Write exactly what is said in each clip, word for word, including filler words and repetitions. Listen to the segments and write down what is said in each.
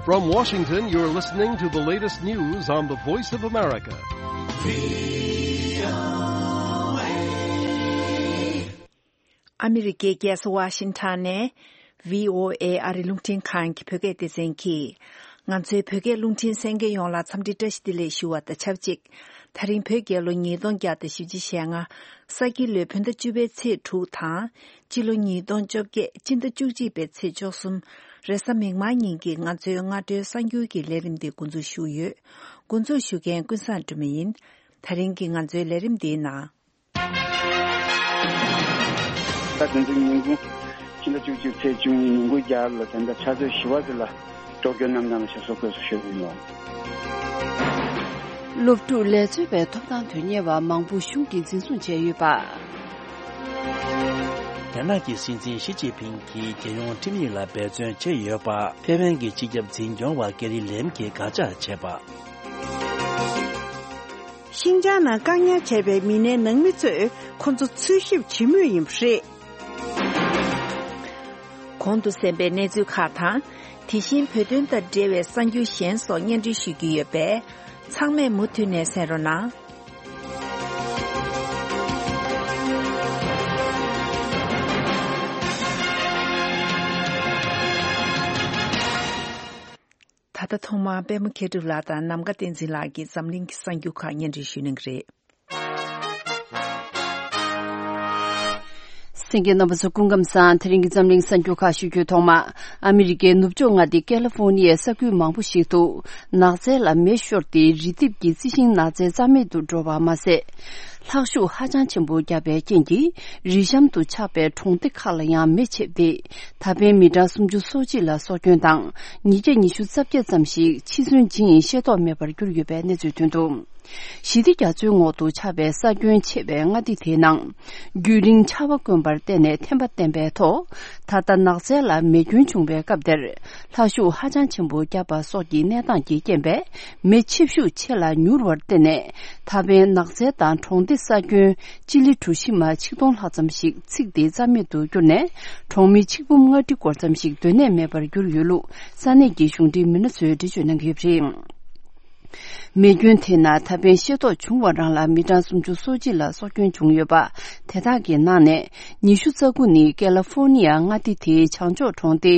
From Washington, you're listening to the latest news on the Voice of America. ཨ་མི་རི་ཀའི་རྒྱལ་ས་ཝ་ཤིང་ཊོན་ནས་བྷི་ཨོ་ཨེ་ཨ་རིའི་རླུང་འཕྲིན་ཁང་གི་བོད་སྐད་སྡེ་ཚན་གྱིས། ང་ཚོའི་བོད་སྐད་རླུང་འཕྲིན་གསན་མཁན་ཡོངས་ལ་འཚམས་འདྲི་བཀྲ་ཤིས་བདེ་ལེགས་ཞུ་བ་དང་ཆབས་ཅིག་ད་རིང་བོད་རྒྱལ་ལོ་ཉིས་སྟོང་བརྒྱ་དང་བཞི་བཅུ་ཞེ་ལྔ། ས་ཁྱི་ལོའི་བོད་ཟླ་བཅུ་པའི་ཚེས་དྲུག་དང་། སྤྱི་ལོ་ཉིས་སྟོང་བཅོ་བརྒྱད་སྤྱི་ཟླ་བཅུ་གཅིག་པའི་ཚེས་བཅུ་གསུམ། རེས་གཟའ་མིག་དམར་ཉིན་གྱི་ང་ཚོའི་སྔ་དྲོའི་གསར་འགྱུར་གྱི་ལས་རིམ་འདི་འགོ་འཛུགས་ཞུ་ཡོད། འགོ་འཛུགས་ཞུ་མཁན་ཀུན་བཟང་སྒྲོལ་མ་ཡིན། ད་རིང་གི་ང་ཚོའི་ལས་རིམ་འདིའི་ནང་། ད་དེ་ཚོའི་ཉིན་གུང་། ཕྱི་ཟླ་བཅུ་གཅིག་ཚེས་བཅུ་གཉིས་ཉིན་གུང་རྒྱ་གར་ལ་དེ་འདྲ་ཕྱག་ཚོད་བཞི་པ་ཙམ་ལ་ཊོ་ཀྱོ་གནམ་ཐང་ལ་ཞབས་སོར་བཀོད་སོང་ཞུ་གི་ཡིན་ལོ། སློབ་ཕྲུག་ལས་བྱེད་པའི་ཐོབ་ཐང་དོན་གཉེར་བ་མང་པོ་གཞུང་གིས་འཛིན་བཟུང་བྱས་ཡོད་པ། རྒྱ་ནག་གི་སྲིད་འཛིན་ཞི་ཅིན་ཕིང་གིས་རྒྱལ་ཡོངས་ཁྲིམས་ཡིག་ལ་འབད་བརྩོན་བྱས་ཡོད་པ། ཐའེ་ཝན་གྱི་སྤྱི་ཁྱབ་འཛིན་སྐྱོང་བ་ཀེ་རི་ལེམ་གྱིས་དགག་བྱ་བྱས་པ། ཤིན་ཅང་ནང་བཀག་ཉར་བྱས་པའི་མི་སྣའི་ནང་མི་ཚོས་ཁོ་ཚོ་འཚོལ་ཞིབ་བྱེད་མུས་ཡིན་པ་རེད། གོང་དུ་གསན་པའི་གནས་ཚུལ་ཁག་དང་། དེ་བཞིན་བོད་དོན་དང་འབྲེལ་བའི་གསར་འགྱུར་གཞན་སོགས་སྙན་སྒྲོན་ཞུ་རྒྱུ་ཡོད་པས། ཚང་མས་མུ་མཐུད་ནས་གསན་རོགས་གནང་། ད་ལྟ་ཐོག་མར་པད་མ་མཁས་གྲུབ་ལགས་དང་ནམ་མཁའ་བསྟན་འཛིན་ལགས་ཀྱིས་འཛམ་གླིང་གི་གསར་འགྱུར་ཁག་སྙན་སྒྲོན་ཞུ་གནང་གི་རེད། གསན་མཁན་རྣམ་པ་ཚོ་སྐུ་ཁམས་བཟང་། དེ་རིང་གི་འཛམ་གླིང་གསར་འགྱུར་ཁག་ཞུ་རྒྱུའི་ཐོག་མ། ཨ་མི་རི་ཀའི་ནུབ་ཕྱོགས་མངའ་སྡེ་ཀེ་ལི་ཧྥོ་ནི་ཡའི་ས་ཁུལ་མང་པོ་ཞིག་ཏུ་ནགས་ཚལ་ལ་མེ་ཤོར་ཏེ་རི་ལྡེབས་ཀྱི་རྩི་ཤིང་ནགས་ཚལ་རྩ་མེད་དུ་འགྲོ་བ་མ་ཟད། ལྷག་ཤུགས་ཧ་ཅང་ཆེན་པོ་བརྒྱབ་པའི་རྐྱེན་གྱིས་རི་གཤམ་དུ་ཆགས་པའི་གྲོང་སྡེ་ཁག་ལ་ཡང་མེ་མཆེད་དེ། ད་ཕན་མི་གྲངས་སུམ་ཅུ་སོ་གཅིག་ལ་སྲོག་སྐྱོན་དང་། ཉིས་བརྒྱ་ཉི་ཤུ་རྩ་བརྒྱད་ཙམ་ཞིག་འཆི་གསོན་ཇི་ཡིན་ཤེས་རྟོགས་མེད་པར་གྱུར་ཡོད་པའི་གནས་ཚུལ་ཐོན་འདུག་ཞི་བདེ་རྒྱ་མཚོའི་འོག་ཏུ་ཆགས་པའི་ས་ཁྱོན་ཆེ་བའི་མངའ་སྡེ་དེའི་ནང་། རྒྱུན་རིང་ཆར་པ་དཀོན་པར་བརྟེན་ནས་ཐན་པ་བསྟན་པའི་ཐོག་ད་ལྟ་ནགས་ཚལ་ལ་མེ་སྐྱོན་བྱུང་བའི་སྐབས་དེར། ལྷག་ཤུགས་ཧ་ཅང་ཆེན་པོ་བརྒྱབ་པ་སོགས་ཀྱི་གནས་སྟངས་ཀྱི་རྐྱེན་པས། མེ་ཆེ་ཤུགས་ཆེ་ལ་མྱུར་བར་བརྟེན་ནས། ད་ཕན་ནགས་ཚལ་དང་གྲོང་སྡེ་ས་ཁྱོན་ཅི་ལི་གྲུ་བཞི་མ་ཆིག་སྟོང་ལྷག་ཙམ་ཞིག་ཚིག་དེ་རྩ་མེད་དུ་གྱུར་ནས། གྲོང་མི་ཆིག་འབུམ་ལྔ་ཁྲི་སྐོར་ཙམ་ཞིག་སྡོད་གནས་མེད་པར་གྱུར་ཡོད་ལུགས་ས་གནས་ཀྱི་གཞུང་འབྲེལ་མི་སྣ་ཚོས་འགྲེལ་བརྗོད་གནང་གི་ཡོད་པ་རེད། མེ་སྐྱོན་དེ་ནང་ད་ཕན་ཤེས་རྟོགས་བྱུང་བ་རང་ལ་མི་གྲངས་སུམ་ཅུ་སོ་གཅིག་ལ་སྲོག་སྐྱོན་བྱུང་ཡོད་པ། དེ་དག་གི་ནང་ནས་ཉི་ཤུ་རྩ་དགུ་ནི་ཀེ་ལ་ཧྥོ་ནི་ཡ་མངའ་སྡེ་དེའི་བྱང་ཕྱོགས་གྲོང་སྡེ་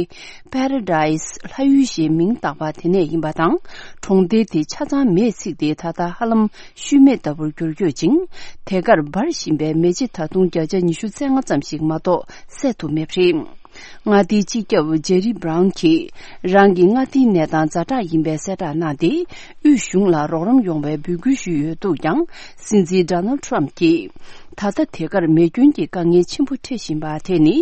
པ་ར་ཌའི་སི་ལྷ་ཡུལ་ཞེས་མིང་བཏགས་པ་དེ་ནས་ཡིན་པ་དང་། གྲོང་སྡེ་དེ་ཆ་ཚང་མེས་ཚིག་སྟེ་ད་ལྟ་ཧ་ལམ་ཤུལ་མེད་ལྟ་བུར་གྱུར་ཡོད་ཅིང་། དེ་གར་འབར་བཞིན་པའི་མེ་ལྕེ་ད་དུང་བརྒྱ་ཆ་ཉི་ཤུ་རྩ་ལྔ་ཙམ་ཞིག་མ་གཏོགས་སད་ཐུབ་མེད་པ་རེད། མངའ་སྡེའི་སྤྱི་ཁྱབ་ཇེ་རི་བྷ་རའུན་གྱིས་རང་གི་མངའ་སྡེའི་གནས་སྟངས་ཛ་དྲག་ཡིན་པའི་གསལ་བསྒྲགས་གནང་སྟེ། དབུས་གཞུང་ལ་རོགས་རམ་ཡོང་བའི་འབོད་སྐུལ་ཞུས་ཡོད་འདུག་ཀྱང་། སྲིད་འཛིན་ཌོ་ནལ་ཊམ་གྱིས། ད་ལྟ་དེ་གར་མེ་སྐྱོན་གྱི་དཀའ་ངལ་ཆེན་པོ་འཕྲད་བཞིན་པ་དེ་ནི།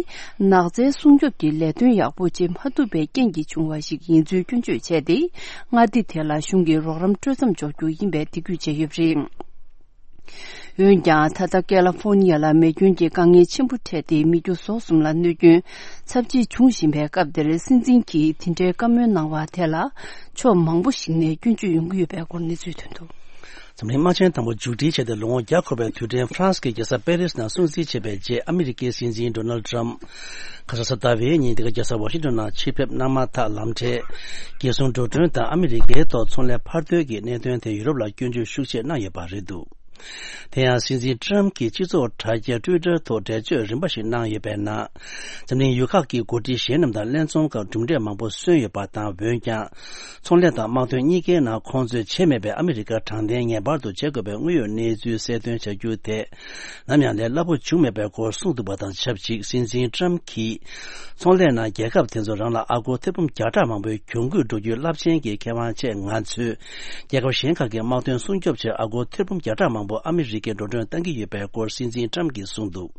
ནགས་ཚལ་སྲུང་སྐྱོབ་ཀྱི་ལས་དོན་ཡག་པོ་བྱེད་མ་ཐུབ་པའི་རྐྱེན་གྱིས་བྱུང་བ་ཞིག་ཡིན་ཚུལ་སྐྱོན་བརྗོད་བྱས་ཏེ། མངའ་སྡེ་དེ་ལ་གཞུང་གིས་རོགས་རམ་སྤྲོད་མཚམས་འཇོག་རྒྱུ་ཡིན་པའི་འདེད་སྐུལ་བྱས་ཡོད་པ་རེད། འོན་ཀྱང་། ད་ལྟ་ཀེ་ལ་ཧྥོ་ནི་ཡ་ལ་མེ་སྐྱོན་གྱི་དཀའ་ངལ་ཆེན་པོ་འཕྲད་དེ། མི་རྒྱུ་ཟོག་གསུམ་ལ་གནོད་སྐྱོན་ཚབས་ཆེ་བྱུང་བཞིན་པའི་སྐབས་འདིར། སྲིད་འཛིན་གྱིས་དེ་འདྲའི་བཀའ་མོལ་གནང་བ་དེ་ལ་ཕྱོགས་མང་པོ་ཞིག་ནས་སྐྱོན་བརྗོད་ཡོང་གི་ཡོད་པའི་སྐོར་གནས་ཚུལ་ཐོན་འདུག་འཛམ་གླིང་དམག་ཆེན་དང་པོ་མཇུག་སྒྲིལ་བྱས་ཏེ་ལོ་ངོ་བརྒྱ་འཁོར་བའི་དུས་དྲན་ཧྥ་རན་སི་གི་རྒྱལ་ས་པེ་རིས་ནང་སྲུང་བརྩི་བྱེད་པའི་རྗེས། ཨ་མི་རི་ཀའི་སྲིད་འཛིན་ཌོ་ནལ་ཊམ་ཁ་སང་གཟའ་ཟླ་བའི་ཉིན་འདི་ག་རྒྱལ་ས་ཝ་ཤིང་ཊོན་ནང་ཆེད་ཕེབས་གནང་མ་ཐག་ལམ་འཕྲལ་རྒྱལ་སྲུང་འགྲོ་གྲོན་དང་ཨ་མི་རི་ཀའི་ཐོག་ཚོང་ལས་འཕར་སྟོན་གྱི་གནད་དོན་དེ་ཡུ་རོབ་ལ་སྐྱོན་བརྗོད་ཤུགས་ཆེ་གནང་ཡོད་པ་རེད་འདུག་དེ་ཡང་སྲིད་འཛིན་ཊམ་གྱིས་སྤྱི་ཚོགས་དྲ་རྒྱ་ཊུའི་ཊར་ཐོག་འགྲེལ་བརྗོད་རིམ་པ་ཞིག་གནང་ཡོད་པའི་ནང་། འཛམ་གླིང་ཡུལ་ཁག་གི་འགོ་ཁྲིད་གཞན་རྣམས་དང་ལྷན་འཛོམས་སྐབས་གྲུབ་འབྲས་མང་པོ་སོན་ཡོད་པ་དང་། འོན་ཀྱང་། ཚོང་ལས་དང་དམག་དོན་གཉིས་ཀའི་ནང་ཁོང་ཚོས་བྱས་མེད་པའི་ཨ་མི་རི་ཀར་དྲང་བདེན་ངེས་པར་དུ་བྱེད་དགོས་པའི་དངོས་ཡོད་གནས་ཚུལ་གསལ་སྟོན་བྱ་རྒྱུ་དེ། ནམ་ཡང་ལས་སླ་པོ་བྱུང་མེད་པའི་སྐོར་གསུངས་འདུག་པ་དང་ཆབས་ཅིག་སྲིད་འཛིན་ཊམ་གྱིས། ཚོང་ལས་ནང་རྒྱལ་ཁབ་དེ་ཚོ་རང་ལ་ཨ་སྒོར་ཐེར་འབུམ་བརྒྱ་ཕྲག་མང་པོའི་གྱོང་གུད་འགྲོ་རྒྱུའི་རླབས་ཆེན་གྱི་ཁེ་དབང་ཆེད། ང་ཚོས་རྒྱལ་ཁབ་གཞན་ཁག་གི་དམག་དོན་སྲུང་སྐྱོབ་ཆེད་ཨ་སྒོར་ཐེར་འབུམ་བརྒྱ་ཕྲག་མང་པོ་ཨ་མི་རི་ཀས་འགྲོ་གྲོན་གཏང་གི་ཡོད་པའི་སྐོར་སྲིད་འཛིན་ཊམ་གྱིས་གསུངས་འདུག་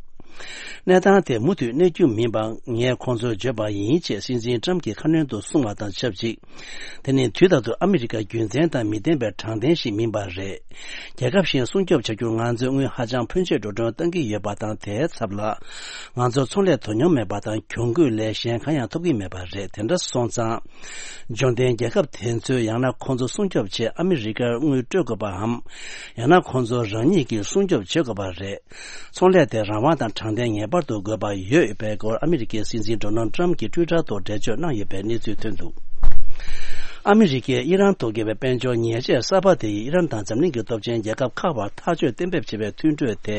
གནས་སྟངས་དེ་མུ་མཐུད་གནས་རྒྱུ་མིན་པ་ངས་ཁོང་ཚོར་བརྗོད་པ་ཡིན་ཅེས་སྲིད་འཛིན་ཊམ་གྱིས་ཁ་སྣོན་དུ་གསུངས་པ་དང་ཆབས་ཅིག་དེ་ནི་དུས་རྟག་ཏུ་ཨ་མི་རི་ཀ་རྒྱུ་མཚན་དང་མི་ལྡན་པའི་དྲང་བདེན་ཞིག་མིན་པ་རེད། རྒྱལ་ཁབ་གཞན་སྲུང་སྐྱོབ་བྱ་རྒྱུར་ང་ཚོས་དངུལ་ཧ་ཅང་ཕོན་ཆེ་འགྲོ་གྲོན་གཏང་གི་ཡོད་པ་དང་། དེའི་ཚབ་ལ་ང་ཚོར་ཚོང་ལས་དོ་སྙོམས་མེད་པ་དང་། གྱོང་གུད་ལས་གཞན་གང་ཡང་ཐོབ་ཀྱི་མེད་པ་རེད། དེ་འདྲ་སོང་ཙང་། འབྱོར་ལྡན་རྒྱལ་ཁབ་དེ་ཚོས་ཡང་ན་ཁོང་ཚོ་སྲུང་སྐྱོབ་ཆེད་ཨ་མི་རི་ཀར་དངུལ་སྤྲོད་དགོས་པའམ། ཡང་ན་ཁོང་ཚོ་རང་ཉིད་ཀྱིས་སྲུང་སྐྱོབ་བྱེད་དགོས་པ་རེད། ཚོང་ལས་དེ་རང་དབང་དང་དྲང་བདེན་ངེས་པར་དུ་དགོས་པ་ཡོད་པའི་སྐོར་ཨ་མི་རི་ཀའི་སྲིད་འཛིན་ཌོ་ནལ་ཊམ་གྱིས་ཊུའི་ཊར་ཐོག་འགྲེལ་བརྗོད་གནང་ཡོད་པའི་གནས་ཚུལ་ཐོན་འདུག་ཨ་མི་རི་ཀས་ཨི་རན་ཐོག་བརྒྱབ་པའི་དཔལ་འབྱོར་ཉེས་ཆད་གསར་པ་དེ་ཡིས་ཨི་རན་དང་འཛམ་གླིང་གི་སྟོབས་ཆེན་རྒྱལ་ཁབ་ཁག་བར་ཐག་གཅོད་གཏན་འབེབས་བྱས་པའི་མཐུན་གྲོས་དེ་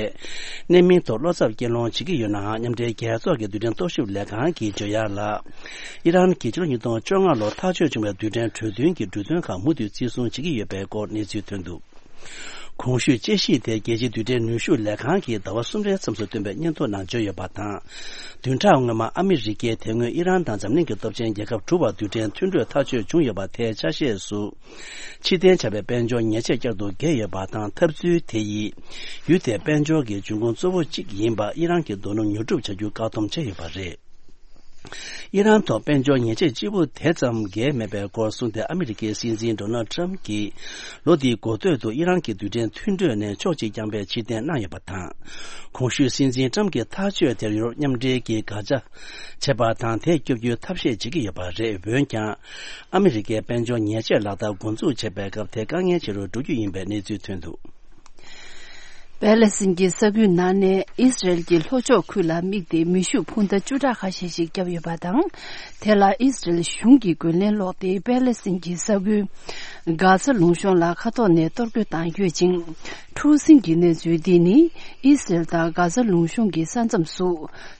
གནད་སྨིན་ཐོག་བློ་འཚབ་སྐྱེ་སློང་བྱེད་ཀྱི་ཡོད་ནའང་། མཉམ་འབྲེལ་རྒྱལ་ཚོགས་ཀྱི་རྡུལ་ཕྲན་རྟོག་ཞིབ་ལས་ཁང་གིས་བརྗོད་ཡག་ལ། ཨི་རན་གྱིས་ཕྱི་ལོ་ཉིས་སྟོང་བཅོ་ལྔ་ལོར་ཐག་གཅོད་བྱུང་བའི་རྡུལ་ཕྲན་གྲོས་མཐུན་གྱི་འབྲུ་དོན་ཁག་མུ་མཐུད་བརྩི་སྲུང་བྱེད་ཀྱི་ཡོད་པའི་སྐོར་གནས་ཚུལ་ཐོན་འདུག། གོང་ཞུས་དཔྱད་གཞི་དེ་རྒྱལ་སྤྱིའི་རྡུལ་ཕྲན་ནུས་ཤུགས་ལས་ཁང་གིས་ཟླ་བ་གསུམ་རེའི་མཚམས་སུ་བཏོན་པའི་སྙན་ཐོ་ནང་བརྗོད་ཡོད་པ་དང་། བདུན་ཕྲག་སྔོན་མ་ཨ་མི་རི་ཀས་དེ་སྔོན་ཨི་རན་དང་འཛམ་གླིང་གི་སྟོབས་ཆེན་རྒྱལ་ཁབ་དྲུག་བར་རྡུལ་ཕྲན་མཐུན་གྲོས་ཐག་གཅོད་བྱུང་ཡོད་པ་དེའི་ཆ་ཤས་སུ། ཕྱིར་འཐེན་བྱ་བའི་དཔལ་འབྱོར་ཉེས་ཆད་བསྐྱར་དུ་འགེལ་ཡོད་པ་དང་། འཐབ་རྩོད་དེ་ཡིས་ཡུལ་དེའི་དཔལ་འབྱོར་གྱི་འབྱུང་ཁུངས་གཙོ་བོ་གཅིག་ཡིན་པ་ཨི་རན་གྱི་རྡོ་སྣུམ་ཉོ་སྒྲུབ་བྱ་རྒྱུ་བཀག་སྡོམ་བྱས་ཡོད་པ་རེད། ཨི་རན་ཐོག་དཔལ་འབྱོར་ཉེས་ཆད་གཅིག་པུ་དེ་ཙམ་འགེལ་མེད་པའི་སྐོར་གསུངས་ཏེ། ཨ་མི་རི་ཀའི་སྲིད་འཛིན་ཌོ་ནལ་ཊམ་གྱིས་ལོ་འདིའི་འགོ་སྟོད་དུ་ཨི་རན་གྱི་རྡུལ་ཕྲན་མཐུན་གྲོས་ནས་ཕྱོགས་གཅིག་རྐྱང་པའི་ཕྱིར་འཐེན་གནང་ཡོད་པ་དང་། གོང་ཞུས་སྲིད་འཛིན་ཊམ་གྱི་ཐག་གཅོད་དེར་ཡུ་རོབ་མཉམ་འབྲེལ་གྱིས་དགག་བྱ་བྱས་པ་དང་། དེ་སྐྱོབ་རྒྱུའི་ཐབས་ཤེས་བྱེད་ཀྱི་ཡོད་པ་རེད། འོན་ཀྱང་། ཨ་མི་རི་ཀས་དཔལ་འབྱོར་ཉེས་ཆད་ལག་བསྟར་འགོ་འཛུགས་བྱེད་པའི་སྐབས་དེ་དཀའ་ངལ་ཆེ་རུ་འགྲོ་རྒྱུ་ཡིན་པའི་གནས་ཚུལ་ཐོན་འདུག། པེ་ལེ་སིན་གྱི་ས་ཁུལ་ནང་ནས་ཨི་སི་རེལ་གྱི་ལྷོ་ཕྱོགས་ཁུལ་ལ་དམིགས་ཏེ་མེ་ཤུགས་འཕུར་མདའ་བཅུ་ཕྲག་ཁ་ཤས་ཤིག་བརྒྱབ་ཡོད་པ་དང་། དེ་ལ་ཨི་སི་རེལ་གཞུང་གིས་རྒོལ་ལན་སློག་སྟེ། པེ་ལེ་སིན་གྱི་ས་ཁུལ་གྷ་ས་ལུང་གཤོང་ལ་མཁའ་ཐོག་ནས་གཏོར་རྒོལ་བཏང་ཡོད་ཅིང་། འཁྲུག་ཟིང་གི་གནས་ཚུལ་འདི་ནི་ཨི་སི་རེལ་དང་གྷ་ས་ལུང་གཤོང་གི་ས་མཚམས་སུ།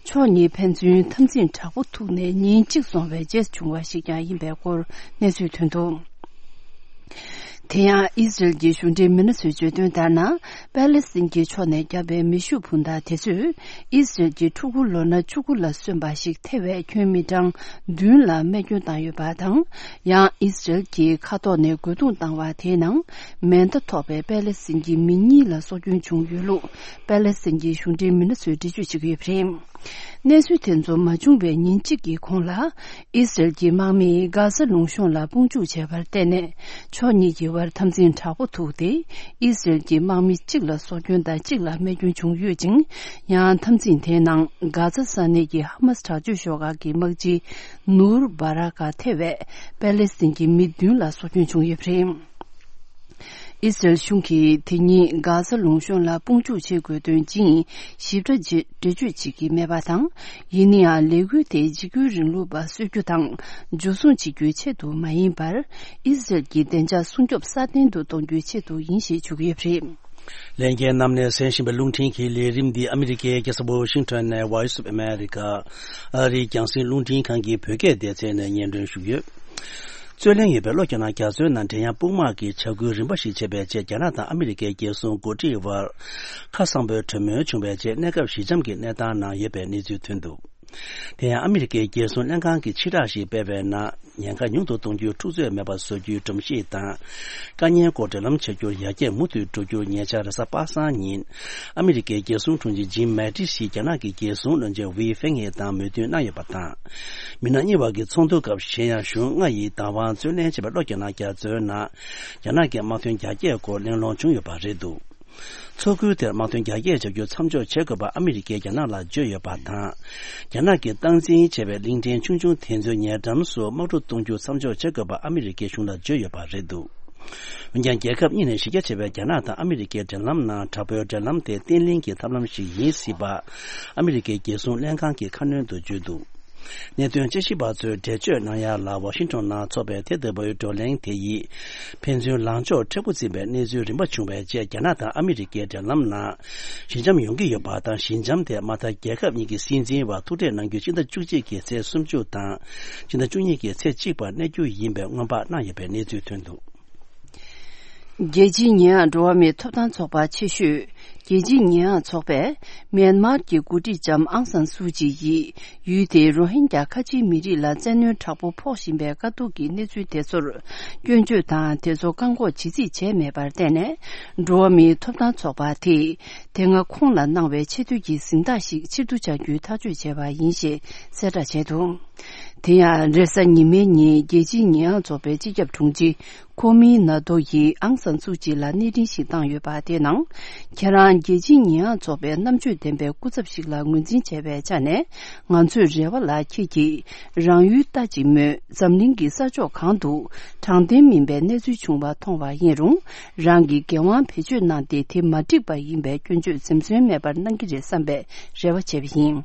ཕྱོགས་གཉིས་ཕན་ཚུན་འཐབ་འཛིང་དྲག་པོ་ཐུག་ནས་ཉིན་གཅིག་སོང་བའི་རྗེས་བྱུང་བ་ཞིག་ཀྱང་ཡིན་པའི་སྐོར་གནས་ཚུལ་ཐོན་འདུག། དེ་ཡང་ཨི་སི་རེལ་གྱི་གཞུང་འབྲེལ་མི་སྣ་ཚོས་བརྗོད་དོན་ལྟར་ན། པེ་ལེ་སི་ཐན་གྱི་ཕྱོགས་ནས་བརྒྱབ་པའི་མེ་ཤུགས་འཕུར་མདའ་དེ་ཚོས་ཨི་སི་རེལ་གྱི་ཕྲུ་གུ་ལོ་ན་བཅུ་དགུ་ལ་སོན་པ་ཞིག་ཐེ་བའི་ཁྱོན་མི་གྲངས་བདུན་ལ་རྨས་སྐྱོན་བཏང་ཡོད་པ་དང་། ཡང་ཨི་སི་རེལ་གྱིས་མཁའ་ཐོག་ནས་རྒོལ་རྡུང་བཏང་བ་དེའི་ནང་མེ་མདའ་ཐོགས་པའི་པེ་ལེ་སི་ཐན་གྱི་མི་གཉིས་ལ་སྲོག་སྐྱོན་བྱུང་ཡོད་ལུགས་པེ་ལེ་སི་ཐན་གྱི་གཞུང་འབྲེལ་མི་སྣ་ཚོས་འགྲེལ་བརྗོད་བྱེད་ཀྱི་ཡོད་པ་རེད། གནས་ཚུལ་དེ་ཚོ་མ་བྱུང་བའི་ཉིན་གཅིག་གི་གོང་ལ། ཨི་སི་རེལ་གྱི་དམག་མིས་གྷ་ས་ལུང་གཤོང་ལ་དཔུང་འཇུག་བྱས་པར་བརྟེན་ནས། ཕྱོགས་གཉིས་ཀྱི་བར་འཐབ་འཛིང་དྲག་པོ་ཐུག་སྟེ། ཨི་སི་རེལ་གྱི་དམག་མི་གཅིག་ལ་སྲོག་སྐྱོན་དང་གཅིག་ལ་རྨས་སྐྱོན་བྱུང་ཡོད་ཅིང་། ཡང་འཐབ་འཛིང་དེའི་ནང་གྷ་ས་ས་གནས་ཀྱི་ཧ་མ་སི་དྲག་སྤྱོད་ཤོག་ཁག་གི་དམག་སྤྱི་ནུར་བྷ་ར་ཀ་ཐེ་བའི་པེ་ལེ་སི་ཐན་གྱི་མི་བདུན་ལ་སྲོག་སྐྱོན་བྱུང་ཡོད་པ་རེད། ཨི་སི་རེལ་གཞུང་གིས་དེ་ཉིན་གྷ་ས་ལུང་གཤོང་ལ་དཔུང་འཇུག་བྱེད་དགོས་དོན་ཇི་ཡིན་ཞིབ་ཕྲ་འགྲེལ་བརྗོད་བྱེད་ཀྱི་མེད་པ་དང་། ཡིན་ན་ཡང་ལས་འགུལ་དེ་འཇིགས་སྐུལ་རིང་ལུགས་པ་གསོད་རྒྱུ་དང་འཇུ་བཟུང་བྱེད་རྒྱུའི་ཆེད་དུ་མ་ཡིན་པར། ཨི་སི་རེལ་གྱི་བདེ་འཇགས་སྲུང་སྐྱོབ་སྲ་བརྟན་དུ་གཏོང་རྒྱུའི་ཆེད་དུ་ཡིན་ཞེས་བརྗོད་ཀྱི་ཡོད་པ་རེད། ལྷན་རྒྱས་རྣམས་ནས་གསན་བཞིན་པའི་རླུང་འཕྲིན་གྱི་ལས་རིམ་འདི་ཨ་མི་རི་ཀའི་རྒྱལ་ས་ཝོ་ཤིང་ཊོན་ནས་Voice of America ཨ་རིའི་རྒྱང་སྲིང་རླུང་འཕྲིན་ཁང་གི་བོད་སྐད་སྡེ་ཚན་ནས་སྙན་སྒྲོན་ཞུས་ཡོད། རྩོད་གླེང་ཡོད་པའི་གློ་རྒྱག་ནག་རྒྱ་མཚོའི་ནང་འབྲེལ་ཡང་དཔུང་དམག་གི་བྱ་འགུལ་རིམ་པ་ཞིག་བྱས་པའི་རྗེས། རྒྱ་ནག་དང་ཨ་མི་རི་ཀའི་རྒྱལ་སྲུང་འགོ་ཁྲིད་དབར་ཁ་གསང་པོའི་གྲོས་མོལ་བྱུང་བའི་རྗེས། གནས་སྐབས་ཞི་འཇམ་གྱི་གནས་སྟངས་ནང་ཡོད་པའི་གནས་ཚུལ་ཐོན་འདུག། དེ་ཡང་ཨ་མི་རི་ཀའི་རྒྱལ་སྲུང་ལྷན་ཁང་གིས་ཕྱིར་བསྒྲགས་ཤིག་སྤེལ་བའི་ནང་། ཉེན་ཁ་ཉུང་དུ་གཏོང་རྒྱུའི་འཁྲུག་རྩོད་མེད་པར་བཟོ་རྒྱུའི་སྒྲོམ་གཞི་དང་། དཀའ་ཉེན་སྐོར་འབྲེལ་ལམ་བྱ་རྒྱུར་ཡར་རྒྱས་མུ་མཐུད་འགྲོ་རྒྱུར། ཉེ་ཆར་རེས་གཟའ་པ་སངས་ཉིན་ཨ་མི་རི་ཀའི་རྒྱལ་སྲུང་དྲུང་ཆེ་ཇིམ་མེ་ཏིས་ཡིས་རྒྱ་ནག་གི་རྒྱལ་སྲུང་བློན་ཆེན་ཝེ་ཧྥེང་ཧེ་དང་མོས་མཐུན་གནང་ཡོད་པ་དང་། མི་སྣ་གཉིས་བར་གྱི་ཚོགས་འདུ་སྐབས། གཞན་ཡང་གཞུང་ལྔ་ཡིས་བདག་དབང་རྩོད་ལེན་བྱས་པའི་གློ་རྒྱག་ནག་རྒྱ་མཚོའི་ནང་རྒྱ་ནག་གི་དམག་དོན་རྒྱ་སྐྱེད་སྐོར་གླེང་སློང་བྱུང་ཡོད་པ་རེད་འདུག། ཚོགས་འདུ་དེར་དམག་དོན་རྒྱ་སྐྱེད་བྱ་རྒྱུ་མཚམས་འཇོག་བྱེད་དགོས་པ་ཨ་མི་རི་ཀས་རྒྱ་ནག་ལ་བརྗོད་ཡོད་པ་དང་། རྒྱ་ནག་གིས་སྟངས་འཛིན་བྱས་པའི་གླིང་ཕྲན་ཆུང་ཆུང་དེ་ཚོའི་ཉེ་འགྲམ་སུ་དམག་འཁྲུག་གཏོང་རྒྱུ་མཚམས་འཇོག་བྱེད་དགོས་པ་ཨ་མི་རི་ཀའི་གཞུང་ལ་བརྗོད་ཡོད་པ་རེད་འདུག། འོན་ཀྱང་། རྒྱལ་ཁབ་གཉིས་ནས་གཞི་རྒྱ་ཆེ་བའི་རྒྱ་ནག་དང་ཨ་མི་རི་ཀའི་འབྲེལ་ལམ་ནང་། དྲག་པོའི་འབྲེལ་ལམ་དེ་བརྟན་ལྷིང་གི་ཐབས་ལམ་ཞིག་ཡིན་སྲིད་པ། ཨ་མི་རི་ཀའི་རྒྱལ་སྲུང་ལྷན་ཁང་གིས་ཁ་སྣོན་དུ་བརྗོད་འདུག། གནད་དོན་དཔྱད་ཞིབ་པ་ཚོས་འགྲེལ་བརྗོད་གནང་ཡ་ལ། ཝ་ཤིང་ཊོན་ནང་འཚོགས་པའི་དེ་ལྟ་བུའི་བགྲོ་གླེང་དེ་ཡིས་ཕན་ཚུན་ལངས་ཕྱོགས་མཁྲེགས་པོ་འཛིན་པའི་གནས་ཚུལ་རིམ་པ་བྱུང་བའི་རྗེས། རྒྱ་ནག་དང་ཨ་མི་རི་ཀའི་འབྲེལ་ལམ་ནང་ཞི་འཇམ་ཡོང་གི་ཡོད་པ་དང་། ཞི་འཇམ་དེ་མ་མཐའ་རྒྱལ་ཁབ་གཉིས་ཀྱི་སྲིད་འཛིན་བར་ཐུག་འཕྲད་གནང་རྒྱུ་སྤྱི་ཟླ་བཅུ་གཅིག་གི་ཚེས་སུམ་ཅུ་དང་སྤྱི་ཟླ་བཅུ་གཉིས་ཀྱི་ཚེས་གཅིག་བར་གནས་རྒྱུ་ཡིན་པའི་སྔོན་དཔག་གནང་ཡོད་པའི་གནས་ཚུལ་ཐོན་འདུག། རྒྱལ་སྤྱིའི་ཉེས་ཡངས་འགྲོ་བ་མིའི་ཐོབ་ཐང་ཚོགས་པ་ཆེ་ཤོས་རྒྱལ་སྤྱིའི་ཉེས་ཡངས་ཚོགས་པས་མེན་མར་གྱི་འགོ་ཁྲིད་ལྕམ་ཨང་སན་སུའུ་ཅི་ཡིས་ཡུལ་དེའི་རོ་ཧིན་རྒྱ་ཁ་ཆེའི་མི་རིགས་ལ་བཙན་གནོན་དྲག་པོ་ཕོག་བཞིན་པའི་དཀའ་སྡུག་གི་གནས་ཚུལ་དེ་ཚོར་སྐྱོན་བརྗོད་དང་དེ་ཚོ་བཀག་འགོག་བྱེད་རྩིས་བྱས་མེད་པར་བརྟེན་ནས། འགྲོ་བ་མིའི་ཐོབ་ཐང་ཚོགས་པ་དེས་དེ་སྔ་ཁོང་ལ་གནང་བའི་ཆེས་མཐོའི་གཟེངས་རྟགས་ཤིག་ཕྱིར་བསྡུ་བྱ་རྒྱུའི་ཐག་གཅོད་བྱས་པ་ཡིན་ཞེས་གསལ་བསྒྲགས་བྱས་འདུག། དེ་ཡང་རེས་གཟའ་ཉི་མའི་ཉིན་རྒྱལ་སྤྱིའི་ཉེས་ཡངས་ཚོགས་པའི་སྤྱི་ཁྱབ་དྲུང་ཆེ། ཁོ་མིན་ན་ཏོ་ཡིས་ཨང་སན་སུའུ་ཅི་ལ་གནས་འཕྲིན་ཞིག་བཏང་ཡོད་པ་དེའི་ནང་། ཁྱེད་རང་རྒྱལ་སྤྱིའི་ཉེས་ཡངས་ཚོགས་པའི་རྣམ་དཔྱོད་ལྡན་པའི་སྐུ་ཚབ་ཞིག་ལ་ངོས་འཛིན་བྱས་པའི་ཆ་ནས། ང་ཚོས་རེ་བ་ལ་ཁྱེད་ཀྱིས་རང་ཡུལ་ལྟ་ཅིག་སྨོས། འཛམ་གླིང་གི་ས་ཕྱོགས་གང་དུ་དྲང་བདེན་མིན་པའི་གནས་ཚུལ་བྱུང་བ་མཐོང་བ་ཡིན་རུང་། རང་གིས་འགན་དབང་བེད་སྤྱོད་གནང་སྟེ་དེ་མ་འགྲིག་པ་ཡིན་པའི་སྐྱོན་བརྗོད་འཛེམ་ཟོན་མེད་པར་གནང་གི་རེད་བསམ་པའི་རེ་བ་བྱས་པ་ཡིན།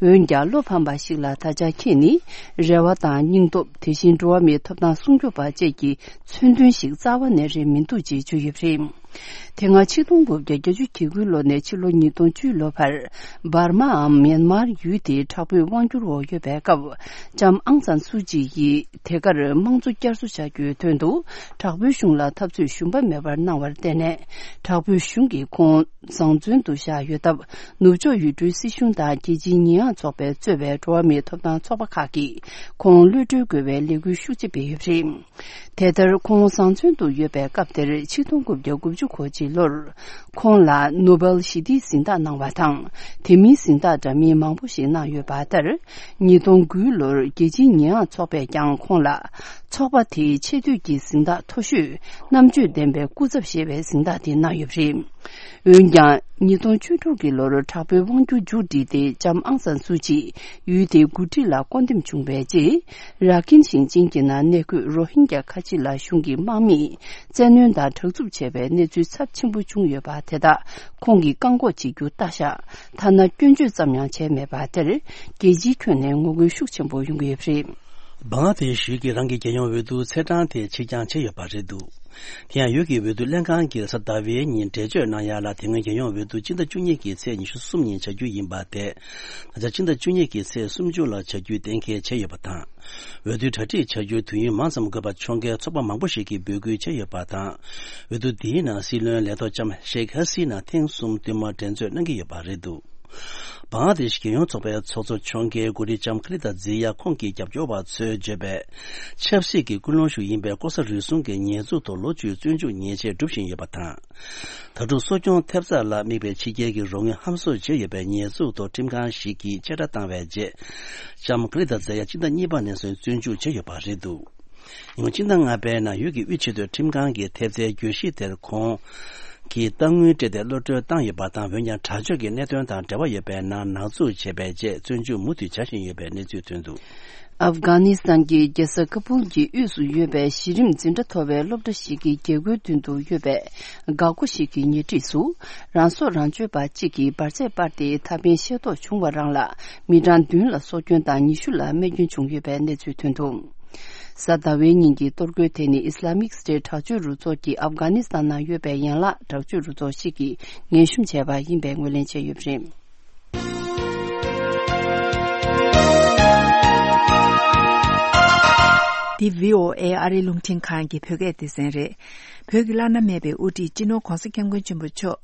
འོན་ཀྱང་། བློ་ཕམ་པ་ཞིག་ལ་ད་ཆ་ཁྱེད་ནི་རེ་བ་དང་སྙིང་སྟོབས། དེ་བཞིན་འགྲོ་བ་མིའི་ཐོབ་ཐང་སྲུང་སྐྱོབ་པ་བཅས་ཀྱི་མཚོན་དོན་ཞིག་རྩ་བ་ནས་རེད་མི་འདུག་ཅེས་བརྗོད་ཡོད་པ་རེད། དེ་སྔ་ཆིག་སྟོང་དགུ་བརྒྱ་བརྒྱད་ཅུ་གྱ་དགུའི་ལོ་ནས་ཕྱི་ལོ་ཉིས་སྟོང་བཅུའི་ལོ་བར། འབར་མའམ་མྱན་མར་ཡུལ་དེའི་དྲག་པོའི་དབང་སྒྱུར་འོག་ཡོད་པའི་སྐབས། ལྕམ་ཨང་སན་སུའུ་ཅི་ཡིས་དེ་གར་དམངས་གཙོ་བསྐྱར་གསོ་བྱ་རྒྱུའི་དོན་དུ། དྲག་པོའི་གཞུང་ལ་འཐབ་རྩོད་ཞུམ་པ་མེད་པར་གནང་བར་བརྟེན་ནས། དྲག་པོའི་གཞུང་གིས་ཁོང་བཟང་བཙོན་དུ་བཞག་ཡོད་སྟབས། ནུབ་ཕྱོགས་ཡུལ་གྲུའི་སྲིད་གཞུང་དང་རྒྱལ་སྤྱིའི་ཉེས་ཡངས་ཚོགས་པས་གཙོས་པའི་འགྲོ་བ་མིའི་ཐོབ་ཐང་ཚོགས་པ་ཁག་གིས། ཁོང་གློད་གྲོལ་དགོས་པའི་ལས་འགུལ་ཤུགས་ཆེ་སྤེལ་ཡོད་པ་རེད། དེ་ལྟར། ཁོང་བཟང་བཙོན་དུ་ཡོད་པའི་སྐབས་དེར། ཆིག་སྟོང་དགུ་བརྒྱ་དགུ་བཅུ་གོ་གཅིག་ལོར། ཁོང་ལ་ནོ་སྦེལ་ཞི་བདེའི་གཟེངས་རྟགས་གནང་བ་དང་། དེ་མིན་གཟེངས་རྟགས་འདྲ་མིན་མང་པོ་ཞིག་གནང་ཡོད་པ་ལྟར། ཉིས་སྟོང་དགུའི་ལོར་རྒྱལ་སྤྱིའི་ཉེས་ཡངས་ཚོགས་པས་ཀྱང་ཁོང་ལ། ཚོགས་པ་དེའི་ཆེས་མཐོའི་གཟེངས་རྟགས་མཐོ་ཤོས། རྣམ་དཔྱོད་ལྡན་པའི་སྐུ་ཚབ་ཞེས་པའི་གཟེངས་རྟགས་དེ་གནང་ཡོད་པ་རེད། འོན་ཀྱང་། ཉིས་སྟོང་བཅུ་དྲུག་གི་ལོར་དྲག་པོའི་དབང་སྒྱུར་མཇུག་བསྒྲིལ་ཏེ། ལྕམ་ཨང་སན་སུའུ་ཅི་ཡུལ་དེའི་འགོ་ཁྲིད་ལ་བསྐོ་འདེམས་བྱུང་བའི་རྗེས། ར་ཁིན་ཞིང་ཆེན་གྱི་ནང་གནས་འཁོད་རོ་ཧིན་རྒྱ་ཁ་ཆེ་ལ་གཞུང་གི་དམག་མིས་བཙན་གནོན་དང་དྲག་རྩུབ་བྱས་པའི་གནས་ཚུལ་ཚབས་ཆེན་པོ་བྱུང་ཡོད་པ་དེ་དག་ཁོང་གིས་བཀག་འགོག་བྱེད་རྒྱུ་ལྟ་བཞག་ཐ་ན་སྐྱོན་བརྗོད་ཙམ་ཡང་བྱས་མེད་པ་དེར། རྒྱལ་སྤྱིའི་ཁྱོན་ནས་ངོ་རྒོལ་ཤུགས་ཆེན་པོ་ཡོང་གི་ཡོད་པ་རེད། བང་ལ་དེ་ཤི་གིས་རང་གི་རྒྱལ་ཡོངས་འོས་བསྡུ་ཚེས་གྲངས་དེ་ཕྱིར་འགྱངས་བྱས་ཡོད་པ་རེད་འདུག་དེ་ཡང་ཡུལ་གྱི་འོས་བསྡུ་ལྷན་ཁང་གིས་གཟའ་ཟླ་བའི་ཉིན་འགྲེལ་བརྗོད་གནང་ཡ་ལ། དེ་སྔོན་རྒྱལ་ཡོངས་འོས་བསྡུ་སྤྱི་ཟླ་བཅུ་གཉིས་ཀྱི་ཚེས་ཉི་ཤུ་གསུམ་ཉིན་བྱ་རྒྱུ་ཡིན་པ་དེ། ད་ཆ་སྤྱི་ཟླ་བཅུ་གཉིས་ཀྱི་ཚེས་སུམ་ཅུ་ལ་བྱ་རྒྱུའི་གཏན་འཁེལ་བྱས་ཡོད་པ་དང་། འོས་བསྡུའི་གྲ་སྒྲིག་བྱ་རྒྱུར་དུས་ཡུན་མང་ཙམ་དགོས་པ་ཁྱོན་གའི་ཚོགས་པ་མང་པོ་ཞིག་གིས་འབོད་སྐུལ་བྱས་ཡོད་པ་དང་། འོས་བསྡུ་འདིའི་ནང་སྲིད་བློན་ལས་ཐོག་ལྕམ་ཤེག་ཧ་སི་ན་ཐེངས་གསུམ་བསྟུད་མར་འགྲན་རྩོད་གནང་གི་ཡོད་པ་རེད་འདུག་བང་ལ་དེ་ཤི་རྒྱལ་ཡོངས་ཚོགས་པའི་ཚོགས་གཙོ་ཁྱོན་གའི་འགོ་ཁྲིད་ལྕམ་ཁ་ལི་ཏ་ཛི་ཡ་ཁོང་གི་རྒྱབ་སྐྱོར་བ་ཚོས་བརྗོད་པའི། ཆབ་སྲིད་ཀྱི་ཀུན་སློང་ཞིག་ཡིན་པའི་ལྐོག་ཟ་རུལ་སུངས་ཀྱི་ཉེས་འཛུགས་ཐོག་ལོ་བཅུའི་བཙོན་འཇུག་ཉེས་ཆད་སྒྲུབ་བཞིན་ཡོད་པ་དང་། ད་དུང་གསོ་སྐྱོང་ཐེབས་རྩ་ལ་དམིགས་པའི་ཕྱི་རྒྱལ་གྱི་རོགས་དངུལ་ཧམ་བཟོ་བྱས་ཡོད་པའི་ཉེས་འཛུགས་ཐོག་ཁྲིམས་ཁང་ཞིག་གིས་བཅད་ཁྲ་བཏང་བའི་རྗེས། ལྕམ་ཁ་ལི་ཏ་ཛི་ཡ་སྤྱི་ཟླ་གཉིས་པ་ནས་བཟུང་བཙོན་འཇུག་བྱས་ཡོད་པ་རེད་འདུག་ཉིན་གུང་སྤྱི་ཟླ་ལྔ་པའི་ནང་ཡུལ་གྱི་དབུས་ཆེས་མཐོའི་ཁྲིམས་ཁང་གིས་ཐེབས་རྩའི་གྱོད་གཞི་དེར་ཁོང་གིས་གཏའ་དངུལ་སྤྲད་དེ་གློད་གྲོལ་བཏང་ཡོད་པ་དང་། འོན་ཀྱང་། དྲག་སྤྱོད་ཀྱི་གནད་དོན་དང་འབྲེལ་བ་ཡོད་པའི་ནང་ནག་འཛུགས་བྱས་པའི་རྗེས། བཙོན་འཇུག་མུ་མཐུད་བྱ་བཞིན་ཡོད་པའི་གནས་ཚུལ་ཐོན་འདུག་ཨབ་གྷ་ནི་སི་ཐན་གྱི་རྒྱལ་ས་ཀ་བུལ་གྱི་དབུས་སུ་ཡོད་པའི་གཞི་རིམ་འཛིན་གྲྭ་མཐོ་བའི་སློབ་གྲྭ་ཞིག་གི་རྒྱལ་སྒོའི་མདུན་དུ་ཡོད་པའི་འགག་སྒོ་ཞིག་གི་ཉེ་འཁྲིས་སུ། རང་སྲོག་རང་གཅོད་པ་གཅིག་གིས་འབར་རྫས་སྤར་ཏེ། ཐག་པས་ཤེས་རྟོགས་བྱུང་བ་རང་ལ། མི་གྲངས་བདུན་ལ་སྲོག་སྐྱོན་དང་ཉི་ཤུ་ལ་རྨས་སྐྱོན་བྱུང་ཡོད་པའི་གནས་ཚུལ་ཐོན་འདུག་གཟའ་ཟླ་བའི་ཉིན་གྱི་གཏོར་རྒོལ་དེ་ནི་ཨིས་ལ་མིག་སི་ཊེཊ་དྲག་སྤྱོད་རུ་ཚོགས་ཀྱིས་ཨབ་གྷ་ནི་སི་ཐན་ནང་ཡོད་པའི་ཡན་ལག་དྲག་སྤྱོད་རུ་ཚོགས་ཤིག་གིས་ངན་ཞུམ་བྱས་པ་ཡིན་པའི་ངོས་ལེན་བྱས་ཡོད་པ་རེད། འདི་བྷི་ཨོ་ཨེ་ཨ་རིའི་རླུང་འཕྲིན་ཁང་གི་བོད་སྐད་སྡེ་ཚན་རེད། བོད་ཀྱི་བླ་ན་མེད་པའི་དབུ་ཁྲིད་སྤྱི་ནོར་༧གོང་ས་༧སྐྱབས་མགོན་ཆེན་པོ་མཆོག་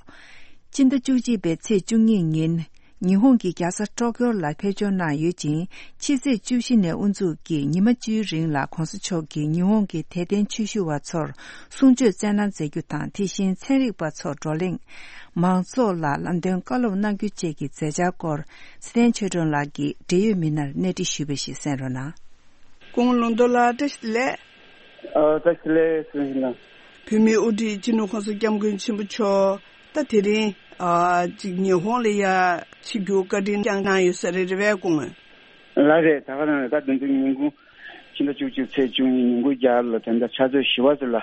སྤྱི་ཟླ་བཅུ་གཅིག་པའི་ཚེས་བཅུ་གཉིས་ཉིན། ཉི་ཧོང་གི་རྒྱལ་ས་ཊོ་ཀྱོ་ལ་ཕེབས་འབྱོར་གནང་ཡོད་ཅིང་། ཕྱི་ཚེས་བཅུ་བཞི་ནས་དབུ་འཛུགས་ཀྱིས་ཉི་མ་བཅུའི་རིང་ལ་༧གོང་ས་མཆོག་གིས་ཉི་ཧོང་གི་དད་ལྡན་ཆོས་ཞུ་བ་ཚོར་གསུང་ཆོས་སྩལ་གནང་མཛད་རྒྱུ་དང་། དེ་བཞིན་ཚན་རིག་པ་ཚོར་བགྲོ་གླེང་། མང་ཚོགས་ལ་ལམ་སྟོན་བཀའ་སློབ་གནང་རྒྱུ་བཅས་ཀྱི་མཛད་འཆར་སྐོར། ཚེ་བརྟན་ཆོས་སྒྲོན་ལགས་ཀྱིས་འབྲེལ་ཡོད་མི་སྣར་གནས་འདྲི་ཞུས་པ་ཞིག་གསན་རོགས་གནང་། སྐུ་ངོ་ལུང་རྟོགས་ལགས། བཀྲ་ཤིས་བདེ་ལེགས། ཨ། བཀྲ་ཤིས་བདེ་ལེགས་ཟེར་ཞུ་ལ། བོད་མིའི་དབུ་ཁྲིད་སྤྱི་ནོར་༧གོང་ས་༧སྐྱབས་མགོན་ཆེན་པོ་མཆོག་ད་དེ་རིང་ཨ་ཅིག་ཉི་ཧོང་ལ་ཡ་ཆིབས་བསྒྱུར་བཀའ་དྲིན་བསྐྱངས་གནང་ཡོད་ས་རེད། རེད་པས་སྐུ་ངོ། ལགས་རེད། ད་ག་རང་རེད། ད་དེ་ཚོ་ཉིན་གུང་ཕྱི་ཟླ་བཅུ་གཅིག་ཚེས་བཅུ་གཉིས་ཉིན་གུང་རྒྱ་གར་ལ་ད་ལྟ་ཕྱག་ཚོད་བཞི་པ་ཙམ་ལ་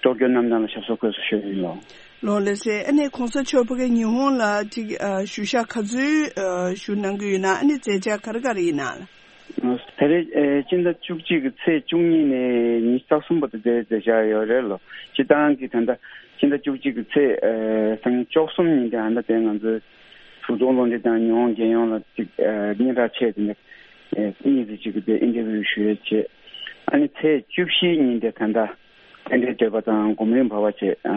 ཊོ་ཀྱོ་གནམ་ཐང་ལ་ཞབས་སོར་འཁོད་སོང་ཞུ་ཡིན་ལོ། ལགས་སེ། ཨ་ནི་༧གོང་ས་མཆོག་ཕ་གི་ཉི་ཧོང་ལ་ཅིག་ཨ་བཞུགས་ཞག་ག་ཚོད་ཨ་བཞུགས་གནང་གི་ཡོད་ན། ཨ་ནི་མཛད་འཆར་ག་རེ་ག་རེ་ཡིན་ན། ད་རེས་ཨེ་སྤྱི་ཟླ་བཅུ་གཅིག་གི་ཚེས་བཅུ་གཉིས་ནས་ཉི་ཤུ་རྩ་གསུམ་བར་དུ་དེ་མཛད་འཆར་ཡོད་རེད་ལོ། སྤྱིར་བཏང་གི་ད་ལྟ་སྤྱི་ཟླ་བཅུ་གཅིག་གི་ཚེས་ཨེ་སང་ཉིན་བཅུ་གསུམ་ཉིན་དེ་ཨ་ད་དེ་ང་ཚོའི་བུ་ཚོང་ལུང་འདྲེན་དང་ཉི་ཧོང་རྒྱལ་ཡོངས་ལ་ཅིག་ཨེ་སྙན་གྲགས་ཆེ་དེ་འདྲ་ཨེ་གཉིས་ཙམ་ཅིག་གི་དེ་ཨིན་ཊར་བིའུ་ཞུ་ཡས་བྱས། ཨ་ནི་ཚེས་བཅུ་བཞི་ཉིན་དེ་ད་ལྟ་རྟེན་འབྲེལ་བསྟོད་པ་དང་སྒོམ་རིམ་བར་པ་བྱས། ཨ་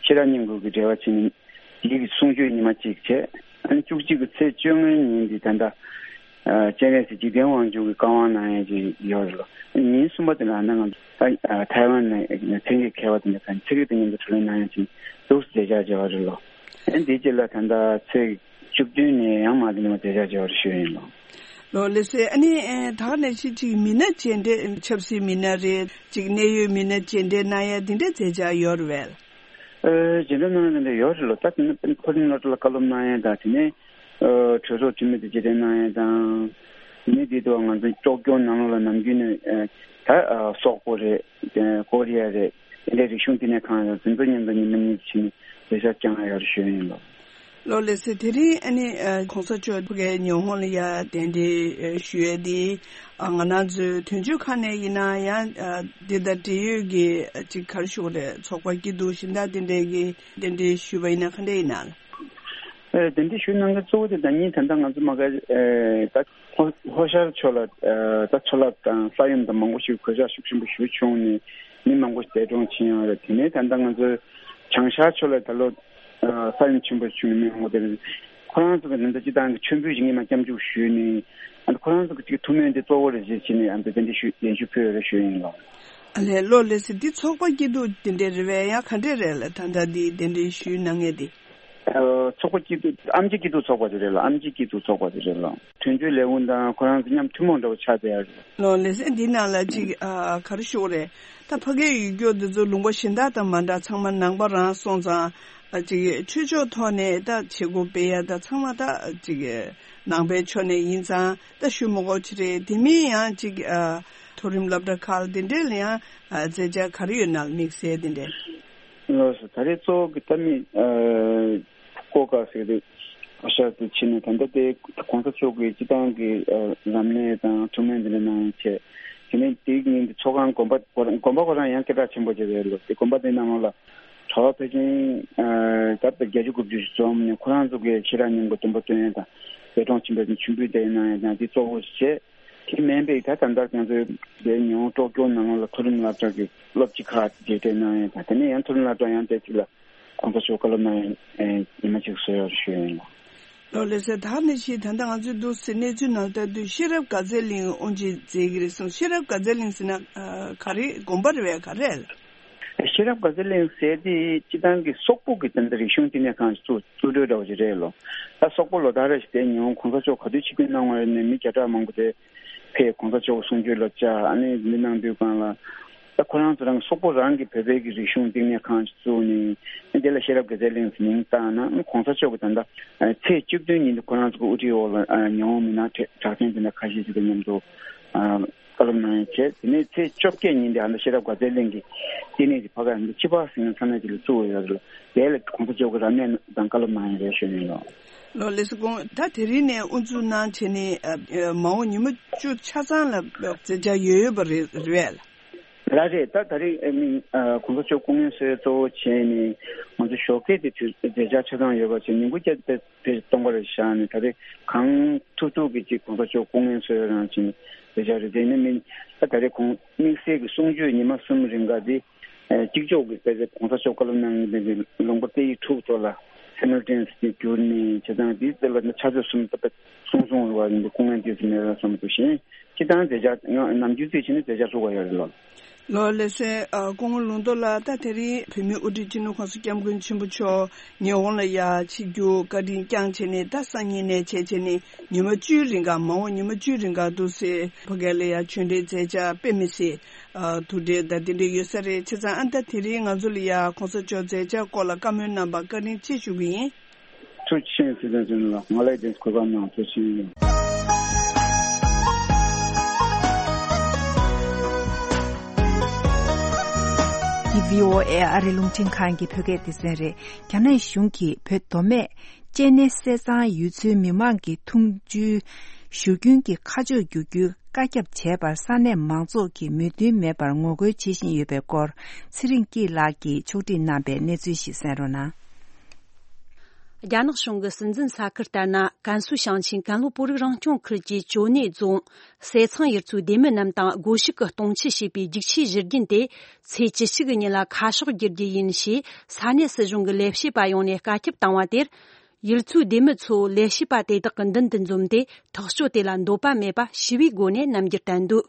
ཤེས་རབ་སྙིང་པོ་གི་འགྲེལ་པ་བྱས་ནས། ཡིད་ཀྱི་གསུང་ཆོས་ཉི་མ་གཅིག་བྱས། ཨ་ནི་བཅུ་གཅིག་གི་ཚེས་བཅོ་ལྔའི་ཉིན་འདི་ད་ལྟ་ཨ་སྤྱན་རས་གཟིགས་འཇིག་རྟེན་དབང་ཕྱུག་གི་བཀའ་དབང་གནང་ཡས་ཅིག་ཡོད་རེད་ལོ། ཨ་ནི་ཉིན་གསུམ་པ་དེ་ལ་ཨ་ནི་ང་ཚོ་ཨ་ཐའེ་ཝན་ནས་ཚན་རིག་མཁས་པ་དེ་འདྲ་ཚན་རིག་དང་མཉམ་དུ་བགྲོ་གླེང་གནང་ཡས་ཅིག་འདུག་ཟེར་མཛད་འཆར་བྱས་པ་རེད་ལོ། ཨ་ནི་འདིའི་རྗེས་ལ་ད་ལྟ་ཚེས་བཅུ་བདུན་ནས་ཡང་མ་དེ་ནས་མ་མཛད་འཆར་བྱས་པ་རེད་ཞུ་ཡིན་ལོ། ལོ་ལགས་སེ། ཨ་ནི་ཨེ་ད་ག་ནང་བཞིན་ཅིག་མི་སྣ་མཇལ་འཕྲད། ཆབ་སྲིད་མི་སྣ་རེད། ཅིག་གནད་ཡོད་མི་སྣ་མཇལ་འཕྲད་གནང་ཡ་དེ་འདྲའི་མཛད་འཆར་ཡོད་རེད་པས། ཨེ་མཇལ་འཕྲད་གནང་ཡ་དེ་འདྲ་ཡོད་རེད་ལོ། ད་དེ་ནི་མཐོ་རིམ་སློབ་གྲྭ་ལ་བཀའ་སློབ་གནང་ཡ་དང་། དེ་ནས་ཨེ་གྲོས་ཚོགས་འཐུས་མི་དེ་མཇལ་འཕྲད་གནང་ཡ་དང་། དེ་ནས་དེ་དུས་ང་ཚོ་ཀྲོ་ཀྱོ་ནང་ལོགས་ལ་ནམ་རྒྱུན་ནས་ཨེ་ད་ཨེ་སོག་པོ་རེད། ཨེ་ཀོ་རི་ཡ་རེད། དེ་འདྲའི་རིག་གཞུང་བསྟི་གནས་ཁང་ཡོད། དེ་ཚོ་མཉམ་དུ་ཉི་མ་གཉིས་ཕྱིན་ནས་མཛད་འཆར་བསྐྱངས་ཡོད་ཞུ་ཡིན་ལོ། ལོ་ལགས་སེ། དེ་རིང་ཨ་ནི་ཨ་གོང་ས་མཆོག་ཕ་གིའི་ཉི་ཧོང་ལ་ཡ་གདན་འདྲེན་ཨ་ཞུ་ཡས་འདི། ཨ་ང་རང་ཚོའི་དོན་གཅོད་ཁང་ནས་ཡིན་ན་ཡང་། ཨ་འདི་དང་འབྲེལ་ཡོད་ཀྱི་ཨ་ཅིག་ག་རེ་ཞུ་དགོས་རེད། ཚོགས་པ་སྐྱིད་སྡུག་གཞན་དག་དེ་འདྲས་ཀྱི་གདན་འདྲེན་ཞུས་པ་ཡིན་ན་ག་འདྲས་ཡིན་ན། ཨ་གདན་འདྲེན་ཞུ་གནང་མཁན་གཙོ་བོ་དེ་ད་ཉིན་ད་ལྟ་ང་ཚོ་མ་ག་ཨ་ད་ལྷོ་ལྷོ་ཤར་ཕྱོགས་ལ་ཨ་ད་མཚོ་རླབས་དང་ས་ཡོམ་དང་མང་པོ་ཞིག་གོད་ཆག་ཤུགས་ཆེན་པོ་ཞིག་བྱུང་ནས་མི་མང་པོ་ཞིག་འདས་གྲོངས་ཕྱིན་ཡོད་རེད། དེ་ནས་ད་ལྟ་ང་ཚོ་བྱང་ཤར་ཕྱོགས་ལ་ད་ལོ་ཨ་ས་ཡོམ་ཆེན་པོ་བྱུང་ནས་མི་མང་པོ་དེ་རེད། ཁོ་རང་ཚོ་གི་ད་ལྟ་སྤྱི་བཏང་གི་མཆོད་འབུལ་ཞིག་ངས་མ་སྐྱབས་འཇུག་ཞུས་ནས། ཨ་ནི་ཁོ་རང་ཚོ་གི་ཅིག་ཐུགས་སྨོན་དེ་གཙོ་བོ་རེད་ཅེས་བྱས་ནས། ཨ་ནི་གདན་འདྲེན་ཞུ་གདན་ཞུ་ཕུལ་ཡོད་རེད་ཞུ་ཡིན་ལོ། ཨ་ལས། ལོ་ལགས་སེ། འདི་ཚོགས་པ་སྐྱིད་སྡུག་དེ་འདྲས་རེད་པས། ཡང་ག་འདྲས་རེད་ལ། ད་ལྟ་འདི་གདན་འདྲེན་ཞུས་གནང་མཁན་དེ། ཨ་ཚོགས་པ་སྐྱིད་སྡུག་ཨེམ་ཆི་སྐྱིད་སྡུག་ཚོགས་པ་དེ་རེད་ལ། ཨེམ་ཆི་སྐྱིད་སྡུག་ཚོགས་པ་དེ་རེད་ལ། དོན་གཅོད་ལས་ཁུངས་དང་ཁོ་རང་ཚོ་མཉམ་ཐུན་མོང་འདྲ་བོ་ཆགས་བསྡད་ཡོད་རེད། ལོ་ལགས་སེ། འདི་ནང་ལ་ཅིག་ཨ་ག་རེ་ཞུ་དགོས་རེད། ད་ཕ་གིའི་ཡུལ་སྐྱོར་འདི་ཚོ་ལུང་པ་གཞན་དག་དང་མ་འདྲ། ཚང་མ་ནང་པ་རང་སོང་ཙང་། ཨ་ཅིག་ཆོས་ཕྱོགས་ཐོག་ནས་ད་བྱེད་སྒོ་སྤེལ་ཡ་ད་ཚང་མ་ད་ཅིག་ནང་པའི་ཕྱོགས་ནས་ཡིན་ཙང་ད་ཞུ་མི་དགོས་ཅི་རེད། དེ་མིན་ཡང་ཅིག་ཨ་མཐོ་རིམ་སློབ་གྲྭ་ཁག་ལ་དེ་འདྲས་ལ་ཡང་ཨ་མཛད་འཆར་ག་རེ་ཡོད་ན་དམིགས་བསལ་དེ་འདྲས། ལགས་སོ། ད་རེས་གཙོ་བོ་གི་ད་མི་ཨ་སྐོར་སྐར་ཟེར་གི་འདུག་ཤར་དུ་ཕྱིན་ནས། ད་ལྟ་དེ་གོང་ས་མཆོག་གི་སྤྱི་བཏང་གི་ཨ་རབ་གནས་དང་ཐུགས་སྨོན་འདི་འདྲ་གནང་བྱས། དེ་ནས་དེའི་ཉིན་དེ་ཚོགས་ཁང་དགོན་པ་ཁོ་རང་དགོན་པ་ཁོ་རང་ཡང་སྐད་གྲགས་ཆེན་པོ་ཅིག་རེད་ལོ། དེ་དགོན་པ་དེ་ནང་ལོགས་ལ་གྲྭ་པ་ཕལ་ཆེར་ཨ་ད་ལྟ་བརྒྱད་ཅུ་དགུ་བཅུ་ཞིག་འཛོམས་ནས། ཁོ་རང་ཚོ་གི་ཤེས་རབ་སྙིང་པོ་སྟོན་པ་སྟོན་ཡ་དང་། འདས་གྲོངས་ཕྱིན་པའི་མཆོད་འབུལ་དེ་གནང་ཡ་དང་། དེ་གཙོ་བོ་བྱས། དེ་མིན་པའི་ད་ད་ལྟ་ང་ཚོའི་དེ་ཉི་ཧོང་ཀྲོ་ཀྱོ་ནང་ལ་མཐོ་རིམ་སློབ་གྲྭ་གི་སློབ་སྤྱི་ཁག་དེ་མཇལ་འཕྲད་གནང་ཡས་དང་། དེ་ནས་ཡང་མཐོ་རིམ་སློབ་གྲྭ་ཡང་དེ་གཅིག་ལ་གོང་ས་མཆོག་བཀའ་སློབ་གནང་ཡས་ཉི་མ་གཅིག་བཟོས་ཡོད་ཞུ་ཡ་ཡིན་ལ། ལོ་ལགས་སེ། ད་ནི་ཞིག་ད་ལྟ་ང་ཚོའི་འདུག་སེ་གནས་ཚུལ་ནང་ལྟར་དུ་ཤེས་རབ་དགའ་ཚལ་གླིང་དབུ་འབྱེད་མཛད་ཀྱི་རེད་གསུངས། ཤེས་རབ་དགའ་ཚལ་གླིང་ཟེར་ན་ཨ་ག་རེ་དགོན་པ་རེད་པས། ག་རེ་རེད། ཤེས་རབ་དགའ་ཚལ་གླིང་ཟེར་དེ་སྤྱི་བཏང་གི་སོག་པོ་གི་ད་ལྟ་རིག་གཞུང་བསྟི་གནས་ཁང་ཞིག་བཙུགས་བཙུགས་གྲོས་འདྲ་བོ་ཞིག་རེད་ལོ། ད་སོག་པོ་ལོ་ལྟར་རེ་བཞིན་དེ་ཉི་ཧོང་གོང་ས་མཆོག་ག་དུས་ཆིབས་བསྒྱུར་གནང་བ་ཡིན་ནའི་མི་བརྒྱ་ཕྲག་མང་པོ་དེ་ཕེབས། གོང་ས་མཆོག་གི་གསུང་ཆོས་ལ་བཅར། ཨ་ནི་འདི་གནང་དུས་སྒང་ལ་ད་ཁོ་རང་ཚོ་རང་གི་སོག་པོ་རང་གི་བོད་པའི་གི་རིག་གཞུང་བསྟི་གནས་ཁང་ཞིག་བཙུགས་ནས། ཨ་དེ་ལ་ཤེས་རབ་དགའ་ཚལ་གླིང་ཟེར་མིང་བཏགས་ན། ཨ་གོང་ས་མཆོག་གི་ད་ལྟ་ཚེས་བཅུ་བདུན་ཉིན་དུ་ཁོ་རང་ཚོ་གི་དབུ་ཁྲིད་འོག་ལ་ཨ་ཉི་ཧོང་མི་སྣ་གྲགས་ཅན་དེ་འདྲ་ཁ་ཤས་ཤིག་དང་མཉམ་དུ་ཨ་བཀའ་སློབ་གནང་ཡས་བྱས། དེ་ནས་ཚེས་བཅོ་བརྒྱད་ཉིན་དེ་ཨ་ནི་ཤེས་རབ་དགའ་ཚལ་གླིང་གི་བསྟི་གནས་ཀྱི་ཕ་ག་ཡང་ཆི་པ་ཟེར་མཁན་ས་གནས་ཅིག་ལ་བཙུགས་ཡོད་རེད། དེ་ལ་གོང་ས་མཆོག་གི་རབ་གནས་དང་བཀའ་སློབ་གནང་ཡས་རེད་ཞུ་ཡིན་ལོ། ལོ་ལགས་སེ། དགོངས། ད་དེ་རིང་ནས་དབུ་འཛུགས་གནང་བྱས་ནས་ཨ་མ་འོངས་ཉི་མ་བཅུ་ཆ་ཚང་ལ་མཛད་འཆར་ཡོད་ཡོད་པ་རེད་རེད་པས། ར་རེད། ད་ད་རེས་ཨ་ནི་ཨ་གོང་ས་མཆོག་སྐུ་ངལ་གསོ་ཡས་གཙོ་བོ་བྱས་ནས་ང་ཚོ་ཞོགས་ཀས་དེ་དུས་མཛད་འཆར་ཆ་ཚང་ཡོད་པ་བྱས། ཉིན་གུང་བརྒྱད་དེ་དེ་སྟོང་པར་བཞག་ནས། ད་རེས་གང་ཐུབ་ཐུབ་ཀྱི་ཅིག་གོང་ས་མཆོག་སྐུ་ངལ་གསོ་ཡས་རང་བྱས་ནས་མཛད་འཆར་རེད། དེ་ནི་མིན་ད་ད་རེས་གོང་དམིགས་བསལ་གྱི་གསུང་ཆོས་ཉི་མ་གསུམ་རིང་ག་དེ་ཨ་གཅིག་ལྕོགས་ཀྱི་དཔེ་ཆ་གོང་ས་མཆོག་བཀའ་སློབ་གནང་མཁན་དེ་ལུང་པ་སྐད་ཡིག་དྲུག་ཐོག་ལ་སི་མལ་ཊེ་ནི་ཡས་ཏེ་བསྒྱུར་ནས་བྱས་ཙང་། དེའི་རྩ་ལ་ཕྱག་ཚོད་གསུམ་ད་ལྟ་གསུང་གསུང་རུ་བ་ཡིན་པའི་སྐུ་ངལ་ཏོག་ཙམ་མེད་པ་སོང་འདུག་བཞིན། སྤྱི་བཏང་མཛད་འཆར་ཡང་ནམ་རྒྱུན་རྩིས་བྱས་ན་མཛད་འཆར་ཧྲུག་པ་ཡོད་རེད་ལོ། ལོ་ལགས་སེ། ཨ་སྐུ་ངོ་ལུང་རྟོགས་ལགས། ད་དེ་རིང་བོད་མིའི་དབུ་ཁྲིད་སྤྱི་ནོར་གོང་ས་སྐྱབས་མགོན་ཆེན་པོ་མཆོག་ཉི་ཧོང་ལ་ཡར་ཆིབས་བསྒྱུར་བཀའ་དྲིན་བསྐྱངས་བྱས་ནས། ད་སང་ཉིན་ནས་བྱས་བྱས་ནས་ཉི་མ་བཅུའི་རིང་ག་མ་འོངས་ཉི་མ་བཅུའི་རིང་ག་འདུག་སེ་ཕ་གི་ལ་ཡར་ཆོས་འབྲེལ་མཛད་འཆར་དཔེ་མི་སྲིད་ཨ་ཐུགས་འབྲེལ་དང་དེ་འདྲ་ཡོད་ས་རེད། བྱས་ཙང་ཨ་ད་དེ་རིང་ང་ཚོ་ལ་ཡར་གོང་ས་མཆོག་མཛད་འཆར་སྐོར་ལ་བཀའ་མོལ་གནང་བར་བཀའ་དྲིན་ཆེ་ཞུ་གི་ཡིན། ཐུགས་རྗེ་ཆེ་ཟེར་དང་ཟེར་ལ་ང་ལ་དེ་གོ་སྐབས་གནང་། ཐུགས་རྗེ་ཆེ། འདི་བྷི་ཨོ་ཨེ་ཨ་རི་རླུང་འཕྲིན་ཁང་གི་བོད་སྐད་སྡེ་ཚན་རེད། རྒྱ་ནག་གཞུང་གིས་བོད་མདོ་སྨད་སྤྱན་ནེ་སེ་ཚང་ཡུལ་ཚོའི་མི་མང་གི་འཐུང་ཆུའི་བཞུར་རྒྱུན་གྱི་ཁ་ཕྱོགས་བསྒྱུར་རྒྱུའི་བཀའ་ཁྱབ་བྱས་པར་ས་གནས་མང་ཚོགས་ཀྱིས་མོས་མཐུན་མེད་པར་ངོ་རྒོལ་བྱེད་བཞིན་ཡོད་པའི་སྐོར། ཚེ་རིང་སྐྱིད་ལགས་ཀྱིས་ཕྱོགས་སྒྲིག་གནང་པའི་གནས་ཚུལ་ཞིག་གསན་རོགས་གནང་། རྒྱ་ནག་གཞུང་གི་སྲིད་འཛིན་ས་ཁུལ་ལྟར་ན། ཀན་སུའུ་ཞིང་ཆེན་ཀན་ལྷོ་བོད་རིགས་རང་སྐྱོང་ཁུལ་གྱི་ཅོ་ནེ་རྫོང་སེ་ཚང་ཡུལ་ཚོའི་སྡེ་མི་རྣམས་དང་སྒོ་ཕྱུགས་ཀྱིས་སྟོང་ཆད་བྱས་པའི་རྒྱུག་ཆའི་བཞུར་རྒྱུན་དེ་ཚེས་བཅུ་གཅིག་གི་ཉིན་ལ་ཁ་གཤོག་བསྒྱུར་རྒྱུ་ཡིན་ཞེས་ས་གནས་སྲིད་གཞུང་གི་ལས་བྱེད་པ་ཡོངས་ནས་བཀའ་ཁྱབ་བཏང་བ་དེར། ཡུལ་ཚོའི་སྡེ་མི་ཚོ་ལས་བྱེད་པ་དེ་དག་གི་མདུན་དུ་འཛོམས་ཏེ། ཐག་གཅོད་དེ་ལ་འདོད་པ་མེད་པ་ཞི་བའི་སྒོ་ནས་རྣམ་འགྱུར་བསྟན་འདུག་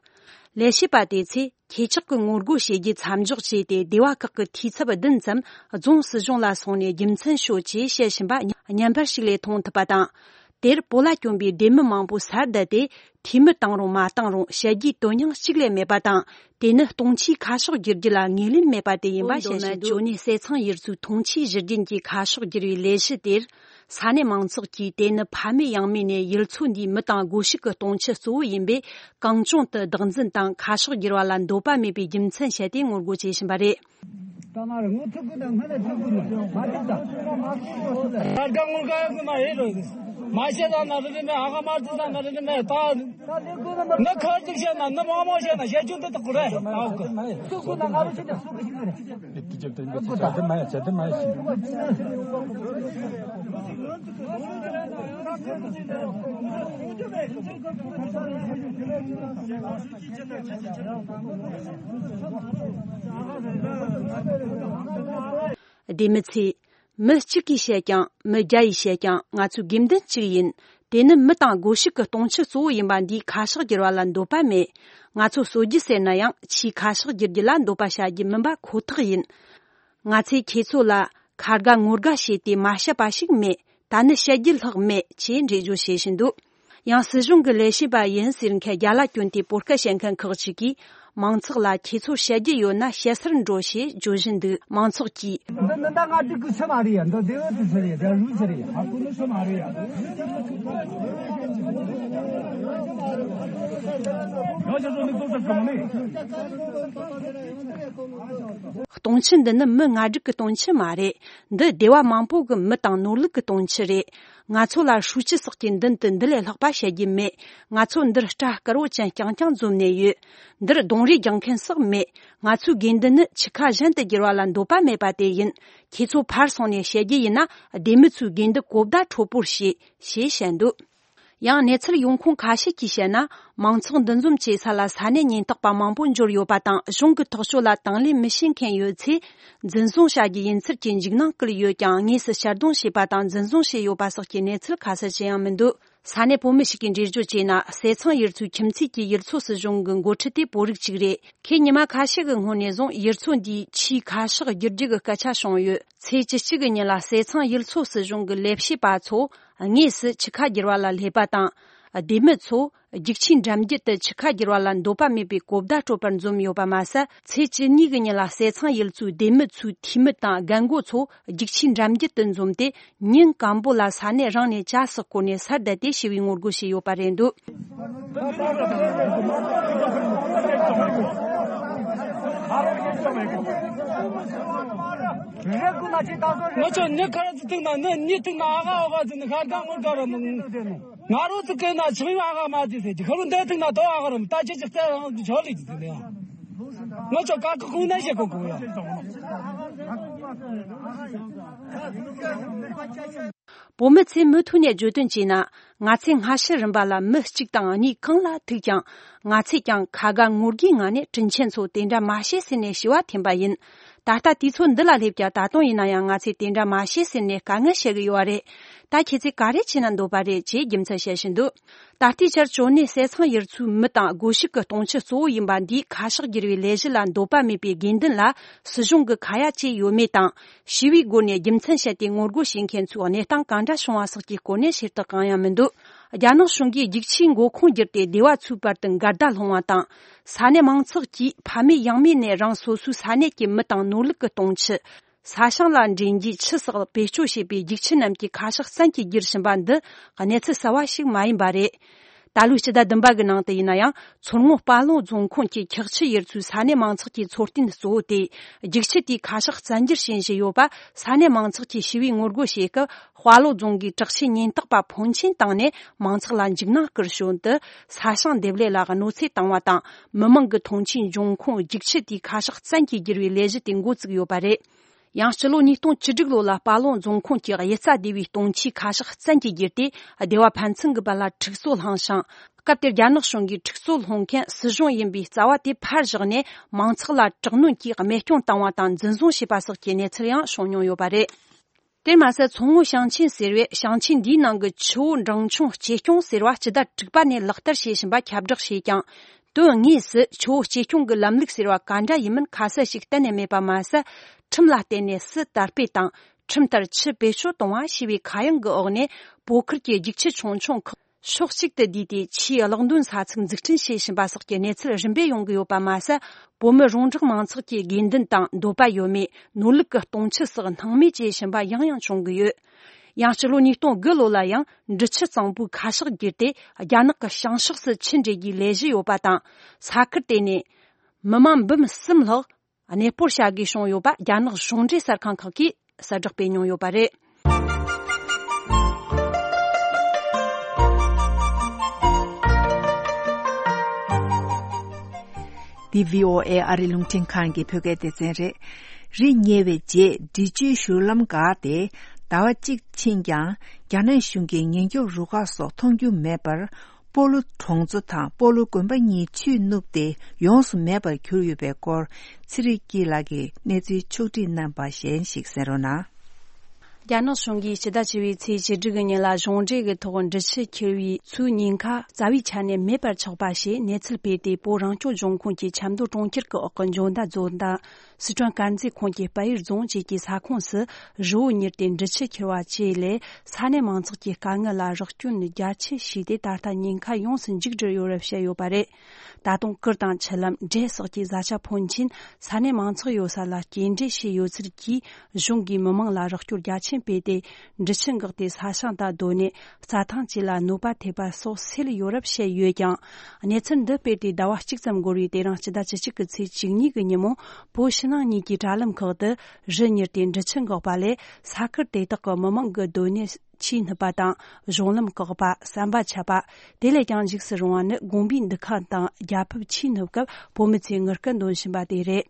ལས་བྱེད་པ་དེ་ཚོས་ཁྱེད་ཅག་གི་ངོ་རྒོལ་བྱེད་རྒྱུ་མཚམས་འཇོག་བྱས་ཏེ། སྡེ་བ་ཁག་གི་འཐུས་ཚབ་བདུན་ཙམ་རྫོང་སྲིད་གཞུང་ལ་སོང་ནས་རྒྱུ་མཚན་ཤོད་ཅེས་བཤད་བཞིན་པ་བརྙན་པར་ཞིག་ལས་མཐོང་ཐུབ་པ་དང་། དེར་བོད་ལ་བསྐྱོན་པའི་སྡེ་མི་མང་པོ་སར་བསྡད་དེ། འཐུས་མི་བཏང་རུང་མ་བཏང་རུང་བཤད་རྒྱུའི་དོན་སྙིང་གཅིག་ལས་མེད་པ་དང་། དེ་ནི་སྟོང་ཆའི་ཁ་ཕྱོགས་བསྒྱུར་རྒྱུ་ལ་ངོས་ལེན་མེད་པ་དེ་ཡིན་པ་བཤད་བཞིན་འདུག། ཇོ་ནེ་ཟས་གཙང་ཡུལ་ཚོའི་སྟོང་ཆའི་གཞི་རྒྱུན་གྱི་ཁ་ཕྱོགས་བསྒྱུར་བའི་ལས་གཞི་དེར། ས་གནས་མང་ཚོགས་ཀྱིས་དེ་ནི་ཕ་མེས་ཡང་མེས་ནས་ཡུལ་ཚོ་འདིའི་མི་དང་སྒོ་ཕྱུགས་ཀྱི་སྟོང་ཆ་གཙོ་བོ་ཡིན་པས། གང་བྱུང་དུ་བདག་འཛིན་དང་ཁ་ཕྱོགས་བསྒྱུར་བ་ལ་འདོད་པ་མེད་པའི་རྒྱུ་མཚན་བཤད་དེ་ངོ་རྒོལ་བྱེད་བཞིན་པ་རེད། ད་མ་རེད། ངོ་ཐུག་གི་དང་སྔ་ལས་ཐུག་གི་མ་མ་ཐུག་ད། ད་དགའ་ངོ་དགའ་གི་མ་ཡེ་རོ། མ་བཤད་ད་ན་རི་རི་མེ་ཨ་ག་མ་ཐུག་ད་ན་རི་རི་མེ་ད། ད་ལེ་གོ་ན་མ། ན་ཁར་ཐུག་བཤད་ན་ན་མང་མང་བཤད་ན་བཤད་རྒྱུ་འདི་དག་གོ་རེད། ད་འོ་གི་མ་ཡེ་ཐུག་གོ་ན་ང་རོ་ཆེ་ད་སུ་གི་ཞིག་རེད། དེ་དེ་དེ་དེ་དེ་མ་ཡེ་དེ་མ་ཡེ་ཞིག། སྡེ་མི་ཚོས། མི་གཅིག་གིས་བཤད་ཀྱང་། མི་བརྒྱ་ཡིས་བཤད་ཀྱང་། ང་ཚོའི་དགོས་འདུན་གཅིག་ཡིན། དེ་ནི་མི་དང་སྒོ་ཕྱུགས་ཀྱི་སྟོང་ཆ་གཙོ་བོ་ཡིན་པ་འདིའི་ཁ་ཕྱོགས་བསྒྱུར་བ་ལ་འདོད་པ་མེད། ང་ཚོ་གསོད་རྒྱུ་ཟེར་ན་ཡང་། ཆེས་ཁ་ཕྱོགས་བསྒྱུར་རྒྱུ་ལ་འདོད་པ་བྱ་རྒྱུ་མིན་པ་ཁོ་ཐག་ཡིན། ང་ཚོས་ཁྱེད་ཚོ་ལ་ཁ་དགའ་ངོ་དགའ་བྱས་ཏེ་མ་བཤད་པ་ཞིག་མེད། ད་ནི་བཤད་རྒྱུ་ལྷག་མེད་ཅེས་འགྲེལ་བརྗོད་བྱེད་བཞིན་འདུག། ཡང་སྲིད་གཞུང་གི་ལས་བྱེད་པ་ཡིན་ཟེར་མཁན་རྒྱ་ལ་བསྐྱོན་ཏེ་བོད་སྐད་བཤད་མཁན་ཁག་ཅིག་གིས། མང་ཚོགས་ལ་ཁྱེད་ཚོར་བཤད་རྒྱུ་ཡོད་ན་བཤད་སར་འགྲོ་ཞེས་བརྗོད་བཞིན་འདུག། མང་ཚོགས་ཀྱིས། འདི་འདི་ད་ང་ཅིག་གི་ཆི་མ་རེད་ཡ། འདི་དེ་འོ་དེ་ཆི་རེད། དེ་རུ་ཆི་རེད། ཨ་ཁུ་ནི་ཆི་མ་རེད་ཡ། ཡོ་ཅི་ཚོ་མི་ཚོགས་ས་གང་ནས། སྟོང་ཆ་འདི་ནི་མི་ལྔ་དྲུག་གི་སྟོང་ཆ་མ་རེད། འདི་སྡེ་བ་མང་པོ་གི་མི་དང་ནོར་ལུག་གི་སྟོང་ཆ་རེད། ང་ཚོ་ལ་ཧྲུའུ་ཅི་སོགས་ཀྱི་མདུན་དུ་འདི་ལས་ལྷག་པ་བཤད་རྒྱུ་མེད། ང་ཚོ་འདིར་སྐྲ་དཀར་བོ་ཅན་རྐྱང་རྐྱང་འཛོམས་ནས་ཡོད། འདིར་རྡུང་རེས་རྒྱག་མཁན་སོགས་མེད། ང་ཚོའི་དགོས་འདུན་ནི་ཆུ་ཁ་གཞན་དུ་བསྒྱུར་བ་ལ་འདོད་པ་མེད་པ་དེ་ཡིན། ཁྱེད་ཚོ་ཕར་སོང་ནས་བཤད་རྒྱུ་ཡིན་ན། སྡེ་མི་ཚོའི་དགོས་འདུན་གོ་བརྡ་འཕྲོད་པོར་བྱེད། ཞེས་བཤད་འདུག། ཡང་གནས་ཚུལ་ཡོང་ཁུངས་ཁ་ཤས་ཀྱིས་བཤད་ན། མང་ཚོགས་འདུ་འཛོམས་བྱེད་ས་ལ་ས་གནས་ཉེན་རྟོག་པ་མང་པོ་འབྱོར་ཡོད་པ་དང་། གཞུང་གི་ཐག་གཅོད་ལ་དང་ལེན་མི་བྱེད་མཁན་ཡོད་ཚེ། འཛིན་བཟུང་བྱ་རྒྱུ་ཡིན་ཚུལ་གྱི་འཇིགས་སྣང་བསྐུལ་ཡོད་ཀྱང་། དངོས་སུ་གཅར་རྡུང་བྱས་པ་དང་འཛིན་བཟུང་བྱས་ཡོད་པ་སོགས་ཀྱི་གནས་ཚུལ་ཁ་གསལ་ཅི་ཡང་མི་འདུག། ས་གནས་བོད་མི་ཞིག་གིས་འགྲེལ་བརྗོད་བྱས་ན། ཟས་གཙང་ཡུལ་ཚོའི་ཁྱིམ་མཚེས་ཀྱི་ཡུལ་ཚོ་སྲིད་གཞུང་གི་འགོ་ཁྲིད་དེ་བོད་རིགས་གཅིག་རེད། ཁོས་ཉི་མ་ཁ་ཤས་ཀྱི་སྔོན་ནས་བཟུང་ཡུལ་ཚོ་འདིའི་ཆུའི་ཁ་ཕྱོགས་བསྒྱུར་རྒྱུ་གི་སྐད་ཆ་བྱུང་ཡོད། ཚེས་བཅུ་གཅིག་གི་ཉིན་ལ་ཟས་གཙང་ཡུལ་ཚོ་སྲིད་གཞུང་གི་ལས་བྱེད་པ་ཚོ་དངོས་སུ་ཆུ་ཁ་བསྒྱུར་བ་ལ་སླེབས་པ་དང་། སྡེ་མི་ཚོ་རྒྱུག་ཆས་འགྲམ་རྒྱུད་དུ་ཆུ་ཁ་བསྒྱུར་བ་ལ་འདོད་པ་མེད་པའི་གོ་བརྡ་སྤྲོད་པར་འཛོམས་ཡོད་པ་མ་ཟད། ཚེས་བཅུ་གཉིས་ཀྱི་ཉིན་ལ་ཟས་གཙང་ཡུལ་ཚོའི་སྡེ་མི་ཚོའི་འཐུས་མི་དང་རྒན་རྒོན་ཚོ་རྒྱུག་ཆས་འགྲམ་རྒྱུད་དུ་འཛོམས་ཏེ། ཉིན་སྐམ་པོ་ལ་ས་གནས་རང་ནས་ཇ་ཟོག་བསྐོལ་ནས་སར་བསྡད་དེ་ཞི་བའི་ངོ་རྒོལ་བྱས་ཡོད་པ་རེད་འདུག། ང་ཚོ་ནི་ཁར་ཚི་ཐུག་ན་ནི་གཉིས་ཐུག་ན་ཨ་ག་ཨ་ག་ཚི་ནི་ཤར་ག་ངོར་ག་ར་མི་ང་རོ་ཚི་ཀེ་ན་ཆི་མི་ཨ་ག་མ་ཚི་ཟེར་གི་ཁ་རུ་འདི་ཐུག་ན་དོ་ཨ་ག་ར་མི་ད་ཅི་ཅི་རྩེ་རང་ཚི་ཆོ་ལི་ཅི་ཟེར་ནི་ཡ། ང་ཚོ་ཀ་ཀ་ཁུང་ན་ཞེ་གོ་གོ་ཡ། བོད་མི་ཚོས་མུ་མཐུད་ནས་བརྗོད་དོན་བྱས་ན། ང་ཚོས་སྔ་ཕྱི་རིམ་པ་ལ་མི་གཅིག་དང་གཉིས་གང་ལ་ཐུག་ཀྱང་། ང་ཚོས་ཀྱང་ཁ་དགའ་ངོ་དགའི་ངང་ནས་དྲིན་ཆེན་ཚོ་དེ་འདྲ་མ་བྱེད་ཟེར་ནས་ཞུ་བ་འཐེན་པ་ཡིན། ད་ལྟ་དུས་ཚོད་འདི་ལ་སླེབས་ཀྱང་། ད་དུང་ཡིན་ན་ཡང་ང་ཚོས་དེ་འདྲ་མ་བྱེད་ཟེར་ནས་དཀའ་ངལ་བཤད་གི་ཡོད་པ་རེད། ད་ཁྱེད་ཚོས་ག་རེ་བྱེད་ན་འདོད་པ་རེད་ཅེས་རྒྱུ་མཚན་བཤད་བཞིན་འདུག། ད་ལྟའི་ཆར་ཇོ་ནེ་ཟས་གཙང་ཡུལ་ཚོའི་མི་དང་སྒོ་ཕྱུགས་ཀྱི་སྟོང་ཆ་གཙོ་བོ་ཡིན་པ་འདིའི་ཁ་ཕྱོགས་བསྒྱུར་བའི་ལས་གཞི་ལ་འདོད་པ་མེད་པའི་དགོས་འདུན་ལ། སྲིད་གཞུང་གི་ཁ་ཡ་བྱས་ཡོད་མེད་དང་། ཞི་བའི་སྒོ་ནས་རྒྱུ་མཚན་བཤད་དེ་ངོ་རྒོལ་བྱེད་མཁན་ཚོའི་གནས་སྟངས་གང་འདྲ་བྱུང་བ་སོགས་ཀྱི་སྐོར་ནས་ཞུ་དག་གང་ཡང་མི་འདུག། རྒྱ་ནག་གཞུང་གིས་རྒྱུག་ཆས་མགོ་ཁུངས་བསྒྱུར་ཏེ་སྡེ་བ་ཚོའི་བར་དུ་འགལ་ཟླ་སློང་བ་དང་། ས་གནས་མང་ཚོགས་ཀྱིས་ཕ་མེས་ཡང་མེས་ནས་རང་སོ་སོའི་ས་གནས་ཀྱི་མི་དང་ནོར་ལུག་གི་སྟོང་ཆ། ས་ཞིང་ལ་འདྲེན་རྒྱུའི་ཆུ་སོགས་བེད་སྤྱོད་བྱེད་པའི་རྒྱུག་ཆས་རྣམས་ཀྱི་ཁ་ཕྱོགས་བཙན་གྱིས་བསྒྱུར་བཞིན་པ་འདི། གནས་ཚུལ་གསར་བ་ཞིག་མ་ཡིན་པ་རེད། ད་ལོའི་སྤྱི་ཟླ་བདུན་པ་གི་ནང་དུ་ཡིན་ན་ཡང་། མཚོ་སྔོན་དཔའ་ལུང་རྫོང་ཁོངས་ཀྱི་འཁྱགས་ཆུ་ཡུལ་ཚོའི་ས་གནས་མང་ཚོགས་ཀྱི་འཚོ་རྟེན་གཙོ་བོ་སྟེ། རྒྱུག་ཆས་དེའི་ཁ་ཕྱོགས་བཙན་སྒྱུར་བྱེད་བཞིན་ཡོད་པ། ས་གནས་མང་ཚོགས་ཀྱིས་ཞི་བའི་ངོ་རྒོལ་བྱེད་སྐབས། དཔའ་ལུང་རྫོང་གི་དྲག་ཆས་ཉེན་རྟོག་པ་ཕོན་ཆེན་བཏང་ནས་མང་ཚོགས་ལ་འཇིགས་སྣང་བསྐུལ་བྱུང་སྟེ། ས་ཞིང་འདེབས་ལས་ལ་གནོད་འཚེ་བཏང་བ་དང་། མི་མང་གི་མཐོང་ཆེན་འབྱུང་ཁུངས་རྒྱུག་ཆས་དེའི་ཁ་ཕྱོགས་བཙན་གྱིས་བསྒྱུར་བའི་ལས་གཞི་དེ་འགོ་བཙུགས་ཡོད་པ་རེད། ཡང་སྤྱི་ལོ་ཉིས་སྟོང་བཅུ་དྲུག་ལོ་ལ་དཔའ་ལུང་རྫོང་ཁོངས་ཀྱི་གཡུལ་རྩ་སྡེ་བའི་སྟོང་ཆའི་ཁ་ཕྱོགས་བཙན་གྱིས་བསྒྱུར་ཏེ། སྡེ་བ་ཕན་ཚུན་གྱི་བར་ལ་འཁྲུག་རྩོད་བསླངས་ཤིང་། སྐབས་དེར་རྒྱ་ནག་གཞུང་གིས་འཁྲུག་རྩོད་སློང་མཁན་སྲིད་གཞུང་ཡིན་པའི་རྩ་བ་དེ་ཕར་བཞག་ནས། མང་ཚོགས་ལ་དྲག་གནོན་གྱིས་རྨས་སྐྱོན་བཏང་བ་དང་འཛིན་བཟུང་བྱས་པ་སོགས་ཀྱི་གནས་ཚུལ་ཡང་བྱུང་མྱོང་ཡོད་པ་རེད། དེར་མ་ཟད། མཚོ་སྔོན་ཞིང་ཆེན་ཟེར་བས་ཞིང་ཆེན་འདིའི་ནང་གི་ཆུ་བོ་འབྲིང་ཆུང་ལྕེ་སྐྱོང་ཟེར་བ་སྤྱི་ཟླ་དྲུག་པ་ནས་ལག་བསྟར་བྱེད་བཞིན་པ་ཁྱབ་བསྒྲགས་བྱས་ཀྱང་། དོན་དངོས་སུ་ཆུ་བོ་ལྕེ་སྐྱོང་གི་ལམ་ལུགས་ཟེར་བ་ག་འདྲ་ཡིན་མིན་ཁ་གསལ་ཞིག་གཏན་ནས་མེད་པ་མ་ཟད། ཁྲིམས་ལ་བརྟེན་ནས་སུ་དར་སྤེལ་དང་། ཁྲིམས་ལྟར་ཆུ་བེད་སྤྱོད་གཏོང་བ་ཞེས་པའི་ཁ་གཡང་གི་འོག་ནས། བོད་ཁུལ་གྱི་རྒྱུག་ཆུ་ཆུང་ཆུང་ཁག་ཕྱོགས་གཅིག་ཏུ་བསྡུས་ཏེ། ཆུའི་གློག་འདོན་ས་ཚིགས་འཛུགས་སྐྲུན་བྱེད་བཞིན་པ་སོགས་ཀྱི་གནས་ཚུལ་རིམ་པས་ཡོང་གི་ཡོད་པ་མ་ཟད། བོད་མི་རོང་འབྲོག་མང་ཚོགས་ཀྱི་དགོས་འདུན་དང་འདོད་པ་ཡོད་མེད། ནོར་ལུག་གི་གཏོང་ཆུ་སོགས་སྣང་མེད་བྱེད་བཞིན་པ་ཡང་ཡང་བྱུང་གི་ཡོད། ཡང་སྤྱི་ལོ་ཉིས་སྟོང་དགུ་ལོ་ལ་ཡང་འབྲི་ཆུ་གཙང་པོའི་ཁ་ཤགས་བསྒྱུར་ཏེ། རྒྱ་ནག་གི་བྱང་ཕྱོགས་སུ་ཆུ་འདྲེན་རྒྱུའི་ལས་གཞི་ཡོད་པ་དང་། ས་ཁུལ་དེ་ནས་མི་མང་འབུམ་གསུམ་ལྷག་གནས་སྤོར་བྱ་དགོས་བྱུང་ཡོད་པ། རྒྱ་ནག་གཞུང་འབྲེལ་གསར་ཁང་ཁག་གིས་གསལ་བསྒྲགས་སྤེལ་མྱོང་ཡོད་པ་རེད། འདི་བྷི་ཨོ་ཨེ་ཨ་རི་རླུང་འཕྲིན་ཁང་གི་བོད་སྐད་སྡེ་ཚན་རེད། རི་ཉེ་བའི་རྗེས་འབྲི་ཆུའི་བཞུར་ལམ་འགགས་ཏེ། ཟླ་བ་གཅིག་ཕྱིན་ཀྱང་རྒྱ་ནག་གཞུང་གི་ཉེན་སྐྱོབ་རུ་ཁག་སོགས་མཐོང་རྒྱུ་མེད་པར། སྤོ་ལོ་གྲོང་ཚོ་དང་སྤོ་ལོ་དགོན་པ་གཉིས་ཆུས་ནུབ་སྟེ་ཡོངས་སུ་མེད་པར་གྱུར་ཡོད་པའི་སྐོར། ཚེ་རིང་སྐྱིད་ལགས་ཀྱིས་གནས་ཚུལ་ཕྱོགས་བསྒྲིགས་གནང་པ་གཞན་ཞིག་གསན་རོགས་གནང་། རྒྱ་ནག་གཞུང་གིས་སྤྱི་ཟླ་བཅུ་པའི་ཚེས་བཅུ་དྲུག་གི་ཉིན་ལ་གཞུང་འབྲེལ་གྱི་ཐོག་འབྲི་ཆུ་འཁྱིལ་བའི་མཚོའི་ཉེན་ཁ་རྩ་བའི་ཆ་ནས་མེད་པར་ཆགས་པ་ཞེས་གནས་ཚུལ་སྤེལ་ཏེ། བོད་རང་སྐྱོང་ལྗོངས་ཁོངས་ཀྱི་ཆབ་མདོ་གྲོང་ཁྱེར་གྱི་འོག་གི་འཇོ་མདའ་རྫོང་དང་། སི་ཁྲོན་དཀར་མཛེས་ཁོངས་ཀྱི་དཔལ་ཡུལ་རྫོང་བཅས་ཀྱི་ས་ཁོངས་སུ་རི་བོ་གཉེར་ཏེ་འབྲི་ཆུ་འཁྱིལ་བ་བཅས་ལས། ས་གནས་མང་ཚོགས་ཀྱི་དཀའ་ངལ་ལ་རོགས་སྐྱོན་རྒྱ་ཆེ་བྱས་ཏེ། ད་ལྟ་ཉེན་ཁ་ཡོངས་སུ་མཇུག་བསྒྲིལ་ཡོད་རབས་བཤད་ཡོད་པ་རེད། ད་དུང་གུར་དང་ཆུ་ལམ། འབྲས་སོགས་ཀྱི་བཟའ་བཅའ་ཕོན་ཆེན་ས་གནས་མང་ཚོགས་ཡོད་ས་ལ་སྐྱེལ་འདྲེན་བྱས་ཡོད་ཚུལ་གྱིས། གཞུང་གིས་མི་མང་ལ་རོགས་སྐྱོར་རྒྱ་ཆེན་སྤེལ་ཏེ། འབྲི་ཆུ་འགགས་ཏེ་ས་ཞིང་དང་སྡོད་གནས། རྩྭ་ཐང་བཅས་ལ་གནོད་པ་ཐེབས་པ་སོགས་སེལ་ཡོད་རབས་བཤད་ཡོད་ཀྱང་། གནས་ཚུལ་འདི་སྤེལ་ཏེ་ཟླ་བ་གཅིག་ཙམ་འགོར་བའི། དེ་རིང་སྤྱི་ཟླ་བཅུ་གཅིག་གི་ཚེས་བཅུ་གཉིས་ཀྱི་ཉིན་མོ། བོད་ཕྱི་ནང་གཉིས་ཀྱི་དྲ་ལམ་ཁག་ཏུ་རི་ཉིལ་ཏེ་འབྲི་ཆུ་འགགས་པ་ལས། ས་ཁུལ་དེ་དག་གི་མི་མང་གི་སྡོད་གནས་ཆུས་སྣུབ་པ་དང་། གཞུང་ལམ་བཀག་པ། ཟམ་པ་ཆད་པ། དེ་ལས་ཀྱང་འཇིགས་སུ་རུང་བ་ནི། དགོན་པའི་འདུ་ཁང་དང་རྒྱལ་ཕབ་ཆུས་སྣུབ་སྐབས་བོད་མི་ཚོས་ངུ་སྐད་འདོན་བཞིན་པ་དེ་རེད།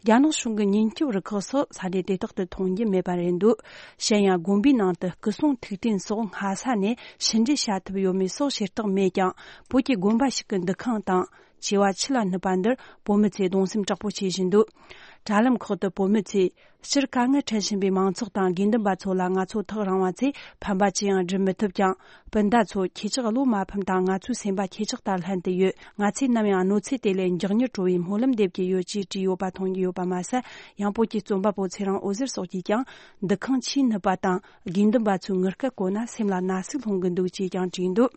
རྒྱ་ནག་གཞུང་གི་ཉེན་སྐྱོབ་རུ་ཁག་སོགས་ས་གནས་དེ་དག་ཏུ་མཐོང་རྒྱུ་མེད་པ་རེད་འདུག་གཞན་ཡང་། དགོན་པའི་ནང་དུ་སྐུ་གསུང་ཐུགས་རྟེན་སོགས་སྔ་ས་ནས་ཕྱི་འབྲེལ་བྱ་ཐུབ་ཡོད་མེད་སོགས་བྱེ་བྲག་མེད་ཀྱང་། བོད་ཀྱི་དགོན་པ་ཞིག་གི་འདུ་ཁང་དང་། བྱེ་བ་ཆུ་ལ་སྣུབ་པ་འདིར་བོད་མི་ཚོས་གདུང་སེམས་དྲག་པོ་བྱེད་བཞིན་འདུག་དྲ་ལམ་ཁག་ཏུ་བོད་མི་ཚོས། སྤྱིར་དཀའ་ངལ་འཕྲད་བཞིན་པའི་མང་ཚོགས་དང་། དགེ་འདུན་པ་ཚོ་ལ་ང་ཚོ་ཐག་རིང་བ་ཚོས་ཕན་པ་ཅི་ཡང་སྒྲུབ་མི་ཐུབ་ཀྱང་། སྤུན་ཟླ་ཚོ་ཁྱེད་ཅག་བློ་མ་ཕམ་དང་། ང་ཚོའི་སེམས་པ་ཁྱེད་ཅག་དང་ལྷན་དུ་ཡོད། ང་ཚོས་ནམ་ཡང་གནོད་འཚེ་དེ་ལས་མགྱོགས་མྱུར་གྲོལ་བའི་སྨོན་ལམ་འདེབས་ཀྱི་ཡོད་ཅེས་བྲིས་ཡོད་པ་མཐོང་རྒྱུ་ཡོད་པ་མ་ཟད། ཡང་བོད་ཀྱི་རྩོམ་པ་པོ་ཚེ་རིང་འོད་ཟེར་སོགས་ཀྱིས་ཀྱང་། འདུ་ཁང་ཆུས་སྣུབ་པ་དང་། དགེ་འདུན་པ་ཚོའི་ངུ་སྐད་གོ་ན་སེམས་ལ་ན་ཟུག་ལྷུང་གི་འདུག་ཅེས་ཀྱང་བྲིས་འདུག་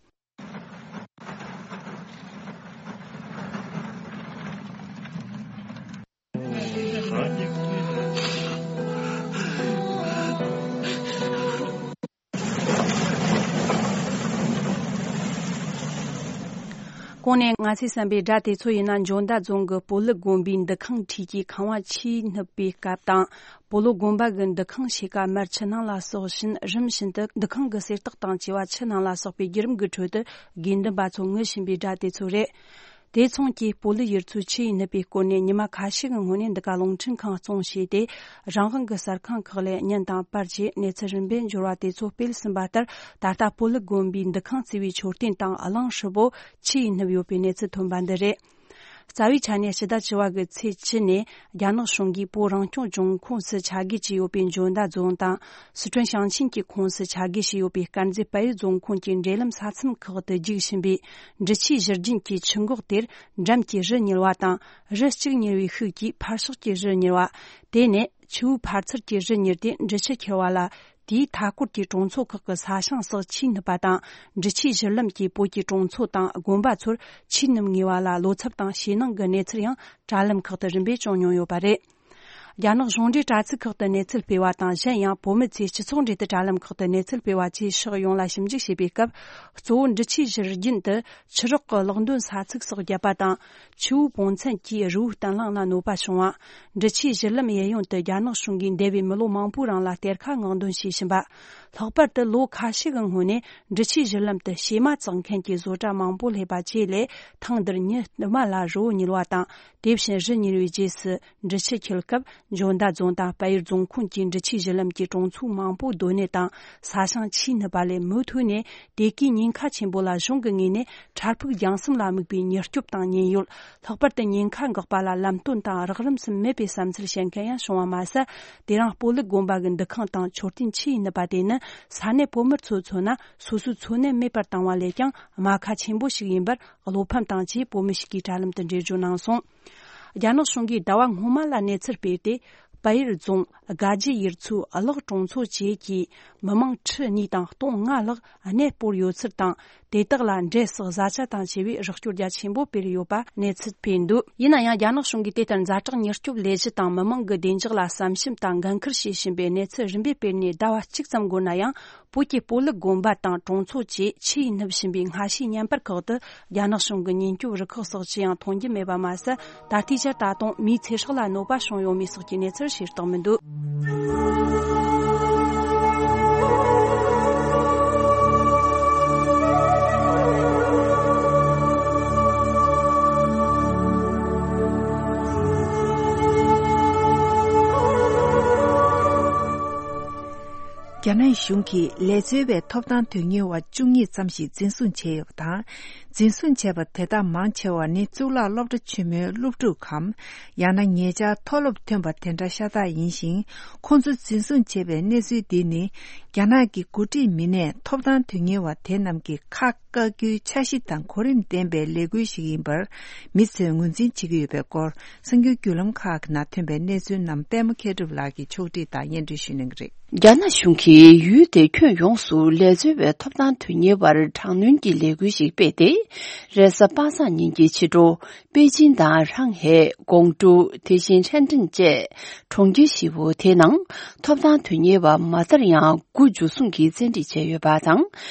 གོང་ནས་ང་ཚོས་གསན་པའི་སྒྲ་དེ་ཚོ་ཡིན་ན། འཇོ་མདའ་རྫོང་གི་སྤོ་ལོ་དགོན་པའི་འདུ་ཁང་འཁྲིས་ཀྱི་ཁང་བ་ཆུས་སྣུབ་པའི་སྐབས་དང་། སྤོ་ལོ་དགོན་པ་གི་འདུ་ཁང་ཕྱེད་ཀ་མར་ཆུ་ནང་ལ་ཟགས་བཞིན། རིམ་བཞིན་དུ་འདུ་ཁང་གི་གསེར་ཏོག་དང་བཅས་པ་ཆུ་ནང་ལ་ཟགས་པའི་བརྒྱུད་རིམ་གྱི་ཁྲོད་དུ། དགེ་འདུན་པ་ཚོ་ངུ་བཞིན་པའི་སྒྲ་དེ་ཚོ་རེད། དེ་མཚུངས་ཀྱིས་སྤོ་ལོ་ཡུལ་ཚོའི་ཆུས་སྣུབ་པའི་སྐོར་ནས་ཉི་མ་ཁ་ཤས་ཀྱི་སྔོན་ནས་འདི་ག་རླུང་འཕྲིན་ཁང་བཙོང་བྱས་ཏེ། རང་དབང་གི་གསར་ཁང་ཁག་ལས་བརྙན་དང་པར་བཅས་གནས་ཚུལ་རིམ་པས་འབྱོར་བ་དེ་ཚོ་སྤེལ་ཟིན་པ་ལྟར། ད་ལྟ་སྤོ་ལོ་དགོན་པའི་འདུ་ཁང་བརྩིགས་པའི་མཆོད་རྟེན་དང་གླིང་ཧྲིལ་པོ་ཆུས་སྣུབས་ཡོད་པའི་གནས་ཚུལ་ཐོན་པ་འདི་རེད། རྩ་བའི་ཆ་ནས་སྤྱི་ཟླ་བཅུ་བ་གི་ཚེས་བཅུ་ནས་རྒྱ་ནག་གཞུང་གིས་བོད་རང་སྐྱོང་ལྗོངས་ཁོངས་སུ་ཆ་བགོས་བྱས་ཡོད་པའི་འཇོ་མདའ་རྫོང་དང་། སི་ཁྲོན་ཞིང་ཆེན་གྱི་ཁོངས་སུ་ཆ་བགོས་བྱས་ཡོད་པའི་དཀར་མཛེས་དཔལ་ཡུལ་རྫོང་ཁོངས་ཀྱི་འབྲེལ་ལམ་ས་མཚམས་ཁག་ཏུ་རྒྱུག་བཞིན་པའི་འབྲི་ཆུའི་བཞུར་རྒྱུན་གྱི་ཆུ་འགག་དེར། འགྲམ་གྱི་རི་ཉིལ་བ་དང་། རི་གཅིག་ཉིལ་བའི་ཤུགས་ཀྱིས་ཕར་ཕྱོགས་ཀྱི་རི་ཉིལ་བ། དེ་ནས་ཆུ་བོའི་ཕར་ཚུར་གྱི་རི་ཉིལ་ཏེ་འབྲི་ཆུ་འཁྱིལ་བ་ལ། དེའི་མཐའ་སྐོར་གྱི་གྲོང་ཚོ་ཁག་གི་ས་ཞིང་སོགས་ཆུས་སྣུབས་པ་དང་། འབྲི་ཆུའི་བཞུར་ལམ་གྱིས་བོད་ཀྱི་གྲོང་ཚོ་དང་དགོན་པ་ཚོར་ཆུས་སྣུབས་ངེས་པ་ལ། བློ་འཚབ་དང་ཞེད་སྣང་གི་གནས་ཚུལ་ཡང་དྲ་ལམ་ཁག་ཏུ་རིམ་པས་བྱུང་མྱོང་ཡོད་པ་རེད། རྒྱ་ནག་གཞུང་འབྲེལ་དྲ་ཚིགས་ཁག་ཏུ་གནས་ཚུལ་སྤེལ་བ་དང་། གཞན་ཡང་བོད་མི་ཚོས་སྤྱི་ཚོགས་འབྲེལ་མཐུད་དྲ་ལམ་ཁག་ཏུ་གནས་ཚུལ་སྤེལ་བ་བཅས་ཕྱོགས་ཡོངས་ལ་ཞིབ་འཇུག་བྱས་པའི་སྐབས། གཙོ་བོ་འབྲི་ཆུའི་བཞུར་རྒྱུན་དུ་ཆུ་རགས་ཀྱི་གློག་འདོན་ས་ཚིགས་སོགས་བརྒྱབ་པ་དང་། ཆུ་བོའི་སྤུངས་ཚན་གྱིས་རི་བོའི་བརྟན་ལྷིང་ལ་གནོད་པ་བྱུང་བ། འབྲི་ཆུའི་བཞུར་ལམ་གཡས་གཡོན་དུ་རྒྱ་ནག་གཞུང་གིས་འདས་པའི་མི་ལོ་མང་པོའི་རིང་ལ་གཏེར་ཁ་སྔོག་འདོན་བྱས་བཞིན་པ། ལྷག་པར་དུ་ལོ་ཁ་ཤས་ཀྱི་སྔོན་ནས་འབྲི་ཆུའི་བཞུར་ལམ་དུ་བྱེ་མ་བཙག་མཁན་གྱི་བཟོ་གྲྭ་མང་པོ་སླེབས་པ་བཅས་ལས། ཐེངས་འདིར་ཉིན་རྟག་པར་ལ་རི་བོ་ཉིལ་བ་དང་། དེ་བཞིན་རི་ཉིལ་བའི་རྗེས་སུ་འབྲི་ཆུ་འཁྱིལ་སྐབས། འཇོ་མདའ་རྫོང་དང་དཔལ་ཡུལ་རྫོང་ཁོངས་ཀྱི་འབྲི་ཆུའི་བཞུར་ལམ་གྱི་གྲོང་ཚོ་མང་པོ་སྡོད་གནས་དང་ས་ཞིང་ཆུས་སྣུབས་པ་ལས། མུ་མཐུད་ནས་དེ་གའི་ཉེན་ཁ་ཆེན་པོ་ལ་གཞུང་གི་ངོས་ནས་འཕྲལ་ཕུགས་རྒྱང་གསུམ་ལ་དམིགས་པའི་མྱུར་སྐྱོབ་དང་ཉེན་ཡོལ། ལྷག་པར་དུ་ཉེན་ཁ་འགག་པ་ལ་ལམ་སྟོན་དང་རགས་རིམ་སུ་མེད་པའི་བསམ་ཚུལ་བཤད་མཁན་ཡང་བྱུང་བ་མ་ཟད། དེ་རིང་སྤོ་ལོ་དགོན་པ་གི་འདུ་ཁང་དང་མཆོད་རྟེན་ཆུས་སྣུབས་པ་དེ་ནི། ས་གནས་བོད་མི་ཚོས་མཚོན་ན། སོ་སོའི་འཚོ་གནས་མེད་པར་བཏང་བ་ལས་ཀྱང་རྨ་ཁ་ཆེན་པོ་ཞིག་ཡིན་པར། བློ་ཕམ་དང་བཅས་བོད་མི་ཞིག་གིས་དྲ་ལམ་དུ་འགྲེལ་བརྗོད་གནང་སོང་། རྒྱ་ནག་གཞུང་གིས་ཟླ་བ་སྔོན་མ་ལ་གནས་ཚུལ་སྤེལ་ཏེ། པ་ཡེར་རྫོང་དགའ་རྒྱུ་ཡུལ་ཚོའི་གླགས་གྲོང་ཚོ་བཅས་ཀྱི་མི་མང་ཁྲི་གཉིས་དང་སྟོང་ལྔ་ལྷག་གནས་སྤོར་ཡོད་ཚུལ་དང་། དེ་དག་ལ་འབྲས་སོགས་བཟའ་བཅའ་དང་བཅས་པའི་རོགས་སྐྱོར་རྒྱ་ཆེན་པོ་སྤེལ་ཡོད་པ་གནས་ཚུལ་སྤེལ་འདུག་ཡིན་ན་ཡང་རྒྱ་ནག་གཞུང་གིས་དེ་ལྟར་ཛ་དྲག་མྱུར་སྐྱོབ་ལས་གཞི་དང་མི་མང་གི་བདེ་འཇགས་ལ་བསམ་ཞིབ་དང་འགན་འཁུར་བྱེད་བཞིན་པའི་གནས་ཚུལ་རིམ་པས་སྤེལ་ནས་ཟླ་བ་གཅིག་ཙམ་འགོར་ན་ཡང་། བོད་ཀྱི་སྤོ་ལུགས་དགོན་པ་དང་གྲོང་ཚོ་བཅས་ཆུ་ཡིས་ནུབ་བཞིན་པའི་སྔ་ཕྱིའི་བརྙན་པར་ཁག་ཏུ་རྒྱ་ནག་གཞུང་གི་ཉེན་སྐྱོབ་རུ་ཁག་སོགས་ཅི་ཡང་མཐོང་རྒྱུ་མེད་པ་མ་ཟད། ད་ལྟའི་ཆར་ད་དུང་མིའི་ཚེ་སྲོག་ལ་གནོད་པ་བྱུང་ཡོད་མེད་སོགས་ཀྱི་གནས་ཚུལ་ཤེས་རྟོགས་མི་འདུག་རྒྱ་ནག་གཞུང་གིས་ལས་འཛོལ་བའི་ཐོབ་ཐང་དོན་གཉེར་བ་བཅུ་གཉིས་ཙམ་ཞིག་འཛིན་བཟུང་བྱས་ཡོད་པ་དང་། འཛིན་བཟུང་བྱས་པ་དེ་དག་མང་ཆེ་བ་ནི་གཙུག་ལག་སློབ་གྲྭ་ཆེན་མོའི་སློབ་ཕྲུག་གམ། ཡང་ན་ཉེ་ཆར་མཐོ་སློབ་ཐོན་པ་དེ་འདྲ་ཤ་སྟག་ཡིན་ཞིང་། ཁོང་ཚོ་འཛིན་བཟུང་བྱས་པའི་གནས་ཚུལ་འདི་ནི། རྒྱ་ནག་གི་འགོ་ཁྲིད་མི་སྣས་ཐོབ་ཐང་དོན་གཉེར་བ་དེ་རྣམས་ཀྱི་ཁ་བཀག་རྒྱུའི་འཆར་གཞི་དང་གོ་རིམ་ལྡན་པའི་ལས་འགུལ་ཞིག་ཡིན་པར་མི་ཚོས་ངོས་འཛིན་བྱེད་ཀྱི་ཡོད་པའི་སྐོར། གསར་འགྱུར་བརྒྱུད་ལམ་ཁག་གི་ནང་ཐོན་པའི་གནས་ཚུལ་རྣམས་པད་མ་མཁས་གྲུབ་ལགས་ཀྱིས་ཕྱོགས་སྒྲིག་དང་སྙན་སྒྲོན་ཞུ་གནང་གི་རེད། རྒྱ་ནག་གཞུང་གིས་ཡུལ་དེའི་ཁྱོན་ཡོངས་སུ་ལས་འཛོལ་བའི་ཐོབ་ཐང་དོན་གཉེར་བར་དྲག་གནོན་གྱི་ལས་འགུལ་ཞིག་སྤེལ་ཏེ། རེས་གཟའ་པ་སངས་ཉིན་གྱི་ཕྱི་དྲོ། པེ་ཅིན་དང་ཧྲང་ཧེ། ཀོང་ཀྲོའུ། དེ་བཞིན་ཧྲེན་ཀྲེན་བཅས་གྲོང་ཁྱེར་བཞི་བོ་དེའི་ནང་ཐོབ་ཐང་དོན་གཉེར་བ་མ་མཐར་ཡང་དགུ་འཇུ་བཟུང་གིས་བཙན་ཁྲིད་བྱས་ཡོད་པ་དང་།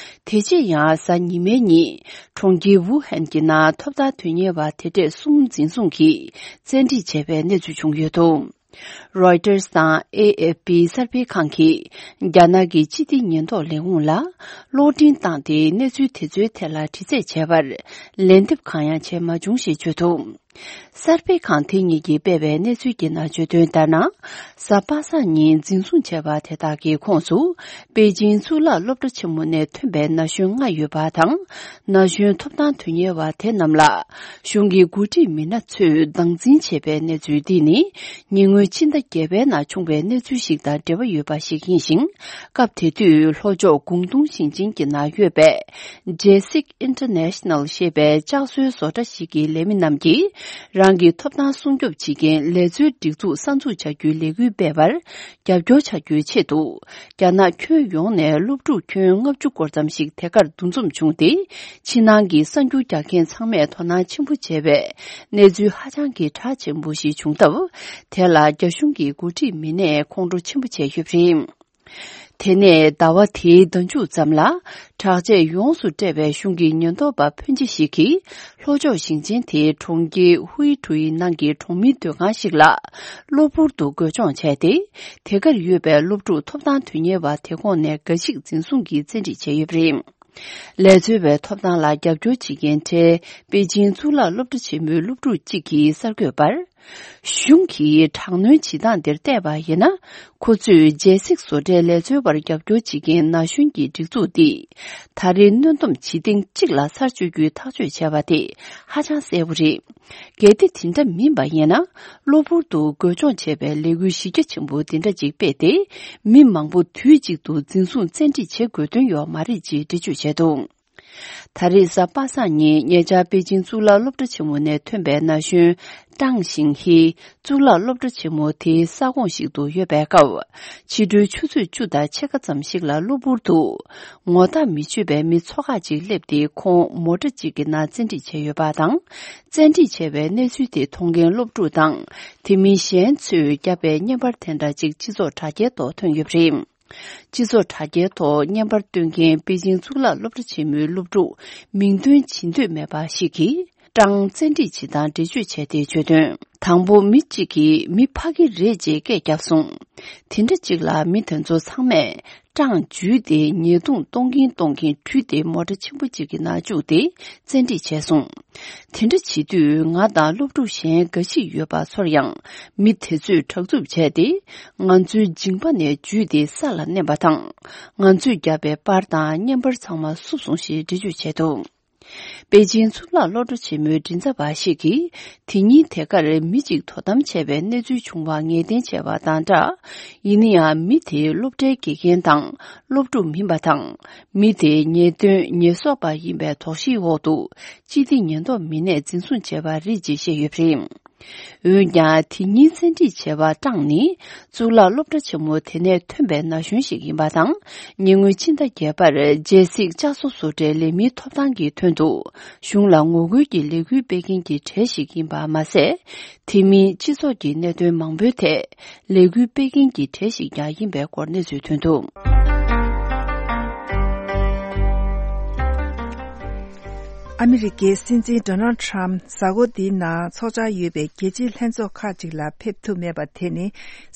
དེ་རྗེས་ཡང་གཟའ་ཉི་མའི་ཉིན་གྲོང་ཁྱེར་ཝུ་ཧན་གྱི་ནང་ཐོབ་ཐང་དོན་གཉེར་བ་དེ་འདྲས་གསུམ་འཛིན་བཟུང་གིས་བཙན་ཁྲིད་བྱས་པའི་གནས་ཚུལ་བྱུང་ཡོད་འདུག་རོའི་ཊར་དང་ཨེ་ཨེཕ་པི་གསར་སྤེལ་ཁང་གིས་རྒྱ་ནག་གི་སྤྱི་བདེ་ཉེན་རྟོག་ལས་ཁུངས་ལ་གློག་འཕྲིན་བཏང་སྟེ་གནས་ཚུལ་དེ་ཚོའི་ཐད་ལ་དྲི་རྩད་བྱས་པར་ལན་འདེབས་གང་ཡང་བྱས་མ་བྱུང་ཞེས་བརྗོད་འདུག་གསར་སྤེལ་ཁང་དེ་གཉིས་ཀྱིས་སྤེལ་བའི་གནས་ཚུལ་གྱི་ནང་བརྗོད་དོན་ལྟར་ན། གཟའ་པ་སངས་ཉིན་འཛིན་བཟུང་བྱས་པ་དེ་དག་གི་ཁོངས་སུ་པེ་ཅིང་གཙུག་ལག་སློབ་གྲྭ་ཆེན་མོ་ནས་ཐོན་པའི་ན་གཞོན་ལྔ་ཡོད་པ་དང་། ན་གཞོན་ཐོབ་ཐང་དོན་གཉེར་བ་དེ་རྣམས་ལ། གཞུང་གི་འགོ་ཁྲིད་མི་སྣ་ཚོས་སྟངས་འཛིན་བྱས་པའི་གནས་ཚུལ་འདི་ནི། ཉེ་སྔོན་ཕྱི་ཟླ་བརྒྱད་པའི་ནང་བྱུང་བའི་གནས་ཚུལ་ཞིག་དང་འབྲེལ་བ་ཡོད་པ་ཞིག་ཡིན་ཞིང་། སྐབས་དེ་དུས་ལྷོ་ཕྱོགས་ཀོང་ཏུང་ཞིང་ཆེན་གྱི་ནང་ཡོད་པའི་Jesik International ཞེས་པའི་ལྕགས་བཟོའི་བཟོ་གྲྭ་ཞིག་གི་ལས་མི་རྣམས་ཀྱིས། རང་གི་ཐོབ་ཐང་སྲུང་སྐྱོབ་བྱེད་མཁན་ལས་བཟོའི་སྒྲིག་འཛུགས་གསར་འཛུགས་བྱ་རྒྱུའི་ལས་འགུལ་སྤེལ་བར། རྒྱབ་སྐྱོར་བྱ་རྒྱུའི་ཆེད་དུ། རྒྱ་ནག་ཁྱོན་ཡོངས་ནས་སློབ་ཕྲུག་ཁྱོན་ལྔ་བཅུ་སྐོར་ཙམ་ཞིག་དེ་གར་འདུ་འཛོམས་བྱུང་སྟེ། ཕྱི་ནང་གི་གསར་འགྱུར་རྒྱག་མཁན་ཚང་མས་དོ་སྣང་ཆེན་པོ་བྱས་པའི་གནས་ཚུལ་ཧ་ཅང་གི་གྲགས་ཆེན་པོ་ཞིག་བྱུང་སྟབས། དེ་ལ་རྒྱ་གཞུང་གི་འགོ་ཁྲིད་མི་སྣས་ཁོང་ཁྲོ་ཆེན་པོ་བྱས་ཡོད་པ་རེད། དེ་ནས་ཟླ་བ་དེའི་ཟླ་མཇུག་ཙམ་ལ། དྲག་ཆས་ཡོངས་སུ་སྤྲས་པའི་གཞུང་གི་ཉེན་རྟོག་པ་ཕོན་ཆེ་ཞིག་གིས། ལྷོ་ཕྱོགས་ཞིང་ཆེན་དེའི་གྲོང་ཁྱེར་ཧུའེ་ཀྲུའི་ནང་གི་གྲོང་མིའི་སྡོད་ཁང་ཞིག་ལ། གློ་བུར་དུ་རྒོལ་སྦྱོང་བྱས་ཏེ། དེ་གར་ཡོད་པའི་སློབ་ཕྲུག་ཐོབ་ཐང་དོན་གཉེར་བ་དེ་ཁོངས་ནས་འགའ་ཞིག་འཛིན་བཟུང་གིས་བཙན་ཁྲིད་བྱས་ཡོད་པ་རེད། ལས་འཛོལ་བའི་ཐོབ་ཐང་ལ་རྒྱབ་སྐྱོར་བྱེད་མཁན་གྲས་པེ་ཅིང་གཙུག་ལག་སློབ་གྲྭ་ཆེན་མོའི་སློབ་ཕྲུག་ཅིག་གིས་གསར་འགོད་པར། གཞུང་གིས་དྲག་གནོན་བྱེད་སྟངས་འདིར་བལྟས་པ་ཡིན་ན། ཁོ་ཚོས་རྒྱལ་སྲིད་བཟོ་གྲྭའི་ལས་འཛོལ་བར་རྒྱབ་སྐྱོར་བྱེད་མཁན་ན་གཞོན་གྱི་སྒྲིག་འཛུགས་འདིས། ད་རེས་གནོན་སྡོམ་བྱེད་ཐེངས་གཅིག་ལ་ཚར་གཅོད་རྒྱུའི་ཐག་གཅོད་བྱས་པ་དེ་ཧ་ཅང་གསལ་པོ་རེད། གལ་ཏེ་དེ་འདྲ་མིན་པ་ཡིན་ན། གློ་བུར་དུ་རྒོལ་སྐྱོང་བྱས་པའི་ལས་འགུལ་གཞི་རྒྱ་ཆེན་པོ་འདི་འདྲ་ཅིག་སྤེལ་ཏེ། མི་མང་པོ་དུས་གཅིག་ཏུ་འཛིན་བཟུང་བཙན་ཁྲིད་བྱེད་དགོས་དོན་ཡོད་མ་རེད་ཅེས་འགྲེལ་བརྗོད་བྱས་འདུག་ད་རེས་གཟའ་པ་སངས་ཉིན་ཉེ་ཆར་པེ་ཅིང་གཙུག་ལག་སློབ་གྲྭ་ཆེན་མོ་ནས་ཐོན་པའི་ན་གཞོན་ཀྲང་ཞིང་ཧི། གཙུག་ལག་སློབ་གྲྭ་ཆེན་མོ་དེའི་ས་ཁོངས་ཤིག་ཏུ་ཡོད་པའི་སྐབས། ཕྱི་དྲོའི་ཆུ་ཚོད་བཅུ་དང་ཕྱེད་ཀ་ཙམ་ཞིག་ལ་གློ་བུར་དུ། ངོ་ཐག་མི་ཆོད་པའི་མི་ཚོ་ཁག་ཅིག་སླེབས་ཏེ། ཁོང་མོ་ཊ་ཅིག་གི་ནང་བཙན་ཁྲིད་བྱས་ཡོད་པ་དང་། བཙན་ཁྲིད་བྱས་པའི་གནས་ཚུལ་དེ་མཐོང་མཁན་སློབ་ཕྲུག་དང་། དེ་མིན་གཞན་ཚོས་བརྒྱབ་པའི་བརྙན་པར་དེ་འདྲ་ཅིག་སྤྱི་ཚོགས་དྲ་རྒྱའི་ཐོག་ཐོན་ཡོད་པ་རེད། སྤྱི་ཚོགས་དྲ་རྒྱའི་ཐོག་བརྙན་པར་སྟོན་མཁན་པེ་ཅིང་གཙུག་ལག་སློབ་གྲྭ་ཆེན་མོའི་སློབ་ཕྲུག་མིང་འདོན་བྱེད་འདོད་མེད་པ་ཞིག་གིས། ཀྲང་བཙན་ཁྲིད་བྱེད་སྟངས་འགྲེལ་བརྗོད་བྱས་ཏེ་བརྗོད་དོན། དང་པོ་མི་གཅིག་གིས་མི་ཕ་གི་རེད་ཅེས་སྐད་བརྒྱབ་སོང་། དེ་འདྲ་གཅིག་ལ་མི་དེ་ཚོ་ཚང་མས་ཀྲང་འཇུས་ཏེ་ཉེས་རྡུང་གཏོང་གིན་གཏོང་གིན་བྲོས་ཏེ་མོ་ཊ་ཆེན་པོ་གཅིག་གི་ནང་བཅུག་སྟེ་བཙན་ཁྲིད་བྱས་སོང་། དེ་འདྲ་བྱེད་དུས་ང་དང་སློབ་ཕྲུག་གཞན་འགའ་ཞིག་ཡོད་པ་ཚོར་ཡང་། མི་དེ་ཚོས་དྲག་རྩུབ་བྱས་ཏེ། ང་ཚོའི་མཇིང་པ་ནས་འཇུས་ཏེ་ས་ལ་མནན་པ་དང་། ང་ཚོས་བརྒྱབ་པའི་པར་དང་བརྙན་པར་ཚང་མ་བསུབས་སོང་ཞེས་འགྲེལ་བརྗོད་བྱས་འདུག་པེ་ཅིང་གཙུག་ལག་སློབ་གྲྭ་ཆེན་མོའི་མགྲིན་ཚབ་པ་ཞིག་གིས། དེ་ཉིན་དེ་གར་མི་གཅིག་དོ་དམ་བྱས་པའི་གནས་ཚུལ་བྱུང་བ་ངེས་གཏན་བྱས་པ་དང་སྦྲགས། ཡིན་ན་ཡང་མི་དེའི་སློབ་གྲྭའི་དགེ་རྒན་དང་སློབ་ཕྲུག་མིན་པ་དང་། མི་དེ་ཉེས་དོན་ཉེས་གསོག་པ་ཡིན་པའི་དོགས་གཞིའི་འོག་ཏུ། སྤྱི་བདེ་ཉེན་རྟོག་མི་སྣས་འཛིན་བཟུང་བྱས་པ་རེད་ཅེས་བཤད་ཡོད་པ་རེད། འོན་ཀྱང་། དེ་ཉིན་བཙན་ཁྲིད་བྱས་པ་ཀྲང་ནི། གཙུག་ལག་སློབ་གྲྭ་ཆེན་མོ་དེ་ནས་ཐོན་པའི་ན་གཞོན་ཞིག་ཡིན་པ་དང་། ཉེ་སྔོན་ཕྱི་ཟླ་བརྒྱད་པར་རྒྱལ་སྲིད་བསྐྱར་གསོ་བཟོ་གྲྭའི་ལས་མིའི་ཐོབ་ཐང་གི་དོན་དུ། གཞུང་ལ་ངོ་རྒོལ་གྱི་ལས་འགུལ་སྤེལ་མཁན་གྱི་གྲས་ཤིག་ཡིན་པ་མ་ཟད། དེ་མིན་སྤྱི་ཚོགས་ཀྱི་གནད་དོན་མང་པོའི་ཐད། ལས་འགུལ་སྤེལ་མཁན་གྱི་གྲས་ཤིག་ཀྱང་ཡིན་པའི་སྐོར་གནས་ཚུལ་ཐོན་འདུག། ཨ་མི་རི་ཀའི་སྲིད་འཛིན་ཌོ་ནལ་ཌི་ཊརམ་གཟའ་འཁོར་འདིའི་ནང་འཚོགས་འཆར་ཡོད་པའི་རྒྱལ་སྤྱིའི་ལྷན་ཚོགས་ཁག་ཅིག་ལ་ཕེབས་ཐུབ་མེད་པ་དེ་ནི།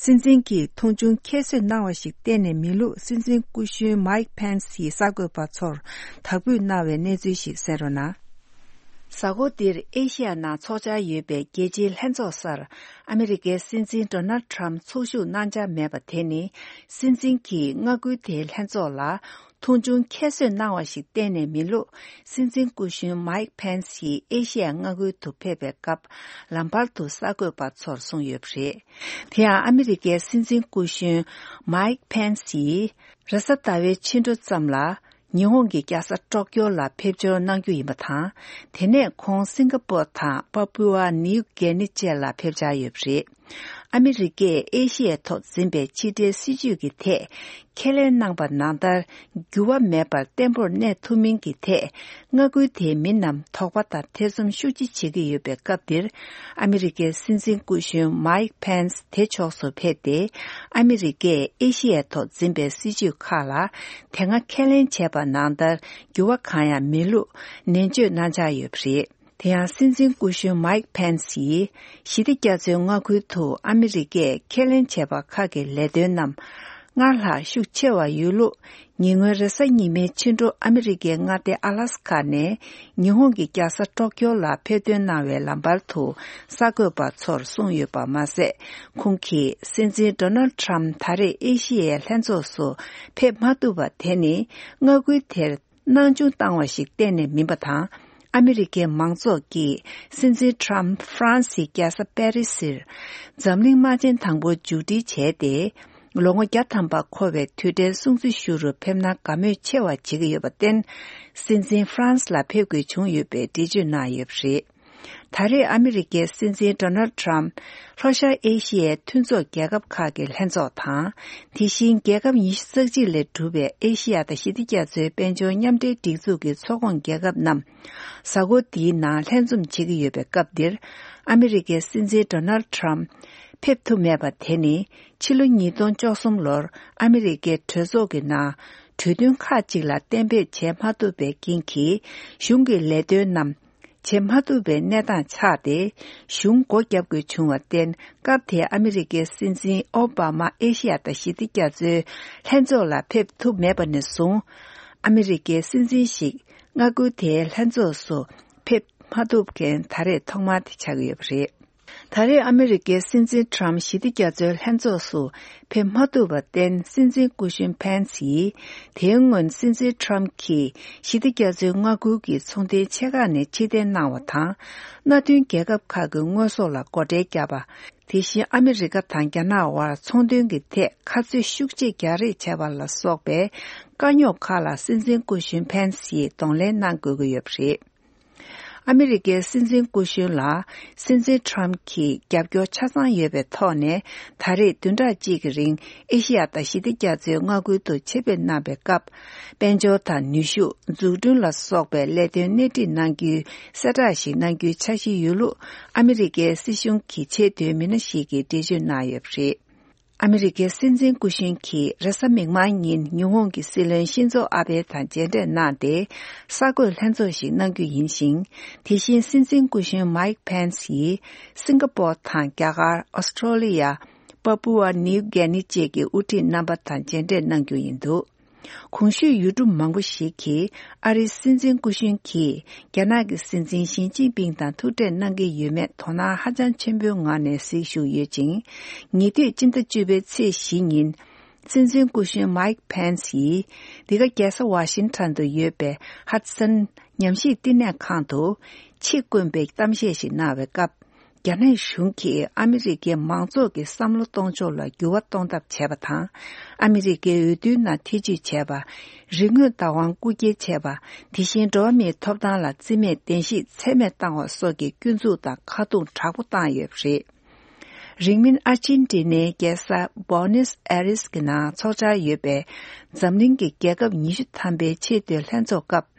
སྲིད་འཛིན་གྱིས་མཐོང་ཆུང་ཁྱད་གསོད་གནང་བ་ཞིག་གཏན་ནས་མིན་ལུགས། སྲིད་འཛིན་སྐུ་གཞོན་མཱིག་ཕེན་སི་ཡིས་གསར་འགོད་པ་ཚོར་དག་འབུལ་གནང་བའི་གནས་ཚུལ་ཞིག་གསན་རོགས་གནང་། གཟའ་འཁོར་འདིར་ཨེ་ཤི་ཡ་ནང་འཚོགས་འཆར་ཡོད་པའི་རྒྱལ་སྤྱིའི་ལྷན་ཚོགས་སར། ཨ་མི་རི་ཀའི་སྲིད་འཛིན་ཌོ་ནལ་ཌི་ཊརམ་ཚོགས་ཞུགས་གནང་འཆར་མེད་པ་དེ་ནི། སྲིད་འཛིན་གྱིས་མངའ་ཁུལ་དེའི་ལྷན་ཚོགས་ལ། མཐོང་ཆུང་ཁྱད་གསོད་གནང་བ་ཞིག་གཏན་ནས་མིན་ལུགས། སྲིད་འཛིན་སྐུ་གཞོན་མཱིག་ཕེན་སི་ཡིས་ཨེ་ཤི་ཡ་མངའ་ཁུལ་དུ་ཕེབས་པའི་སྐབས། ལམ་བར་དུ་གསར་འགོད་པ་ཚོར་གསུངས་ཡོད་པ་རེད། དེ་ཡང་ཨ་མི་རི་ཀའི་སྲིད་འཛིན་སྐུ་གཞོན་མཱིག་ཕེན་སི་ཡིས། རེས་གཟའ་ཟླ་བའི་ཕྱི་དྲོ་ཙམ་ལ། ཉི་ཧོང་གི་རྒྱལ་ས་ཀྲོག་ཀྱོ་ལ་ཕེབས་འབྱོར་གནང་རྒྱུ་ཡིན་པ་དང་། དེ་ནས་ཁོང་སིང་ག་པོར་དང་པ་པུ་ཨ་ནིའུ་གྷི་ནི་བཅས་ལ་ཕེབས་འཆར་ཡོད་པ་རེད། ཨ་མི་རི་ཀས་ཨེ་ཤི་ཡའི་ཐོག་འཛིན་པའི་ཕྱི་འབྲེལ་སྲིད་ཇུས་ཀྱི་ཐད། ཁས་ལེན་གནང་པ་ནང་ལྟར། འགྱུར་བ་མེད་པར་བརྟན་པོར་གནས་ཐུབ་མིན་གྱི་ཐད། མངའ་ཁུལ་དེའི་མི་རྣམས་དོགས་པ་དང་ཐེ་ཚོམ་ཤུགས་ཆེ་བྱེད་ཀྱི་ཡོད་པའི་སྐབས་འདིར། ཨ་མི་རི་ཀའི་སྲིད་འཛིན་སྐུ་གཞོན་མཱིག་ཕེན་སི་དེ་ཕྱོགས་སུ་ཕེབས་ཏེ། ཨ་མི་རི་ཀས་ཨེ་ཤི་ཡའི་ཐོག་འཛིན་པའི་སྲིད་ཇུས་ཁག་ལ། དེ་སྔ་ཁས་ལེན་བྱས་པ་ནང་ལྟར། འགྱུར་བ་གང་ཡང་མེད་ལུགས། ནན་བརྗོད་གནང་འཆར་ཡོད་པ་རེད། དེ་ཡང་སྲིད་འཛིན་སྐུ་གཞོན་མཱིག་ཕེན་སི་ཡིས། ཞི་བདེ་རྒྱ་མཚོའི་མངའ་ཁུལ་དུ་ཨ་མི་རི་ཀས་ཁས་ལེན་བྱས་པ་ཁག་གི་ལས་དོན་རྣམས། སྔར་ལྷག་ཤུགས་ཆེ་བ་ཡོད་ལུགས། ཉེ་སྔོན་རེས་གཟའ་ཉི་མའི་ཕྱི་དྲོ་ཨ་མི་རི་ཀའི་མངའ་སྡེ་ཨ་ལ་སི་ཁ་ནས། ཉི་ཧོང་གི་རྒྱལ་ས་ཀྲོག་ཀྱོ་ལ་ཕེབས་ཐོན་གནང་བའི་ལམ་བར་དུ། གསར་འགོད་པ་ཚོར་གསུངས་ཡོད་པ་མ་ཟད། ཁོང་གིས་སྲིད་འཛིན་ཌོ་ནལ་ཌི་ཊརམ་ད་རེས་ཨེ་ཤི་ཡའི་ལྷན་ཚོགས་སུ་ཕེབས་མ་ཐུབ་པ་དེ་ནི། མངའ་ཁུལ་དེར། སྣང་ཆུང་བཏང་བ་ཞིག་གཏན་ནས་མིན་པ་དང་། ཨ་མི་རི་ཀའི་མང་ཚོགས་ཀྱིས་སྲིད་འཛིན་ཊརམ་ཕ་རན་སིའི་རྒྱལ་ས་པེ་རི་སིར་འཛམ་གླིང་དམག་ཆེན་དང་པོ་མཇུག་སྒྲིལ་བྱས་ཏེ། ལོ་ངོ་བརྒྱ་ཐམ་པ་འཁོར་བའི་དུས་དྲན་སྲུང་བརྩི་ཞུ་རུ་ཕེབས་ན་དགའ་མོས་ཆེ་བ་བྱེད་ཀྱི་ཡོད་པར་བརྟེན། སྲིད་འཛིན་ཕ་རན་སི་ལ་ཕེབས་དགོས་བྱུང་ཡོད་པའི་འགྲེལ་བརྗོད་གནང་ཡོད་པ་རེད། ད་རེས་ཨ་མི་རི་ཀའི་སྲིད་འཛིན་ཌོ་ནལ་ཊརམ་ལྷོ་ཤར་ཨེ་ཤི་ཡའི་མཐུན་ཚོགས་རྒྱལ་ཁབ་ཁག་གི་ལྷན་ཚོགས་དང་། དེ་བཞིན་རྒྱལ་ཁབ་ཉི་ཤུ་རྩ་གཅིག་ལས་གྲུབ་པའི་ཨེ་ཤི་ཡ་དང་ཞི་བདེ་རྒྱ་མཚོའི་དཔལ་འབྱོར་མཉམ་འབྲེལ་སྒྲིག་འཛུགས་ཀྱི་ཚོགས་ཁོངས་རྒྱལ་ཁབ་རྣམས་གཟའ་འཁོར་འདིའི་ནང་ལྷན་འཛོམས་བྱེད་ཀྱི་ཡོད་པའི་སྐབས་འདིར། ཨ་མི་རི་ཀའི་སྲིད་འཛིན་ཌོ་ནལ་ཊརམ་ཕེབས་ཐུབ་མེད་པ་དེ་ནི། ཕྱི་ལོ་ཉིས་སྟོང་བཅུ་གསུམ་ལོར་ཨ་མི་རི་ཀའི་གྲོས་ཚོགས་ཀྱི་ནང་གྲོས་མཐུན་ཁག་ཅིག་ལ་གཏན་འབེབས་བྱས་མ་ཐུབ་པའི་རྐྱེན་གྱིས། གཞུང་གི་ལས་དོན་རྣམས། བྱེད་མ་ཐུབ་པའི་གནས་སྟངས་ཆགས་ཏེ། གཞུང་སྒོ་བརྒྱབ་དགོས་བྱུང་བར་བརྟེན། སྐབས་དེའི་ཨ་མི་རི་ཀའི་སྲིད་འཛིན་ཨོ་བྷ་མ་ཨེ་ཤི་ཡ་དང་ཞི་བདེ་རྒྱ་མཚོའི་ལྷན་ཚོགས་ལ་ཕེབས་ཐུབ་མེད་པ་ནས་བཟུང་། ཨ་མི་རི་ཀའི་སྲིད་འཛིན་ཞིག་མངའ་ཁུལ་དེའི་ལྷན་ཚོགས་སུ་ཕེབས་མ་ཐུབ་མཁན་ད་རེས་ཐོག་མ་དེ་ཆགས་ཀྱི་ཡོད་པ་རེད། ད་རེས་ཨ་མི་རི་ཀའི་སྲིད་འཛིན་ཊརམ་ཞི་བདེ་རྒྱ་མཚོའི་ལྷན་ཚོགས་སུ་ཕེབས་མ་ཐུབ་པར་བརྟེན། སྲིད་འཛིན་སྐུ་གཞོན་ཕེན་སི་ཡིས། དེའི་སྔོན་སྲིད་འཛིན་ཊརམ་གྱིས་ཞི་བདེ་རྒྱ་མཚོའི་མངའ་ཁུལ་གྱི་ཚོང་དོན་ཆེ་ཁག་ནས་ཕྱིར་འཐེན་གནང་བ་དང་། མནའ་མཐུན་རྒྱལ་ཁབ་ཁག་གི་དངོས་ཟོག་ལ་སྒོ་ཁྲལ་བརྒྱབ་པ། དེ་བཞིན་ཨ་མི་རི་ཀ་དང་རྒྱ་ནག་དབར་ཚོང་དོན་གྱི་ཐད་ཁ་རྩོད་ཤུགས་ཆེ་རྒྱག་རེས་བྱས་པ་ལ་སོགས་པའི་དཀའ་རྙོག་ཁག་ལ་སྲིད་འཛིན་སྐུ་གཞོན་ཕེན་སི་ཡིས་གདོང་ལེན་གནང་དགོས་ཀྱི་ཡོད་པ་རེད། ཨ་མི་རི་ཀའི་སྲིད་འཛིན་སྐུ་གཞོན་ལ་སྲིད་འཛིན་ཊརམ་གྱིས་རྒྱབ་སྐྱོར་ཆ་ཚང་ཡོད་པའི་ཐོག་ནས། ད་རེས་བདུན་ཕྲག་གཅིག་གི་རིང་ཨེ་ཤི་ཡ་དང་ཞི་བདེ་རྒྱ་མཚོའི་མངའ་ཁུལ་དུ་ཆེད་ཕེབས་གནང་བའི་སྐབས། དཔལ་འབྱོར་དང་ནུས་ཤུགས། འཛུགས་སྐྲུན་ལ་སོགས་པའི་ལས་དོན་སྣེ་ཁྲིད་གནང་རྒྱུའི་གསལ་བསྒྲགས་ཤིག་གནང་རྒྱུའི་འཆར་གཞི་ཡོད་ལུགས། ཨ་མི་རི་ཀའི་སྲིད་གཞུང་གི་ཆེས་མཐོའི་མི་སྣ་ཞིག་གིས་འགྲེལ་བརྗོད་གནང་ཡོད་པ་རེད། ཨ་མི་རི་ཀའི་སྲིད་འཛིན་སྐུ་གཞོན་གྱིས་རེས་གཟའ་མིག་དམར་ཉིན་ཉི་ཧོང་གི་སྲིད་བློན་ཤིན་ཛོ་ཨ་བྷེ་དང་མཇལ་འཕྲད་གནང་སྟེ། གསར་འགོད་ལྷན་ཚོགས་ཤིག་གནང་རྒྱུ་ཡིན་ཞིང་། དེ་བཞིན་སྲིད་འཛིན་སྐུ་གཞོན་མཱིག་ཕེན་སི་ཡིས་སིང་ག་པོར་དང་རྒྱ་གར། ཨོ་སི་ཀྲོ་ལི་ཡ། པ་པུ་ཨ་ནིའུ་གྷི་ནི་བཅས་ཀྱི་དབུ་ཁྲིད་རྣམ་པ་དང་མཇལ་འཕྲད་གནང་རྒྱུ་ཡིན་འདུག། གོང་ཞུས་ཡུལ་གྲུ་མང་པོ་ཞིག་གིས་ཨ་རིའི་སྲིད་འཛིན་སྐུ་གཞོན་གྱིས་རྒྱ་ནག་གི་སྲིད་འཛིན་ཞི་ཅིན་ཕིང་དང་ཐུག་འཕྲད་གནང་གི་ཡོད་མེད་དོ་སྣང་ཧ་ཅང་ཆེན་པོའི་ངང་ནས་གཟིགས་བཞུགས་ཡོད་ཅིང་། ཉེ་དུས་སྤྱི་ཟླ་བཅུ་པའི་ཚེས་བཞི་ཉིན། སྲིད་འཛིན་སྐུ་གཞོན་མཱིག་ཕེན་སི་ཡིས་འདི་ག་རྒྱལ་ས་ཝ་ཤིང་ཊོན་དུ་ཡོད་པའི་ཧ་ཌི་སན་ ཉམས་ཞིབ་བསྟི་གནས་ཁང་དུ་ཆེད་བསྐོས་པའི་གཏམ་བཤད་ཞིག་གནང་བའི་སྐབས། རྒྱ་ནག་གཞུང་གིས་ཨ་མི་རི་ཀའི་མང་ཚོགས་ཀྱི་བསམ་བློ་གཏོང་ཕྱོགས་ལ་འགྱུར་བ་གཏོང་ཐབས་བྱས་པ་དང་། ཨ་མི་རི་ཀའི་འོས་བསྡུའི་ནང་ཐེ་བྱུས་བྱས་པ། རིག་དངོས་བདག་དབང་རྐུ་འཁྱེར་བྱས་པ། དེ་བཞིན་འགྲོ་བ་མིའི་ཐོབ་ཐང་ལ་བརྩི་མེད་གདན་ཞིག་ཚད་མེད་བཏང་བ་སོགས་ཀྱི་སྐྱོན་འཛུགས་དང་ཁ་རྡུང་དྲག་པོ་བཏང་ཡོད་པ་རེད། རིང་མིན་ཨར་ཅིན་ཏི་ནའི་རྒྱལ་ས་བོ་ནེས་ཨེ་རེས་ཀྱི་ནང་འཚོགས་འཆར་ཡོད་པའི་འཛམ་གླིང་གི་རྒྱལ་ཁབ་ཉི་ཤུ་ཐམ་པའི་ཆེས་མཐོའི་ལྷན་ཚོགས་སྐབས།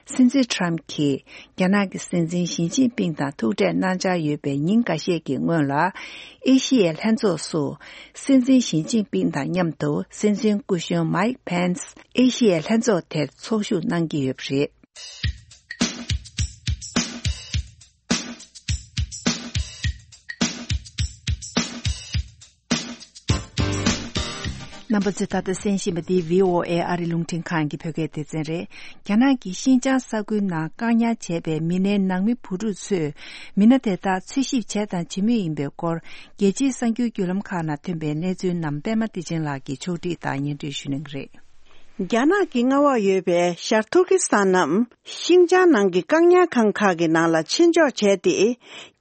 སྲིད་འཛིན་ཁྲམ་གྱིས་རྒྱ་ནག་གི་སྲིད་འཛིན་ཞི་ཅིན་ཕིང་དང་ཐུག་འཕྲད་གནང་འཆར་ཡོད་པའི་ཉིན་འགའ་ཤས་ཀྱི་སྔོན་ལ། ཨེ་ཤི་ཡའི་ལྷན་ཚོགས་སུ་སྲིད་འཛིན་ཞི་ཅིན་ཕིང་དང་མཉམ་དུ་སྲིད་འཛིན་སྐུ་གཞོན་མའིག་ཕེན་སི་ཨེ་ཤི་ཡའི་ལྷན་ཚོགས་དེར་ཚོགས་ཞུགས་གནང་གི་ཡོད་པ་རེད། རྣམ་པ་ཚོས་ད་ལྟ་གསན་བཞིན་པ་འདི་བྷི་ཨོ་ཨེ་ཨ་རི་རླུང་འཕྲིན་ཁང་གི་བོད་སྐད་སྡེ་ཚན་རེད། རྒྱ་ནག་གིས་ཤིན་ཅང་ས་ཁུལ་ནང་བཀག་ཉར་བྱས་པའི་མི་སྣའི་ནང་མི་བུ་ཕྲུག་ཚོས་མི་སྣ་དེ་དག་འཚོལ་ཞིབ་བྱས་དང་བྱེད་མུས་ཡིན་པའི་སྐོར། རྒྱལ་སྤྱིའི་གསར་འགྱུར་བརྒྱུད་ལམ་ཁག་ནང་ཐོན་པའི་གནས་ཚུལ་རྣམས་པད་མ་བདེ་ཆེན་ལགས་ཀྱིས་ཕྱོགས་སྒྲིག་དང་སྙན་སྒྲོན་ཞུ་གནང་གི་རེད། རྒྱ་ནག་གི་མངའ་འོག་ཡོད་པའི་ཤར་ཐུར་ཀི་སི་ཐན་ནམ་ཤིང་ཅང་ནང་གི་བཀག་ཉར་ཁང་ཁག་གི་ནང་ལ་ཕྱིར་འཇོག་བྱས་ཏེ།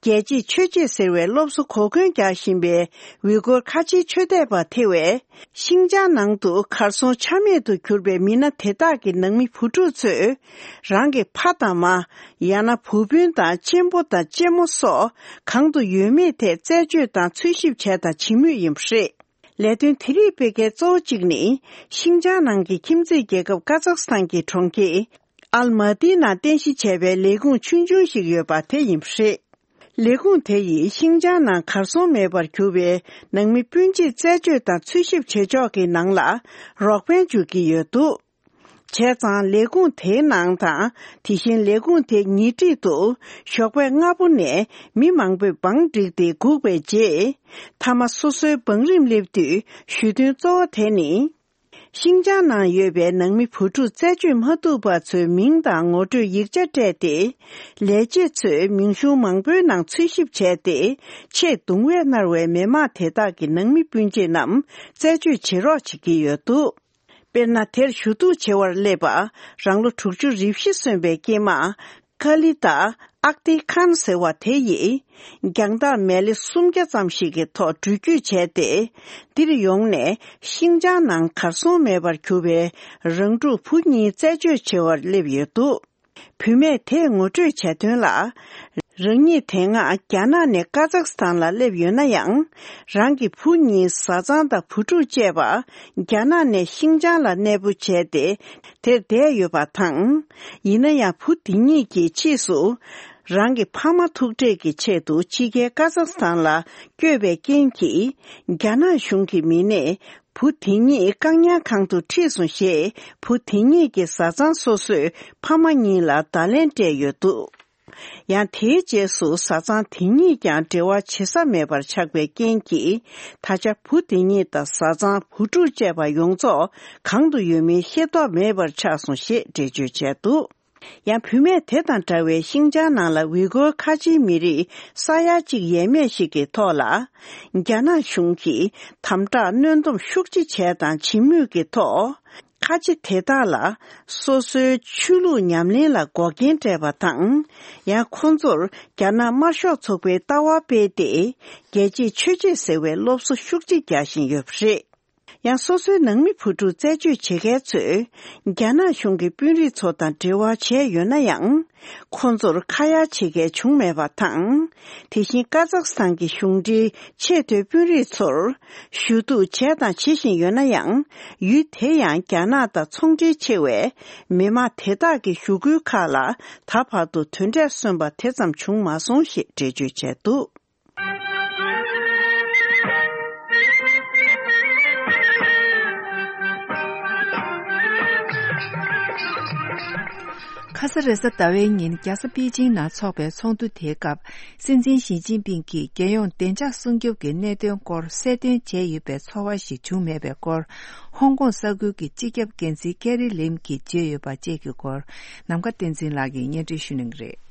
རྒྱལ་གཅེས་ཆོས་གཅེས་ཟེར་བའི་སློབ་གསོ་གོ་སྐོན་རྒྱག་བཞིན་པའི་ཝི་གོར་ཁ་ཆེའི་ཆོས་དད་པ་ཐེ་བས། ཤིང་ཅང་ནང་དུ་གར་སོང་ཆ་མེད་དུ་གྱུར་པའི་མི་སྣ་དེ་དག་གི་ནང་མི་བུ་ཕྲུག་ཚོས། རང་གི་ཕ་དང་མ། ཡང་ན་བུ་སྤུན་དང་གཅེན་པོ་དང་གཅེན་མོ་སོགས་གང་དུ་ཡོད་མེད་ཐད་རྩད་གཅོད་དང་འཚོལ་ཞིབ་བྱས་དང་བྱེད་མུས་ཡིན་པ་རེད། ལས་དོན་དེ་རིགས་སྤེལ་མཁན་གཙོ་བོ་གཅིག་ནི། ཤིང་ཅང་ནང་གི་ཁྱིམ་མཚེས་རྒྱལ་ཁབ་ཀ་ཛག་སི་ཐན་གྱི་གྲོང་ཁྱེར། ཨལ་མ་ཏིའི་ནང་རྟེན་གཞི་བྱས་པའི་ལས་ཁུངས་ཆུང་ཆུང་ཞིག་ཡོད་པ་དེ་ཡིན་པ་རེད། ལས་ཁུངས་དེ་ཡིས་ཤིང་ཅང་ནང་གར་སོང་མེད་པར་གྱུར་པའི་ནང་མི་སྤུན་མཆེད་རྩད་གཅོད་དང་འཚོལ་ཞིབ་བྱེད་ཕྱོགས་ཀྱི་ནང་ལ་རོགས་ཕན་སྒྱུར་གྱི་ཡོད་འདུག་བྱས་ཙང་ལས་ཁུངས་དེའི་ནང་དང་། དེ་བཞིན་ལས་ཁུངས་དེའི་ཉེ་འཁྲིས་དུ་ཞོགས་པ་སྔ་པོ་ནས་མི་མང་པོས་བང་བསྒྲིགས་ཏེ་སྒུག་པའི་རྗེས། མཐའ་མ་སོ་སོའི་བང་རིམ་སླེབས་དུས་ཞུ་དོན་གཙོ་བོ་དེ་ནི། ཤིང་ཅང་ནང་ཡོད་པའི་ནང་མི་བུ་ཕྲུག་རྩད་གཅོད་མ་ཐུབ་པ་ཚོའི་མིང་དང་ངོ་སྤྲོད་ཡིག་ཆ་སྤྲད་དེ། ལས་བྱེད་ཚོས་མིང་གཞུང་མང་པོའི་ནང་འཚོལ་ཞིབ་བྱས་ཏེ། ཆེས་གདུང་བས་མནར་བའི་མི་མང་དེ་དག་གི་ནང་མི་སྤུན་མཆེད་རྣམས་རྩད་གཅོད་བྱེད་རོགས་བྱེད་ཀྱི་ཡོད་འདུག་དཔེར་ན། དེར་ཞུ་གཏུག་བྱེད་པར་སླེབས་པ་རང་ལོ་དྲུག་ཅུ་རེ་བཞི་སོན་པའི་སྐྱེས་མ། ཀ་ལི་ཏཱ་ཨཀ་ཏི་ཁཱན་ཟེར་བ་དེ་ཡིས། རྒྱང་ཐག་མལ་ལེ་སུམ་བརྒྱ་ཙམ་ཞིག་གི་ཐོག་འགྲུལ་སྐྱོད་བྱས་ཏེ། འདིར་ཡོང་ནས་ཤིང་ཅང་ནང་གར་སོང་མེད་པར་གྱུར་པའི་རང་ཕྲུག་བུ་གཉིས་རྩད་གཅོད་བྱེད་པར་སླེབས་ཡོད་འདུག་བུད་མེད་དེས་ངོ་སྤྲོད་བྱས་དོན་ལ། རང་ཉིད་དེ་སྔ་རྒྱ་ནག་ནས་ཀ་ཛག་སི་ཐན་ལ་སླེབས་ཡོད་ན་ཡང་། རང་གི་བུ་གཉིས་བཟའ་ཚང་དང་བུ་ཕྲུག་བཅས་པ་རྒྱ་ནག་ནས་ཤིང་ཅང་ལ་གནས་སྤོ་བྱས་ཏེ། དེར་བསྡད་ཡོད་པ་དང་། ཡིན་ན་ཡང་བུ་དེ་གཉིས་ཀྱིས་ཕྱིས་སུ། རང་གི་ཕ་མ་ཐུག་འཕྲད་ཀྱི་ཆེད་དུ་ཕྱི་རྒྱལ་ཀ་ཛག་སི་ཐན་ལ་བསྐྱོད་པའི་རྐྱེན་གྱིས། རྒྱ་ནག་གཞུང་གི་མི་སྣས། བུ་དེ་གཉིས་བཀག་ཉར་ཁང་དུ་ཁྲིད་སོང་ཞེས། བུ་དེ་གཉིས་ཀྱི་བཟའ་ཚང་སོ་སོས་ཕ་མ་གཉིས་ལ་བརྡ་ལན་སྤྲད་ཡོད་འདུག་ཡང་དེའི་རྗེས་སུ་བཟའ་ཚང་དེ་གཉིས་ཀྱང་འབྲེལ་བ་བྱེད་ས་མེད་པར་ཆགས་པའི་རྐྱེན་གྱིས། ད་ཆ་བུ་དེ་གཉིས་དང་བཟའ་ཚང་བུ་ཕྲུག་བཅས་པ་ཡོངས་རྫོགས་གང་དུ་ཡོད་མིན་ཤེས་རྟོགས་མེད་པར་ཆགས་སོང་ཞེས་འགྲེལ་བརྗོད་བྱས་འདུག་ཡང་བུད་མེད་དེ་དང་འདྲ་བའི་ཤིང་ཅང་ནང་ལ་ཝི་གོར་ཁ་ཆེའི་མི་རིགས་ས་ཡ་གཅིག་ཡས་མས་ཤིག་གི་ཐོག་ལ། རྒྱ་ནག་གཞུང་གིས་དམ་དྲག་གནོན་སྡོམ་ཤུགས་ཆེ་བྱས་དང་བྱེད་མུས་ཀྱི་ཐོག་ཁ་ཆེ་དེ་དག་ལ་སོ་སོའི་ཆོས་ལུགས་ཉམས་ལེན་ལ་འགོག་རྐྱེན་སྤྲད་པ་དང་། ཡང་ཁོང་ཚོར་རྒྱ་ནག་དམར་ཤོག་ཚོགས་པའི་ལྟ་བ་སྤེལ་ཏེ། རྒྱལ་གཅེས་ཆོས་གཅེས་ཟེར་བའི་སློབ་གསོ་ཤུགས་ཆེ་རྒྱག་བཞིན་ཡོད་པ་རེད། ཡང་སོ་སོའི་ནང་མི་བུ་ཕྲུག་རྩད་གཅོད་བྱེད་མཁན་ཚོས། རྒྱ་ནག་གཞུང་གི་དཔོན་རིགས་ཚོ་དང་འབྲེལ་བ་བྱས་ཡོད་ན་ཡང་། ཁོང་ཚོར་ཁ་ཡ་བྱེད་མཁན་བྱུང་མེད་པ་དང་། དེ་བཞིན་ཀ་ཛག་སི་ཐན་གྱི་གཞུང་འབྲེལ་ཆེས་མཐོའི་དཔོན་རིགས་ཚོར། ཞུ་གཏུག་བྱས་དང་བྱེད་བཞིན་ཡོད་ན་ཡང་། ཡུལ་དེ་ཡང་རྒྱ་ནག་དང་ཚོང་འབྲེལ་ཆེ་བས། མི་མང་དེ་དག་གི་ཞུ་སྐུལ་ཁག་ལ་ད་བར་དུ་དོན་འབྲས་སོན་པ་དེ་ཙམ་བྱུང་མ་སོང་ཞེས་འགྲེལ་བརྗོད་བྱས་འདུག་ཁ་ས་རེས་གཟའ་ཟླ་བའི་ཉིན་རྒྱལ་ས་པེ་ཅིང་ནང་འཚོགས་པའི་ཚོགས་འདུ་དེའི་སྐབས། སྲིད་འཛིན་ཞི་ཅིན་ཕིང་གིས་རྒྱལ་ཡོངས་བདེ་འཇགས་སྲུང་སྐྱོབ་ཀྱི་གནད་དོན་སྐོར་གསལ་སྟོན་བྱས་ཡོད་པའི་ཚོར་བ་ཞིག་བྱུང་མེད་པའི་སྐོར། ཧོང་ཀོང་ས་ཁུལ་གྱི་སྤྱི་ཁྱབ་འགན་འཛིན་ཀེ་རི་ལིམ་གྱིས་བརྗོད་ཡོད་པ་བཅས་ཀྱི་སྐོར། ནམ་མཁའ་བསྟན་འཛིན་ལགས་ཀྱིས་སྙན་སྒྲོན་ཞུ་གནང་གི་རེད།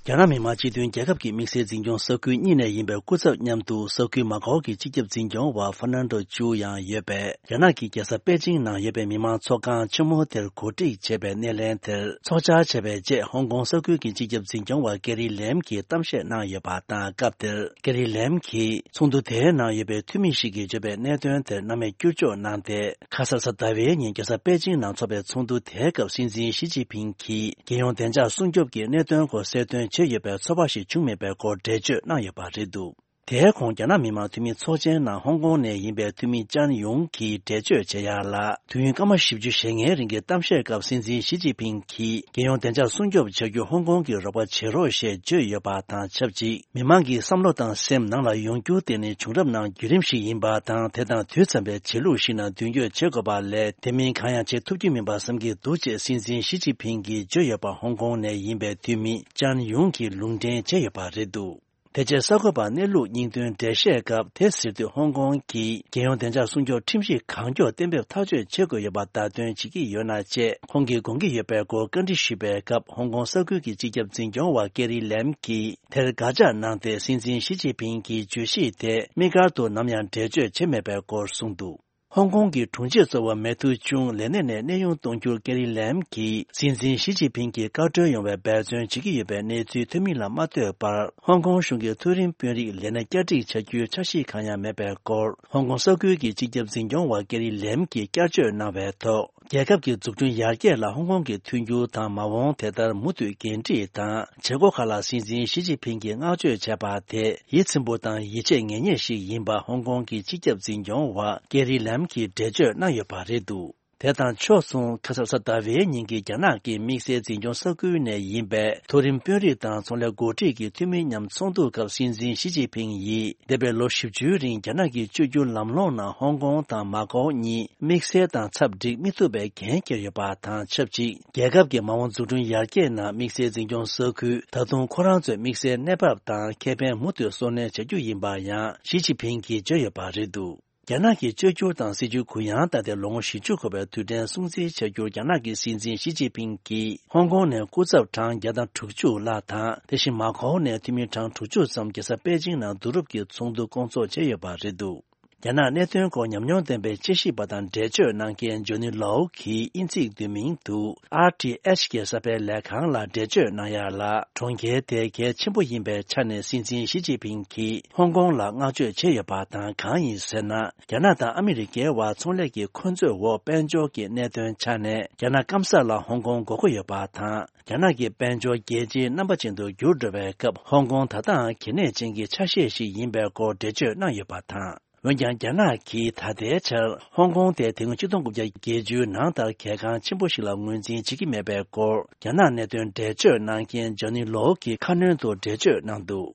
རྒྱ་ནག་མི་དམངས་སྤྱི་མཐུན་རྒྱལ་ཁབ་ཀྱི་དམིགས་བསལ་འཛིན་སྐྱོང་ས་ཁུལ་གཉིས་ནས་ཡིན་པའི་སྐུ་ཚབ་མཉམ་དུ་ས་ཁུལ་མ་ཀའོ་གི་སྤྱི་ཁྱབ་འཛིན་སྐྱོང་བ་ཧྥ་ནན་ཏོ་ཅུའུ་ཡང་ཡོད་པས། རྒྱ་ནག་གི་རྒྱལ་ས་པེ་ཅིང་ནང་ཡོད་པའི་མི་དམངས་ཚོགས་ཁང་ཆེན་མོ་དེར་གོ་སྒྲིག་བྱས་པའི་སྣེ་ལེན་དེར་ཚོགས་བཅར་བྱས་པའི་རྗེས། ཧོང་ཀོང་ས་ཁུལ་གྱི་སྤྱི་ཁྱབ་འཛིན་སྐྱོང་བ་ཀེ་རི་ལེམ་གྱིས་གཏམ་བཤད་གནང་ཡོད་པ་དང་། སྐབས་དེར་ཀེ་རི་ལེམ་གྱིས་ཚོགས་འདུ་དེའི་ནང་ཡོད་པའི་འཐུས་མི་ཞིག་གིས་བརྗོད་པའི་གནད་དོན་དེར་སྣང་མེད་བསྐྱུར་བཅོས་གནང་སྟེ། ཁ་སང་གཟའ་ཟླ་བའི་ཉིན་རྒྱལ་ས་པེ་ཅིང་ནང་འཚོགས་པའི་ཚོགས་འདུ་དེའི་སྐབས་སྲིད་འཛིན་ཞི་ཅིན་ཕིང་གིས་རྒྱལ་ཡོངས་བདེ་འཇགས་སྲུང་སྐྱོབ་ཀྱི་གནད་དོན་སྐོར་གསལ་སྟོན་བྱས་ཡོད་པའི་ཚོར་བ་ཞིག་བྱུང་མེད་པའི་སྐོར་འགྲེལ་བརྗོད་གནང་ཡོད་པ་རེད་འདུག་དེའི་གོང་རྒྱ་ནག་མི་དམངས་འཐུས་མི་ཚོགས་ཆེན་ནང་ཧོང་ཀོང་ནས་ཡིན་པའི་འཐུས་མི་ཅན་ཡུང་གིས་འགྲེལ་བརྗོད་བྱེད་ཡག་ལ། དུས་ཡུན་སྐར་མ་བཞི་བཅུ་ཞེ་ལྔའི་རིང་གི་གཏམ་བཤད་སྐབས་སྲིད་འཛིན་ཞི་ཅིན་ཕིང་གིས་རྒྱལ་ཡོངས་བདེ་འཇགས་སྲུང་སྐྱོབ་བྱ་རྒྱུར་ཧོང་ཀོང་གིས་རོགས་པ་བྱེད་རོགས་ཞེས་བརྗོད་ཡོད་པ་དང་ཆབས་ཅིག་མི་མང་གི་བསམ་བློ་དང་སེམས་ནང་ལ་ཡོང་རྒྱུ་དེ་ནི་བྱུང་རབས་ནང་བརྒྱུད་རིམ་ཞིག་ཡིན་པ་དང་། དེ་དང་དུས་མཚམས་པའི་བྱེད་ལུགས་ཤིག་ནང་མདུན་སྐྱོད་བྱེད་དགོས་པ་ལས། དེ་མིན་གང་ཡང་བྱེད་ཐུབ་ཀྱི་མིན་པ་བསམ་གྱི་འདུག་ཅེས་སྲིད་འཛིན་ཞི་ཅིན་ཕིང་གིས་བརྗོད་ཡོད་པ་ཧོང་ཀོང་ནས་ཡིན་པའི་འཐུས་མི་ཅན་ཡུང་གིས་ལུང་འདྲེན་བྱས་ཡོད་པ་རེད་འདུག་དེ་རྗེས་གསར་འགོད་པར་གནས་ལུགས་སྙིང་དོན་འགྲེལ་བཤད་སྐབས་དེ་ཟེར་དུས། ཧོང་ཀོང་གིས་རྒྱལ་ཡོངས་བདེ་འཇགས་སྲུང་སྐྱོབ་ཁྲིམས་གཞི་གང་མགྱོགས་གཏན་འབེབས་ཐག་གཅོད་བྱེད་དགོས་ཡོད་པར་བརྡ་སྟོན་བྱེད་ཀྱི་ཡོད་ན་ཅེས་ཁོང་གིས་དགོངས་ཀྱི་ཡོད་པའི་སྐོར་བཀའ་འདྲི་ཞུས་པའི་སྐབས། ཧོང་ཀོང་ས་ཁུལ་གྱི་སྤྱི་ཁྱབ་འཛིན་སྐྱོང་བ་ཀེ་རི་ལེམ་གྱིས་དེར་དགག་བྱ་གནང་སྟེ། སྲིད་འཛིན་ཞི་ཅིན་ཕིང་གི་བརྗོད་གཞི་དེ་དམིགས་བཀར་དུ་ནམ་ཡང་འགྲེལ་བརྗོད་བྱས་མེད་པའི་སྐོར་གསུངས་འདུག་ཧོང་ཀོང་གི་དྲུང་ཆེ་གཙོ་བོ་མེ་ཐུའུ་ཅུང་ལས་གནས་ནས་གནས་དབྱུང་གཏོང་རྒྱུར་ཀེ་རི་ལེམ་གྱིས་སྲིད་འཛིན་ཞི་ཅིན་ཕིང་གིས་བཀའ་འཁྲོལ་ཡོང་བའི་འབད་བརྩོན་བྱེད་ཀྱི་ཡོད་པའི་གནས་ཚུལ་ཐོན་མིན་ལ་མ་ལྟོས་པར། ཧོང་ཀོང་གཞུང་གི་མཐོ་རིམ་དཔོན་རིགས་ལས་གནས་བསྐྱར་སྒྲིག་བྱ་རྒྱུའི་འཆར་གཞི་གང་ཡང་མེད་པའི་སྐོར། ཧོང་ཀོང་ས་ཁུལ་གྱི་སྤྱི་ཁྱབ་འཛིན་སྐྱོང་བ་ཀེ་རི་ལེམ་གྱིས་བསྐྱར་བརྗོད་གནང་བའི་ཐོག་རྒྱལ་ཁབ་ཀྱི་འཛུགས་སྐྲུན་ཡར་རྒྱས་ལ་ཧོང་ཀོང་གི་མཐུན་འགྱུར་དང་མ་འོངས་དེ་ལྟར་མུ་མཐུད་འགན་འཁྲི་དང་བྱེད་སྒོ་ཁག་ལ་སྲིད་འཛིན་ཞི་ཅིན་ཕིང་གིས་བསྔགས་བརྗོད་བྱས་པ་དེ་ཡིད་ཚིམ་པོ་དང་ཡིད་ཆེས་ངེས་རྙེད་ཞིག་ཡིན་པ་ཧོང་ཀོང་གི་སྤྱི་ཁྱབ་འཛིན་སྐྱོང་བ་ཀེ་རི་ལམ་གྱིས་འགྲེལ་བརྗོད་གནང་ཡོད་པ་རེད་འདུག་དེ་དང་ཕྱོགས་མཚུངས། ཁ་སང་གཟའ་ཟླ་བའི་ཉིན་གྱི་རྒྱ་ནག་གི་དམིགས་བསལ་འཛིན་སྐྱོང་ས་ཁུལ་ནས་ཡིན་པའི་མཐོ་རིམ་དཔོན་རིགས་དང་ཚོང་ལས་འགོ་ཁྲིད་ཀྱི་འཐུས་མི་མཉམ་ཚོགས་འདུ་སྐབས་སྲིད་འཛིན་ཞི་ཅིན་ཕིང་ཡིས། འདས་པའི་ལོ་བཞི་བཅུའི་རིང་རྒྱ་ནག་གིས་བཅོས་བསྒྱུར་ལམ་ལྷོང་ནང་ཧོང་ཀོང་དང་མ་ཀའོ་གཉིས་དམིགས་བསལ་དང་ཚབ་འགྲིག་མི་ཐུབ་པའི་འགན་འཁྱེར་ཡོད་པ་དང་ཆབས་ཅིག་རྒྱལ་ཁབ་ཀྱི་མ་འོངས་འཛུགས་སྐྲུན་ཡར་རྒྱས་ནང་དམིགས་བསལ་འཛིན་སྐྱོང་ས་ཁུལ་ད་དུང་ཁོ་རང་ཚོའི་དམིགས་བསལ་གནས་བབ་དང་ཁེ་ཕན་མུ་མཐུད་གསོ་སྣོན་བྱ་རྒྱུ་ཡིན་པ་ཡང་ཞི་ཅིན་ཕིང་གིས་བརྗོད་ཡོད་པ་རེད་འདུག་རྒྱ་ནག་གི་བཅོས་བསྒྱུར་དང་སྲིད་ཇུས་གུ་ཡངས་བཏང་སྟེ་ལོ་ངོ་བཞི་བཅུ་འཁོར་བའི་དུས་དྲན་སྲུང་བརྩི་བྱ་རྒྱུར་རྒྱ་ནག་གི་སྲིད་འཛིན་ཞི་ཅིན་ཕིང་གིས་ཧོང་ཀོང་ནས་སྐུ་ཚབ་གྲངས་བརྒྱ་དང་དྲུག་ཅུ་ལྷག་དང་། དེ་བཞིན་མ་ཀའོ་ནས་འཐུས་མི་གྲངས་དྲུག་ཅུ་ཙམ་རྒྱལ་ས་པེ་ཅིང་ནང་བསྡུ་རུབ་ཀྱིས་ཚོགས་འདུ་སྐོང་ཚོགས་བྱས་ཡོད་པ་རེད་འདུག་རྒྱ་ནག་གནད་དོན་སྐོར་ཉམས་མྱོང་ལྡན་པའི་དཔྱད་ཞིབ་པ་དང་འགྲེལ་བརྗོད་གནང་མཁན་ཇོ་ནི་ལའོ་གིས་དབྱིན་ཚིག་བསྡུས་མིང་དུ་ཨར་ཊི་ཨེཆ་གི་གསར་སྤེལ་ལས་ཁང་ལ་འགྲེལ་བརྗོད་གནང་ཡག་ལ། གྲོང་ཁྱེར་དེ་གལ་ཆེན་པོ་ཡིན་པའི་ཆ་ནས་སྲིད་འཛིན་ཞི་ཅིན་ཕིང་གིས་ཧོང་ཀོང་ལ་བསྔགས་བརྗོད་བྱས་ཡོད་པ་དང་། གང་ཡིན་ཟེར་ན། རྒྱ་ནག་དང་ཨ་མི་རི་ཀའི་བར་ཚོང་ལས་ཀྱི་འཁོན་རྩོད་འོག་དཔལ་འབྱོར་གྱི་གནད་དོན་ཆ་ནས་རྒྱ་ནག་སྐམ་ས་ལ་ཧོང་ཀོང་དགོས་མཁོ་ཡོད་པ་དང་། རྒྱ་ནག་གི་དཔལ་འབྱོར་རྒྱལ་སྤྱིའི་རྣམ་པ་ཅན་དུ་འགྱུར་འགྲོ་བའི་སྐབས། ཧོང་ཀོང་ད་ལྟའང་གལ་གནད་ཅན་གྱི་ཆ་ཤས་ཤིག་ཡིན་པའི་སྐོར་འགྲེལ་བརྗོད་གནང་ཡོད་པ་དང་། འོན་ཀྱང་། རྒྱ་ནག་གིས་ད་ལྟའི་ཆར་ཧོང་ཀོང་དེ་དེ་སྔོན་ཆིག་སྟོང་དགུ་བརྒྱ་བརྒྱད་ཅུ་ནང་ལྟར་གལ་འགངས་ཆེན་པོ་ཞིག་ལ་ངོས་འཛིན་བྱེད་ཀྱི་མེད་པའི་སྐོར། རྒྱ་ནག་གནད་དོན་འགྲེལ་བརྗོད་གནང་མཁན་ཇོ་ནི་ལོ་གིས་ཁ་སྣོན་དུ་འགྲེལ་བརྗོད་གནང་འདུག་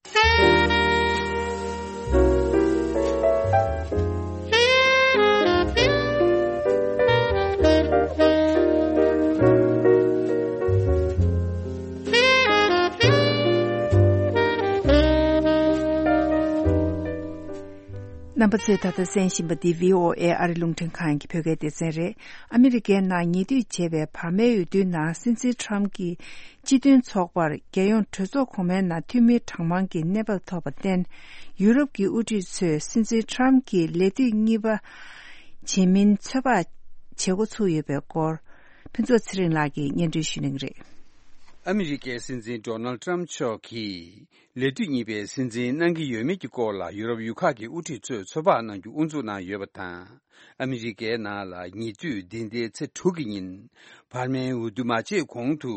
རྣམ་པ་ཚོས་ད་ལྟ་གསན་བཞིན་པ་འདི་བྷི་ཨོ་ཨེ་ཨ་རི་རླུང་འཕྲིན་ཁང་གི་བོད་སྐད་སྡེ་ཚན་རེད། ཨ་མི་རི་ཀའི་ནང་ཉེ་དུས་བྱས་པའི་བར་མའི་འོས་བསྡུའི་ནང་སྲིད་འཛིན་ཁྲམ་གྱིས་སྤྱི་མཐུན་ཚོགས་པར་རྒྱལ་ཡོངས་གྲོས་ཚོགས་གོང་མའི་ནང་འཐུས་མི་གྲངས་མང་གི་གནས་བབ་ཐོབ་པར་བརྟེན། ཡུ་རོབ་ཀྱི་དབུ་ཁྲིད་ཚོས་སྲིད་འཛིན་ཁྲམ་གྱིས་ལས་དུས་གཉིས་པ་བྱེད་མིན་ཚོད་དཔག་བྱེད་འགོ་ཚུགས་ཡོད་པའི་སྐོར། ཕུན་ཚོགས་ཚེ་རིང་ལགས་ཀྱིས་སྙན་སྒྲོན་ཞུ་གནང་གི་རེད། ཨ་མི་རི་ཀའི་སྲིད་འཛིན་ཌོ་ནལ་ཊམ་མཆོག་གིས་ལས་དུས་གཉིས་པའི་སྲིད་འཛིན་གནང་གི་ཡོད་མེད་ཀྱི་སྐོར་ལ་ཡུ་རོབ་ཡུལ་ཁག་གི་དབུ་ཁྲིད་ཚོས་ཚོད་དཔག་གནང་རྒྱུ་དབུ་འཛུགས་གནང་ཡོད་པ་དང་། ཨ་མི་རི་ཀའི་ནང་ལ་ཉེ་དུས་འདི་ཟླའི་ཚེས་དྲུག་གི་ཉིན་བར་མའི་འོས་བསྡུ་མ་བྱས་གོང་དུ།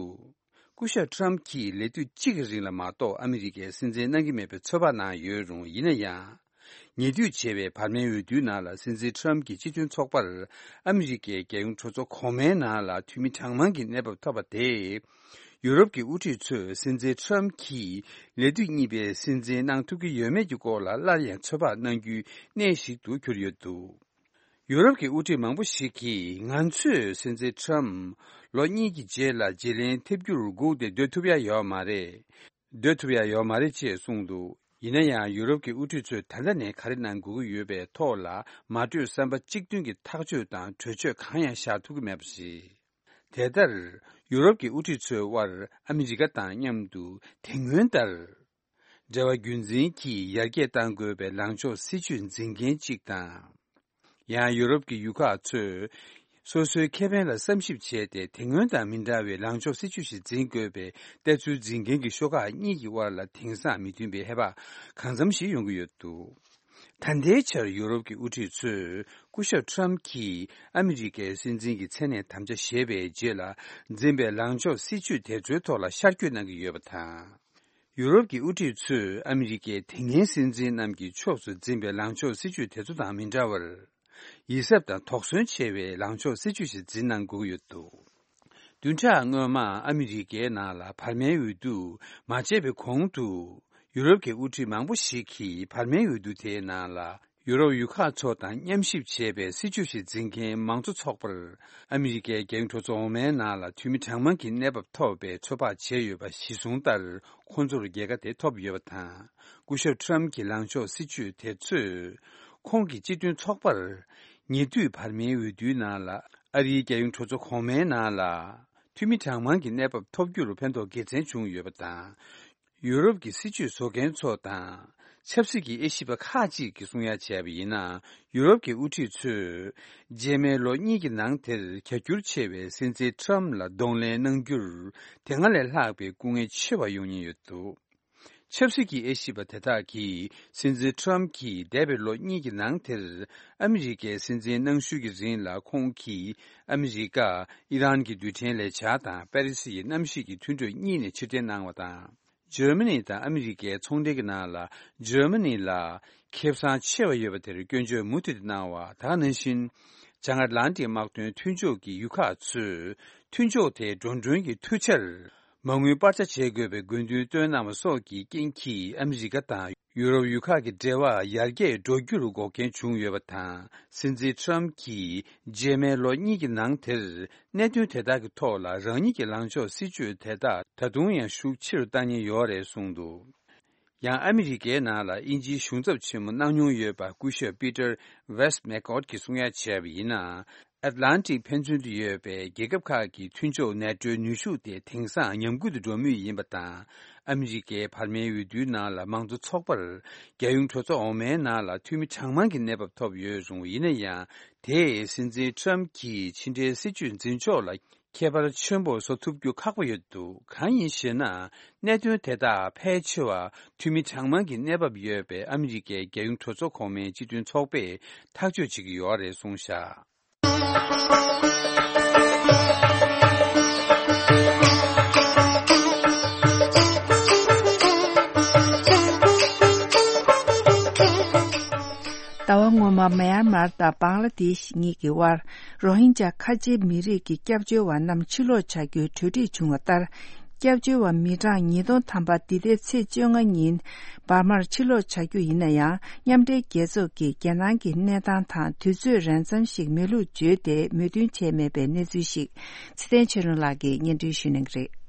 སྐུ་ཞབས་ཁྲམ་གྱིས་ལས་དུས་གཅིག་གི་རིང་ལ་མ་གཏོགས་ཨ་མི་རི་ཀའི་སྲིད་འཛིན་གནང་གི་མེད་པའི་ཚོད་དཔག་གནང་ཡོད་རུང་། ཡིན་ན་ཡང་། ཉེ་དུས་བྱས་པའི་བར་མའི་འོས་བསྡུའི་ནང་ལ་སྲིད་འཛིན་ཁྲམ་གྱིས་སྤྱི་མཐུན་ཚོགས་པར་ཨ་མི་རི་ཀའི་རྒྱལ་ཡོངས་གྲོས་ཚོགས་གོང་མའི་ནང་ལ་འཐུས་མི་གྲངས་མང་གི་གནས་བབ་ཐོབ་པ་དེས། ཡུ་རོབ་ཀྱི་དབུ་ཁྲིད་ཚོས་སྲིད་འཛིན་ཁྲམ་གྱིས་ལས་དུས་གཉིས་པའི་སྲིད་འཛིན་གནང་ཐུབ་ཀྱི་ཡོད་མེད་ཀྱི་སྐོར་ལ་སླར་ཡང་ཚོད་དཔག་གནང་རྒྱུའི་གནས་ཤིག་ཏུ་གྱུར་ཡོད་འདུག་ཡུ་རོབ་ཀྱི་དབུ་ཁྲིད་མང་པོ་ཞིག་གིས་ང་ཚོས་སྲིད་འཛིན་ཁྲམ་ལོ་གཉིས་ཀྱི་རྗེས་ལ་བརྗེ་ལེན་ཐེབས་རྒྱུར་སྒུག་སྟེ་སྡོད་ཐུབ་ཡ་ཡོད་མ་རེད། སྡོད་ཐུབ་ཡ་ཡོད་མ་རེད་ཅེས་གསུངས་འདུག་ཡིན་ན་ཡང་། ཡུ་རོབ་ཀྱི་དབུ་ཁྲིད་ཚོས་ད་ལྟ་ནས་ག་རེ་གནང་དགོས་ཀྱི་ཡོད་པའི་ཐོག་ལ་མ་གྲོས་བསམ་པ་གཅིག་མཐུན་གྱི་ཐག་གཅོད་དང་གྲོས་ཆོད་གང་ཡང་བཞག་ཐུབ་ཀྱི་མེད་པ་རེད། དེ་ལྟར་ཡུ་རོབ་ཀྱི་དབུ་ཁྲིད་ཚོའི་དབར་ཨ་མི་རི་ཀ་དང་མཉམ་དུ་དེ་སྔོན་ལྟར། འབྲེལ་བ་རྒྱུན་འཛིན་གྱིས་ཡར་རྒྱས་གཏང་དགོས་པའི་ལངས་ཕྱོགས་སྲིད་ཇུས་འཛིན་མཁན་གཅིག་དང་། ཡང་ཡུ་རོབ་ཀྱི་ཡུལ་ཁག་ཚོས་སོ་སོའི་ཁེ་ཕན་ལ་བསམ་ཞིབ་བྱས་ཏེ། དེ་སྔོན་དང་མི་འདྲ་བའི་ལངས་ཕྱོགས་སྲིད་ཇུས་ཤིག་འཛིན་དགོས་པའི་ལྟ་ཚུལ་འཛིན་མཁན་གྱི་ཤོག་ཁག་གཉིས་ཀྱི་དབར་ལ་དེང་སང་མི་མཐུན་པའི་ཧེ་བག་གང་འཚམ་ཞིག་ཡོང་གི་ཡོད་འདུག། ད་ལྟའི་ཆར་ཡུ་རོབ་ཀྱི་དབུ་ཁྲིད་ཚོས་སྐུ་ཞབས་ཁྲམ་གྱིས་ཨ་མི་རི་ཀའི་སྲིད་འཛིན་གྱི་མཚན་གནས་དམ་བཅའ་བཞེས་པའི་རྗེས་ལ་འཛིན་པའི་ལངས་ཕྱོགས་སྲིད་ཇུས་དེ་ཚོའི་ཐོག་ལ་ཤར་བསྐྱོད་གནང་གི་ཡོད་པ་དང་། ཡུ་རོབ་ཀྱི་དབུ་ཁྲིད་ཚོས་ཨ་མི་རི་ཀའི་དེ་སྔའི་སྲིད་འཛིན་རྣམས་ཀྱི་ཕྱོགས་སུ་འཛིན་པའི་ལངས་ཕྱོགས་སྲིད་ཇུས་དེ་ཚོ་དང་མི་འདྲ་བར། ཡིད་གཟབ་དང་དོགས་ཟོན་ཆེ་བའི་ལངས་ཕྱོགས་སྲིད་ཇུས་ཤིག་འཛིན་གནང་དགོས་ཀྱི་ཡོད་འདུག། བདུན་ཕྲག་སྔོན་མ་ཨ་མི་རི་ཀའི་ནང་ལ་བར་མའི་འོས་བསྡུ་མ་བྱས་པའི་གོང་དུ། ཡུ་རོབ་ཀྱི་དབུ་ཁྲིད་མང་པོ་ཞིག་གིས་བར་མའི་འོས་བསྡུ་དེའི་ནང་ལ། ཡུ་རོབ་ཡུལ་ཁག་ཚོ་དང་མཉམ་ཞིབ་བྱས་པའི་སྲིད་ཇུས་ཤིག་འཛིན་མཁན་མང་གཙོ་ཚོགས་པར། ཨ་མི་རི་ཀའི་རྒྱལ་ཡོངས་གྲོས་ཚོགས་འོག་མའི་ནང་ལ་འཐུས་མི་གྲངས་མང་གི་གནས་བབ་ཐོབ་པའི་ཚོད་དཔག་བྱས་ཡོད་པ་གཞིར་བཟུང་ལྟར། ཁོང་ཚོར་རྒྱལ་ཁ་དེ་ཐོབ་ཡོད་པ་དང་། སྐུ་ཞབས་ཁྲམ་གྱི་ལངས་ཕྱོགས་སྲིད་ཇུས་དེ་ཚོས། ཁོང་གི་སྤྱི་མཐུན་ཚོགས་པར། ཉེ་དུས་བར་མའི་འོས་བསྡུའི་ནང་ལ། ཨ་རིའི་རྒྱལ་ཡོངས་གྲོས་ཚོགས་གོང་མའི་ནང་ལ། འཐུས་མི་གྲངས་མང་གི་གནས་བབ་ཐོབ་རྒྱུར་ཕན་ཐོགས་དགེ་མཚན་བྱུང་ཡོད་པ་དང་། ཡུ་རོབ་ཀྱི་སྲིད་ཇུས་བཟོ་མཁན་ཚོ་དང་། ཆབ་སྲིད་ཀྱི་དབྱེ་ཞིབ་པ་ཁག་ཅིག་གིས་གསུང་ཡ་བྱས་པ་ཡིན་ན། ཡུ་རོབ་ཀྱི་དབུ་ཁྲིད་ཚོས། རྗེས་མའི་ལོ་གཉིས་ཀྱི་ནང་དེར་རྒྱ་སྒྱུར་ཆེ་བའི་སྲིད་འཛིན་ཁྲམ་ལ་གདོང་ལེན་གནང་རྒྱུར། དེ་སྔ་ལས་ལྷག་པའི་སྐུ་ངལ་ཆེ་བ་ཡོང་ཉེན་ཡོད་འདུག། ཆབ་སྲིད་ཀྱི་དབྱེ་ཞིབ་པ་དེ་དག་གིས། སྲིད་འཛིན་ཁྲམ་གྱིས་འདས་པའི་ལོ་གཉིས་ཀྱི་ནང་དེར། ཨ་མི་རི་ཀའི་སྲིད་འཛིན་གནང་ཤུལ་གྱི་རིང་ལ་ཁོང་གིས། ཨ་མི་རི་ཀ། ཨི་རན་གྱི་རྡུལ་ཕྲན་ལས་འཆར་དང་པེ་རི་སི་ཡི་གནམ་གཤིས་ཀྱི་མཐུན་གྲོས་གཉིས་ནས་ཕྱིར་འཐེན་གནང་བ་དང་། འཇར་མ་ནི་དང་ཨ་མི་རི་ཀའི་ཚོང་འབྲེལ་གྱི་ནང་ལ། འཇར་མ་ནི་ལ་ཁེ་བཟང་ཆེ་བ་ཡོད་པ་དེར་སྐྱོན་བརྗོད་མུ་མཐུད་དུ་གནང་བ། ད་ག་ནང་བཞིན། བྱང་ཨེཊ་ལན་ཊིག་དམག་དོན་མཐུན་ཕྱོགས་ཀྱི་ཡུལ་ཁག་ཚོས། མཐུན་ཕྱོགས་དེའི་འགྲོ་གྲོན་གྱི་མཐུ་ཆར། མ་དངུལ་སྤར་ཆ་བྱེད་དགོས་པའི་དགོས་འདུན་བཏོན་གནང་བ་སོགས་ཀྱི་རྐྱེན་གྱིས། ཨ་མི་རི་ཀ་དང་ཡུ་རོབ་ཡུལ་ཁག་གི་འབྲེལ་བ་ཡར་རྒྱས་འགྲོ་རྒྱུར་འགོག་རྐྱེན་བྱུང་ཡོད་པ་དང་། སྲིད་འཛིན་ཁྲམ་གྱིས། རྗེས་མའི་ལོ་གཉིས་ཀྱི་ནང་དེར། གནད་དོན་དེ་དག་གི་ཐོག་ལ་རང་ཉིད་ཀྱི་ལངས་ཕྱོགས་སྲིད་ཇུས་དེ་དག་ད་དུང་ཡང་ཤུགས་ཆེ་རུ་བཏང་ཉེན་ཡོད་རེད་གསུངས་འདུག། ཡང་ཨ་མི་རི་ཀའི་ནང་ལ་དབྱིན་ཇིའི་གཞུང་ཚབ་ཆེན་མོ་གནང་མྱོང་ཡོད་པ་སྐུ་ཞབས་པི་ཏར་ཝེ་སི་མེག་ཀོད་ཀྱིས་གསུང་ཡ་བྱས་པ་ཡིན་ན། ཨེཊ་ལན་ཊིག་ཕན་ཚུན་དུ་ཡོད་པའི་རྒྱལ་ཁབ་ཁག་གི་མཐུན་ཕྱོགས་ནེ་ཊོའི་ནུས་ཤུགས་དེ་དེང་སང་ཉམས་རྒུད་དུ་འགྲོ་མུས་ཡིན་པ་དང་། ཨ་མི་རི་ཀའི་བར་མའི་འོས་བསྡུའི་ནང་ལ་མང་གཙོ་ཚོགས་པར། རྒྱལ་ཡོངས་གྲོས་ཚོགས་འོག་མའི་ནང་ལ་འཐུས་མི་གྲངས་མང་གི་གནས་བབ་ཐོབ་ཡོད་རུང་། ཡིན་ན་ཡང་། དེས་སྲིད་འཛིན་ཁྲམ་གྱིས་ཕྱི་འབྲེལ་སྲིད་ཇུས་འཛིན་ཕྱོགས་ལ། ཁྱད་པར་ཆེན་པོ་བཟོ་ཐུབ་རྒྱུ་ཁག་པོ་ཡོད་འདུག། གང་ཡིན་ཞེ་ན། གནད་དོན་དེ་དག་ཕལ་ཆེ་བ་འཐུས་མི་གྲངས་མང་གི་གནས་བབ་ཡོད་པའི་ཨ་མི་རི་ཀའི་རྒྱལ་ཡོངས་གྲོས་ཚོགས་གོང་མའི་སྤྱི་མཐུན་ཚོགས་པས་ཐག་གཅོད་བྱེད་ཀྱི་ཡོད་རེད་གསུངས་བཞག། ཟླ་བ་སྔོན་མ་མེན་མར་དང་བང་ལ་དེཤ་གཉིས་ཀྱི་དབར། རོ་ཧིན་ཇཱ་ཁ་ཆེའི་མི་རིགས་ཀྱི་སྐྱབས་བཅོལ་བ་རྣམས་ཕྱིར་ལོག་བྱ་རྒྱུའི་གྲོས་འགྲིག་བྱུང་བ་ལྟར། སྐྱབས་བཅོལ་བ་མི་གྲངས་ཉིས་སྟོང་ཐམ་པ་འདི་ཟླའི་ཚེས་བཅོ་ལྔ་ཉིན་འབར་མར་ཕྱིར་ལོག་བྱ་རྒྱུ་ཡིན་ན་ཡང་། མཉམ་འབྲེལ་རྒྱལ་ཚོགས་ཀྱིས་རྒྱལ་ནང་གི་གནས་སྟངས་དང་དུས་ཚོད་རན་ཙམ་ཞིག་མེད་ལུགས་བརྗོད་དེ་མོས་མཐུན་བྱས་མེད་པའི་གནས་ཚུལ་ཞིག། ཚེ་བརྟན་ཆོས་སྒྲོན་ལགས་ཀྱིས་སྙན་སྒྲོན་ཞུ་གནང་གི་རེད།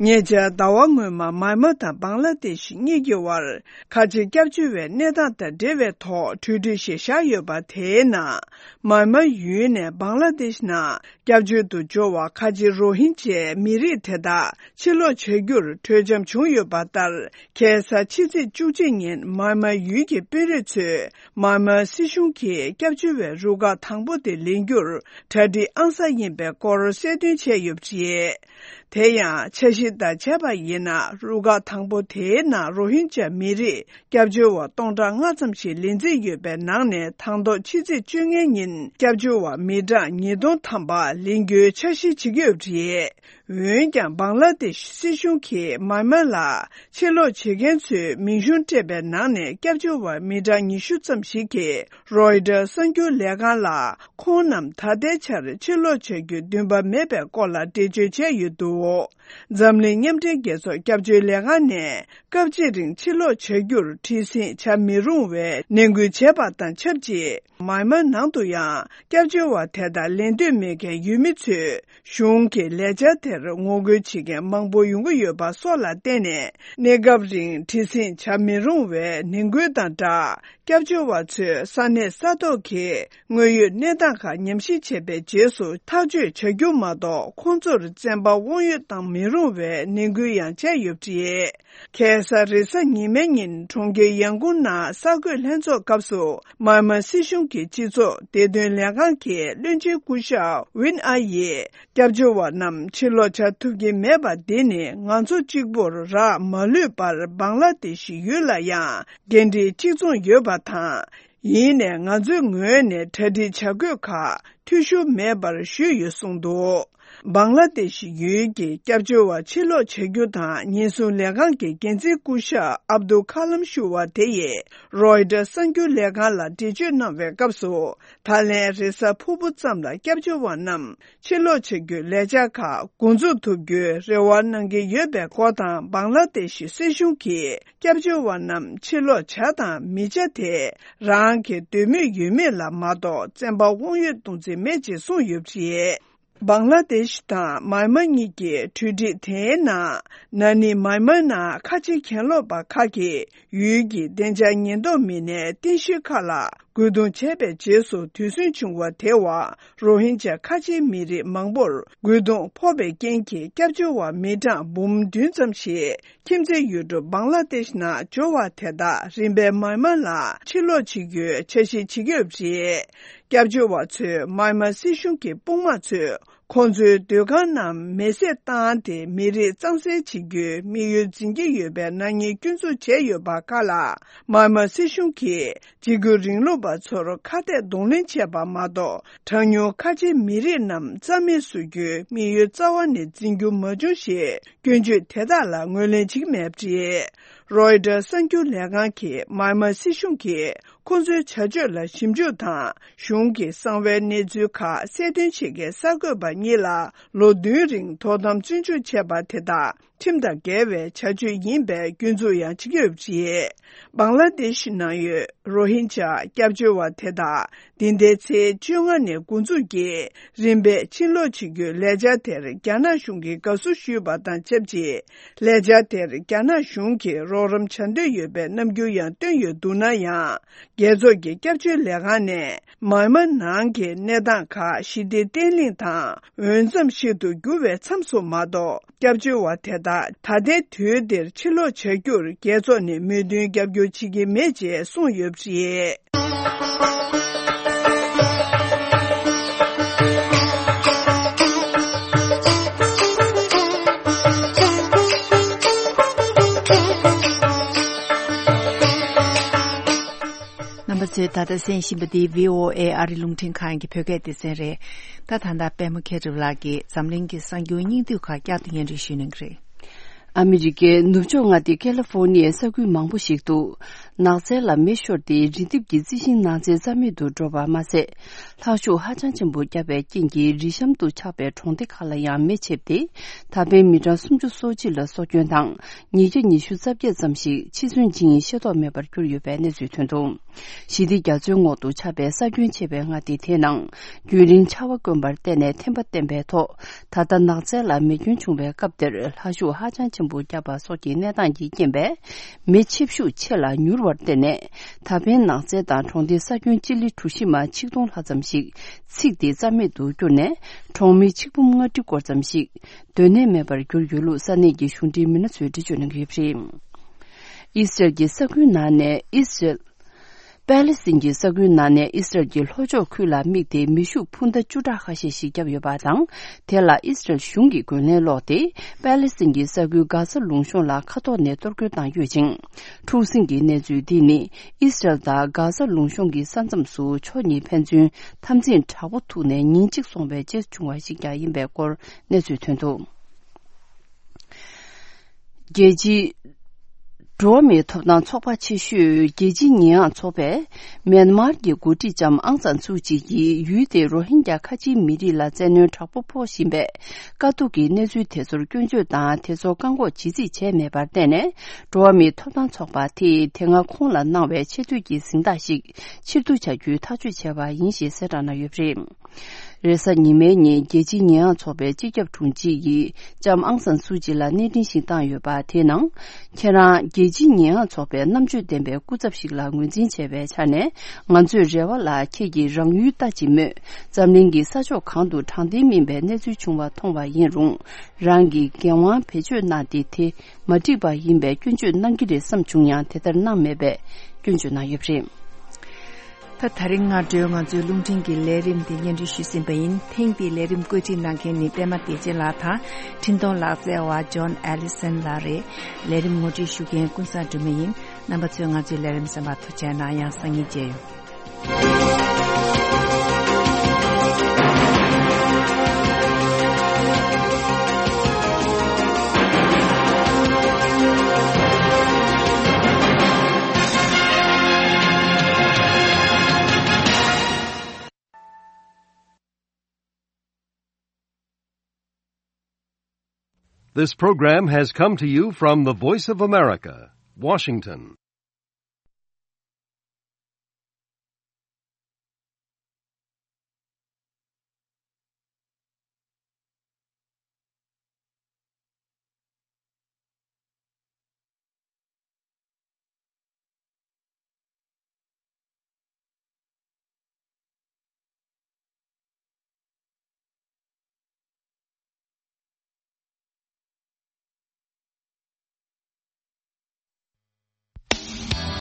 ཉེ་ཆར་ཟླ་བ་སྔོན་མ་མཱི་མཱ་དང་བང་ལ་དེཤ་གཉིས་ཀྱི་དབར་ཁ་ཆེ་སྐྱབས་བཅོལ་བའི་གནས་སྟངས་དང་འབྲེལ་བའི་ཐོག་གྲོས་འགྲིག་ཞིག་བཞག་ཡོད་པ། དེའི་ནང་མཱི་མཱ་ཡུལ་ནས་བང་ལ་དེཤ་ནང་སྐྱབས་བཅོལ་དུ་འབྱོར་བ་ཁ་ཆེ་རོ་ཧིན་ཇའི་མི་རིགས་དེ་དག་ཕྱིར་ལོག་བྱ་རྒྱུར་གྲོས་འཆམ་བྱུང་ཡོད་པ་ལྟར། ཁ་སང་ཕྱི་ཚེས་བཅུ་གཅིག་ཉིན་མཱི་མཱ་ཡུལ་གྱི་དཔོན་རིགས་ཚོས་མཱི་མཱ་སྲིད་གཞུང་གིས་སྐྱབས་བཅོལ་བའི་རུ་ཁག་དང་པོ་དེ་ལེན་རྒྱུར་གྲ་སྒྲིག་ཨང་གསར་ཡིན་པའི་སྐོར་གསལ་སྟོན་བྱས་ཡོད་པ་རེད། དེ་ཡང་འཆར་གཞི་ལྟར་བྱས་པ་ཡིན་ན། རུ་ཁག་དང་པོ་དེའི་ནང་རོ་ཧིན་ཇཱ་མི་རིགས་སྐྱབས་བཅོལ་བ་སྟོང་ཕྲག་ལྔ་ཙམ་ཞིག་ལེན་རྩིས་ཡོད་པའི་ནང་ནས། དང་ཐོག་ཕྱི་ཚེས་བཅོ་ལྔ་ཉིན་སྐྱབས་བཅོལ་བ་མི་གྲངས་ཉིས་སྟོང་ཐམ་པ་ལེན་རྒྱུའི་འཆར་གཞི་བྱེད་ཀྱི་ཡོད་པ་རེད། འོན་ཀྱང་། བང་ལ་དེཤ་སྲིད་གཞུང་གིས་མཱི་མཱ་ལ་ཕྱིར་ལོག་བྱེད་མཁན་ཚོའི་མིང་གཞུང་སྤྲད་པའི་ནང་ནས། སྐྱབས་བཅོལ་བ་མི་གྲངས་ཉི་ཤུ་ཙམ་ཞིག་གིས་རོའི་ཊར་གསར་འགྱུར་ལས་ཁང་ལ། ཁོང་རྣམས་ད་ལྟའི་ཆར་ཕྱིར་ལོག་བྱ་རྒྱུའི་འདུན་པ་མེད་པའི་སྐོར་ལ་འགྲེལ་བརྗོད་བྱས་ཡོད་འདུག། འཛམ་གླིང་མཉམ་འབྲེལ་རྒྱལ་ཚོགས་སྐྱབས་བཅོལ་ལས་ཁང་ནས། སྐབས་གཅིག་རིང་ཕྱིར་ལོག་བྱ་རྒྱུར་ཁྲིད་སེང་བྱ་མི་རུང་བའི་ནན་སྐུལ་བྱས་པ་དང་ཆབས་ཅིག་མཱན་མཱ་ནང་དུ་ཡང་སྐྱབས་བཅོལ་བ་དེ་དག་ལེན་འདོད་མེད་མཁན་ཡུལ་མི་ཚོས་གཞུང་གི་ལས་འཆར་དེར་ངོ་རྒོལ་བྱེད་མཁན་མང་པོ་ཡོང་གི་ཡོད་པ་སོགས་ལ་བརྟེན་ནས། གནས་སྐབས་རིང་ཁྲིད་སེང་བྱ་མི་རུང་བའི་ནན་སྐུལ་དང་སྦྲགས། སྐྱབས་བཅོལ་བ་ཚོས་ས་གནས་ས་ཐོག་གི་དངོས་ཡོད་གནས་སྟངས་ཁག་ཉམས་ཞིབ་བྱས་པའི་རྗེས་སུ་ཐག་གཅོད་བྱ་རྒྱུ་མ་གཏོགས། ཁོང་ཚོར་བཙན་པ་དབང་ཡོད་བཏང་མི་རུང་བའི་ནན་སྐུལ་ཡང་བྱས་ཡོད་པ་རེད། ཁ་སང་རེས་གཟའ་ཉི་མའི་ཉིན་གྲོང་ཁྱེར་ཡང་ཀུང་ནང་གསར་འགོད་ལྷན་ཚོགས་སྐབས་སུ། མཱན་མཱ་སྲིད་གཞུང་གི་སྤྱི་ཚོགས་བདེ་དོན་ལས་ཁང་གི་བློན་ཆེན་སྐུ་ཞབས་ཝིན་ཨ་ཡིས། སྐྱབས་བཅོལ་བ་རྣམས་ཕྱིར་ལོག་བྱ་ཐུབ་ཀྱི་མེད་པ་འདི་ནི། ང་ཚོ་གཅིག་པུར་རག་མ་ལུས་པར་བང་ལ་དེ་ཤི་ཡུལ་ལ་ཡང་འགན་འཁྲི་གཅིག་མཚུངས་ཡོད་པ་དང་། ཡིན་ནའི་ང་ཚོའི་ངོས་ནས་གྲ་སྒྲིག་བྱ་དགོས་ཁག་འཐུས་ཤོར་མེད་པར་ཞུས་ཡོད་གསུངས་འདུག་བང་ལ་དེ་ཤི་ཡུལ་གྱི་སྐྱབས་བཅོལ་བ་ཕྱིར་ལོག་བྱ་རྒྱུ་དང་ཉེན་སྲུང་ལས་ཁང་གི་འགན་འཛིན་སྐུ་ཞབས་ཨབ་དུ་ཁ་ལམ་ཞུ་བ་དེ་ཡིས་རོའི་ཊར་གསར་འགྱུར་ལས་ཁང་ལ་འགྲེལ་བརྗོད་གནང་བའི་སྐབས་སུ། ད་ལན་རེས་གཟའ་ཕུར་བུ་ཙམ་ལ་སྐྱབས་བཅོལ་བ་རྣམས་ཕྱིར་ལོག་བྱ་རྒྱུའི་ལས་འཆར་ཁག་འགོ་འཛུགས་ཐུབ་རྒྱུའི་རེ་བ་གནང་གི་ཡོད་པའི་སྐོར་དང་། བང་ལ་དེ་ཤི་སྲིད་གཞུང་གིས་སྐྱབས་བཅོལ་བ་རྣམས་ཕྱིར་ལོག་བྱ་དང་མི་བྱ་དེ་རང་གི་འདོད་མོས་ཡོད་མེད་ལ་མ་གཏོགས་བཙན་པ་དབང་ཡོད་གཏོང་རྩིས་མེད་ཅེས་གསུངས་ཡོད་པ་རེད། བང་ལ་དེ་ཤི་དང་མཱན་མཱ་གཉིས་ཀྱི་གྲོས་འགྲིག་དེའི་ནང་། ན་ནིང་མཱན་མཱ་ནང་ཁ་ཆེ་གྱེན་ལོག་པ་ཁག་གིས་ཡུལ་གྱི་བདེ་འཇགས་ཉེན་རྟོག་མི་སྣའི་རྟེན་གཞིའི་ཁ་ལ་རྒོལ་རྡུང་བྱས་པའི་རྗེས་སུ་དུས་ཟིང་བྱུང་བ་དེ་བ། རོ་ཧིན་ཇཱ་ཁ་ཆེའི་མི་རིགས་མང་པོར་རྒོལ་རྡུང་ཕོག་པའི་རྐྱེན་གྱིས་སྐྱབས་བཅོལ་བ་མི་གྲངས་འབུམ་བདུན་ཙམ་ཞིག་ཁྱིམ་མཚེས་ཡུལ་གྲུ་བང་ལ་དེ་ཤི་ནང་འབྱོར་བ་དེ་དག་རིམ་པས་མཱན་མཱ་ལ་ཕྱིར་ལོག་བྱེད་རྒྱུའི་འཆར་གཞི་བྱེད་ཀྱི་ཡོད་པ་རེད། སྐྱབས་བཅོལ་བ་ཚོས་མཱན་མཱ་སྲིད་གཞུང་གི་དཔུང་དམག་ཚོས་ཁོང་ཚོའི་སྡོད་ཁང་རྣམས་མེ་བསྲེགས་བཏང་སྟེ། མི་རིགས་གཙང་སེལ་བྱེད་རྒྱུའི་དམིགས་ཡུལ་འཛིན་གྱི་ཡོད་པའི་ནག་ཉེས་སྐྱོན་འཛུགས་བྱས་ཡོད་པ་ཁག་ལ། མཱན་མཱ་སྲིད་གཞུང་གིས་འཇིགས་སྐུལ་རིང་ལུགས་པ་ཚོར་ཁ་གཏད་གདོང་ལེན་བྱས་པ་མ་གཏོགས། གྲངས་ཉུང་ཁ་ཆེ་མི་རིགས་རྣམས་རྩ་མེད་བཟོ་རྒྱུའི་དམིགས་ཡུལ་རྩ་བ་ནས་འཛིན་རྒྱུ་མ་བྱུང་ཞེས་སྐྱོན་བརྗོད་དེ་དག་ལ་ངོས་ལེན་བྱེད་ཀྱི་མེད་པ་རེད། རོའི་ཊར་གསར་འགྱུར་ལས་ཁང་གིས་མཱན་མཱ་སྲིད་གཞུང་གིས་ཁོང་ཚོའི་བྱ་སྤྱོད་ལ་ཞིབ་འཇུག་དང་། གཞུང་གི་གསང་བའི་གནས་ཚུལ་ཁག་གསལ་སྟོན་བྱེད་མཁན་གསར་འགོད་པ་གཉིས་ལ་ལོ་བདུན་རིང་དོ་དམ་བཙོན་འཇུག་བྱས་པ་དེ་དག་ཁྲིམས་དང་འགལ་བའི་བྱ་སྤྱོད་ཡིན་པའི་སྐྱོན་འཛུགས་ཡང་བྱེད་ཀྱི་ཡོད་པ་རེད། བང་ལ་དེ་ཤི་ནང་ཡོད་རོ་ཧིན་ཇཱ་སྐྱབས་བཅོལ་བ་དེ་དག་འདི་ཟླའི་ཚེས་བཅོ་ལྔ་ནས་འགོ་འཛུགས་ཀྱིས་རིམ་པས་ཕྱིར་ལོག་བྱེད་རྒྱུའི་ལས་འཆར་དེར་རྒྱ་ནག་གཞུང་གིས་དགའ་བསུ་ཞུས་པ་དང་ཆབས་ཅིག་ལས་འཆར་དེར་རྒྱ་ནག་གཞུང་གིས་རོགས་རམ་བྱ་འདོད་ཡོད་པའི་རྣམ་འགྱུར་ཡང་བཏོན་ཡོད་འདུག་ན་ཡང་། རྒྱལ་ཚོགས་ཀྱི་སྐྱབས་བཅོལ་ལས་ཁང་ནས་མཱན་མཱ་ནང་གི་གནས་སྟངས་ཁག་ཞི་བདེ་བརྟན་ལྷིང་དང་འོས་འཚམ་ཞིག་ཏུ་འགྱུར་བའི་མཚམས་སུ་མ་གཏོགས། སྐྱབས་བཅོལ་བ་དེ་དག་ད་ལྟའི་དུས་འདིར་ཕྱིར་ལོག་བྱ་རྒྱུར་རྒྱལ་ཚོགས་ནས་མོས་མཐུན་རྒྱབ་སྐྱོར་བྱེད་ཀྱི་མེད་ཅེས་གསུངས་ཡོད་པ་རེད། རྣམ་པ་ཚོས་ད་ལྟ་གསན་བཞིན་པ་འདི་བྷི་ཨོ་ཨེ་ཨ་རི་རླུང་འཕྲིན་ཁང་གི་བོད་སྐད་སྡེ་ཚན་རེད། ད་ད་ལྟ་པད་མ་མཁས་གྲུབ་ལགས་ཀྱིས་འཛམ་གླིང་གི་གསར་འགྱུར་སྙིང་བསྡུས་ཁག་བསྐྱར་དུ་སྙན་སྒྲོན་ཞུ་གནང་གི་རེད། ཨ་མི་རི་ཀའི་ནུབ་ཕྱོགས་མངའ་སྡེ་ཀེ་ལི་ཧྥོར་ནི་ཡའི་ས་ཁུལ་མང་པོ་ཞིག་ཏུ་ནགས་ཚལ་ལ་མེ་ཤོར་ཏེ་རི་ལྡེབས་ཀྱི་རྩི་ཤིང་ནགས་ཚལ་རྩ་མེད་དུ་འགྲོ་བ་མ་ཟད། ལྷག་ཤུགས་ཧ་ཅང་ཆེན་པོ་བརྒྱབ་པའི་རྐྱེན་གྱིས་རི་གཤམ་དུ་ཆགས་པའི་གྲོང་སྡེ་ཁག་ལ་ཡང་མེ་མཆེད་དེ། ད་ཕན་མི་གྲངས་སུམ་ཅུ་སོ་གཅིག་ལ་སྲོག་སྐྱོན་དང་། ཉིས་བརྒྱ་ཉི་ཤུ་རྩ་བརྒྱད་ཙམ་ཞིག་འཆི་གསོན་ཅིང་ཤེས་རྟོགས་མེད་པར་གྱུར་ཡོད་པའི་གནས་ཚུལ་ཐོན་འདུག་ཞི་བདེ་རྒྱ་མཚོའི་ངོགས་སུ་ཆགས་པའི་ས་ཁྱོན་ཆེ་བའི་མངའ་སྡེ་དེའི་ནང་རྒྱུན་རིང་ཆར་བ་དཀོན་པར་བརྟེན་ནས་ཐན་པ་བསྟན་པའི་ཐོག་ད་ལྟ་ནགས་ཚལ་ལ་མེ་སྐྱོན་བྱུང་བའི་སྐབས་དེར་ལྷ་ཤུགས་ཧ་ཅང་ཆེན་པོ་བརྒྱབ་པ་སོགས་ཀྱི་གནས་སྟངས་ཀྱི་རྐྱེན་པས། མེ་ཆེབ་ཤུགས་ཆེ་ལ་མྱུར་བར་བརྟེན་ནས། ད་ཕན་ནགས་ཚལ་དང་གྲོང་སྡེའི་ས་ཁྱོན་སྤྱི་ལེ་གྲུ་བཞི་མ་ཆིག་སྟོང་ལྷག་ཙམ་ཞིག་ཚིག་སྟེ་རྩ་མེད་དུ་གྱུར་ནས། གྲོང་མི་ཆིག་འབུམ་ལྔ་ཁྲི་སྐོར་ཙམ་ཞིག་སྡོད་གནས་མེད་པར་གྱུར་ཡོད་ལུགས་ས་གནས་ཀྱི་གཞུང་འབྲེལ་མི་སྣ་ཚོས་འགྲེལ་བརྗོད་གནང་གི་ཡོད་པ་རེད། ཨི་སི་རལ་གྱི་ས་ཁུལ་ནང་ནས་ཨི་སི་རལ། པེ་ལི་སི་ཐན་གྱི་ས་ཁུལ་ནང་ནས་ཨི་སི་རལ་གྱི་ལྷོ་ཕྱོགས་ཁུལ་ལ་དམིགས་ཏེ་མེ་ཤུགས་འཕུར་མདའ་བཅུ་ཕྲག་ཁ་ཤས་ཤིག་བརྒྱབ་ཡོད་པ་དང་། དེ་ལ་ཨི་སི་རལ་གཞུང་གིས་རྒོལ་ལན་སློག་སྟེ། པེ་ལི་སི་ཐན་གྱི་ས་ཁུལ་གྷ་ཟ་ལུང་གཤོང་ལ་མཁའ་ཐོག་ནས་གཏོར་རྒོལ་བཏང་ཡོད་ཅིང་། འཁྲུག་ཟིང་གི་གནས་ཚུལ་འདི་ནི། ཨི་སི་རལ་དང་གྷ་ཟ་ལུང་གཤོང་གི་ས་མཚམས་སུ་ཕྱོགས་གཉིས་ཕན་ཚུན་འཐབ་འཛིང་དྲག་པོ་ཐུག་ནས་ཉིན་གཅིག་སོང་བའི་རྗེས་བྱུང་བ་ཞིག་ཀྱང་ཡིན་པའི་སྐོར་གནས་ཚུལ་ཐོན་འདུག་རྒྱལ་སྤྱིའི། འགྲོ་བ་མིའི་ཐོབ་ཐང་ཚོགས་པ་ཆེ་ཤོས་རྒྱལ་སྤྱིའི་ཉེས་ཡངས་ཚོགས་པས། མེན་མར་གྱི་འགོ་ཁྲིད་ལྕམ་ཨང་སན་སུའུ་ཅི་ཡིས་ཡུལ་དེའི་རོ་ཧིན་རྒྱ་ཁ་ཆེའི་མི་རིགས་ལ་བཙན་གནོན་དྲག་པོ་ཕོག་བཞིན་པའི་དཀའ་སྡུག་གི་གནས་ཚུལ་དེ་ཚོར་སྐྱོན་བརྗོད་དང་། དེ་ཚོ་བཀག་འགོག་ཇི་སྲིད་བྱས་མེད་པར་བརྟེན་ནས། འགྲོ་བ་མིའི་ཐོབ་ཐང་ཚོགས་པ་དེས་དེ་སྔ་ཁོང་ལ་གནང་བའི་ཆེས་མཐོའི་གཟེངས་རྟགས་ཤིག་ཕྱིར་བསྡུ་བྱ་རྒྱུའི་ཐག་གཅོད་བྱས་པ་ཡིན་ཞེས་གསལ་བསྒྲགས་གནང་ཡོད་པ་རེད། རེས་གཟའ་ཉི་མའི་ཉིན་རྒྱལ་སྤྱིའི་ཉེས་ཡངས་ཚོགས་པའི་སྤྱི་ཁྱབ་དྲུང་ཆེ་ཡིས་ལྕམ་ཨང་སན་སུའུ་ཅི་ལ་གནས་འཕྲིན་ཞིག་བཏང་ཡོད་པ། དེའི་ནང་། ཁྱེད་རང་རྒྱལ་སྤྱིའི་ཉེས་ཡངས་ཚོགས་པའི་རྣམ་དཔྱོད་ལྡན་པའི་སྐུ་ཚབ་ཞིག་ལ་ངོས་འཛིན་བྱས་པའི་ཆ་ནས། ང་ཚོས་རེ་བ་ལ་ཁྱེད་ཀྱིས་རང་ཡུལ་ལྟ་ཅི་སྨོས། འཛམ་གླིང་གི་ས་ཕྱོགས་གང་དུ་དྲང་བདེན་མིན་པའི་གནས་ཚུལ་བྱུང་བ་མཐོང་བ་ཡིན་རུང་། རང་གིས་འགན་དབང་བེད་སྤྱོད་གནང་སྟེ། དེ་མ་འགྲིག་པ་ཡིན་པའི་སྐྱོན་བརྗོད་གནང་གི་རེད་བསམ་བྱུང་ཡང་། དེ་ལྟར་གནང་མེད་པས་སྐྱོན་བརྗོད་གནང་ཡོད་པ་རེད། ད་དེ་རིང་སྔ་དྲོའི་ང་ཚོའི་རླུང་འཕྲིན་གྱི་ལས་རིམ་དེ་སྙན་སྒྲོན་ཞུས་ཟིན་པ་ཡིན། ཐེངས་འདིའི་ལས་རིམ་བཀོད་སྒྲིག་གནང་མཁན་ནི་པད་མ་བདེ་ཆེན་ལགས་དང་། འཕྲིན་གཏོང་ལག་རྩལ་བ་ཇོན་ཨེ་ལི་སན་ལགས་རེད། ལས་རིམ་ངོ་སྤྲོད་ཞུ་མཁན་ཀུན་བཟང་སྒྲོལ་མ་ཡིན། རྣམ་པ་ཚོས་ང་ཚོའི་ལས་རིམ་གསན་པར་ཐུགས་རྗེ་གནང་། ཡང་སང་ཉིན་མཇལ་ཡོང་། This program has come to you from the Voice of America, Washington.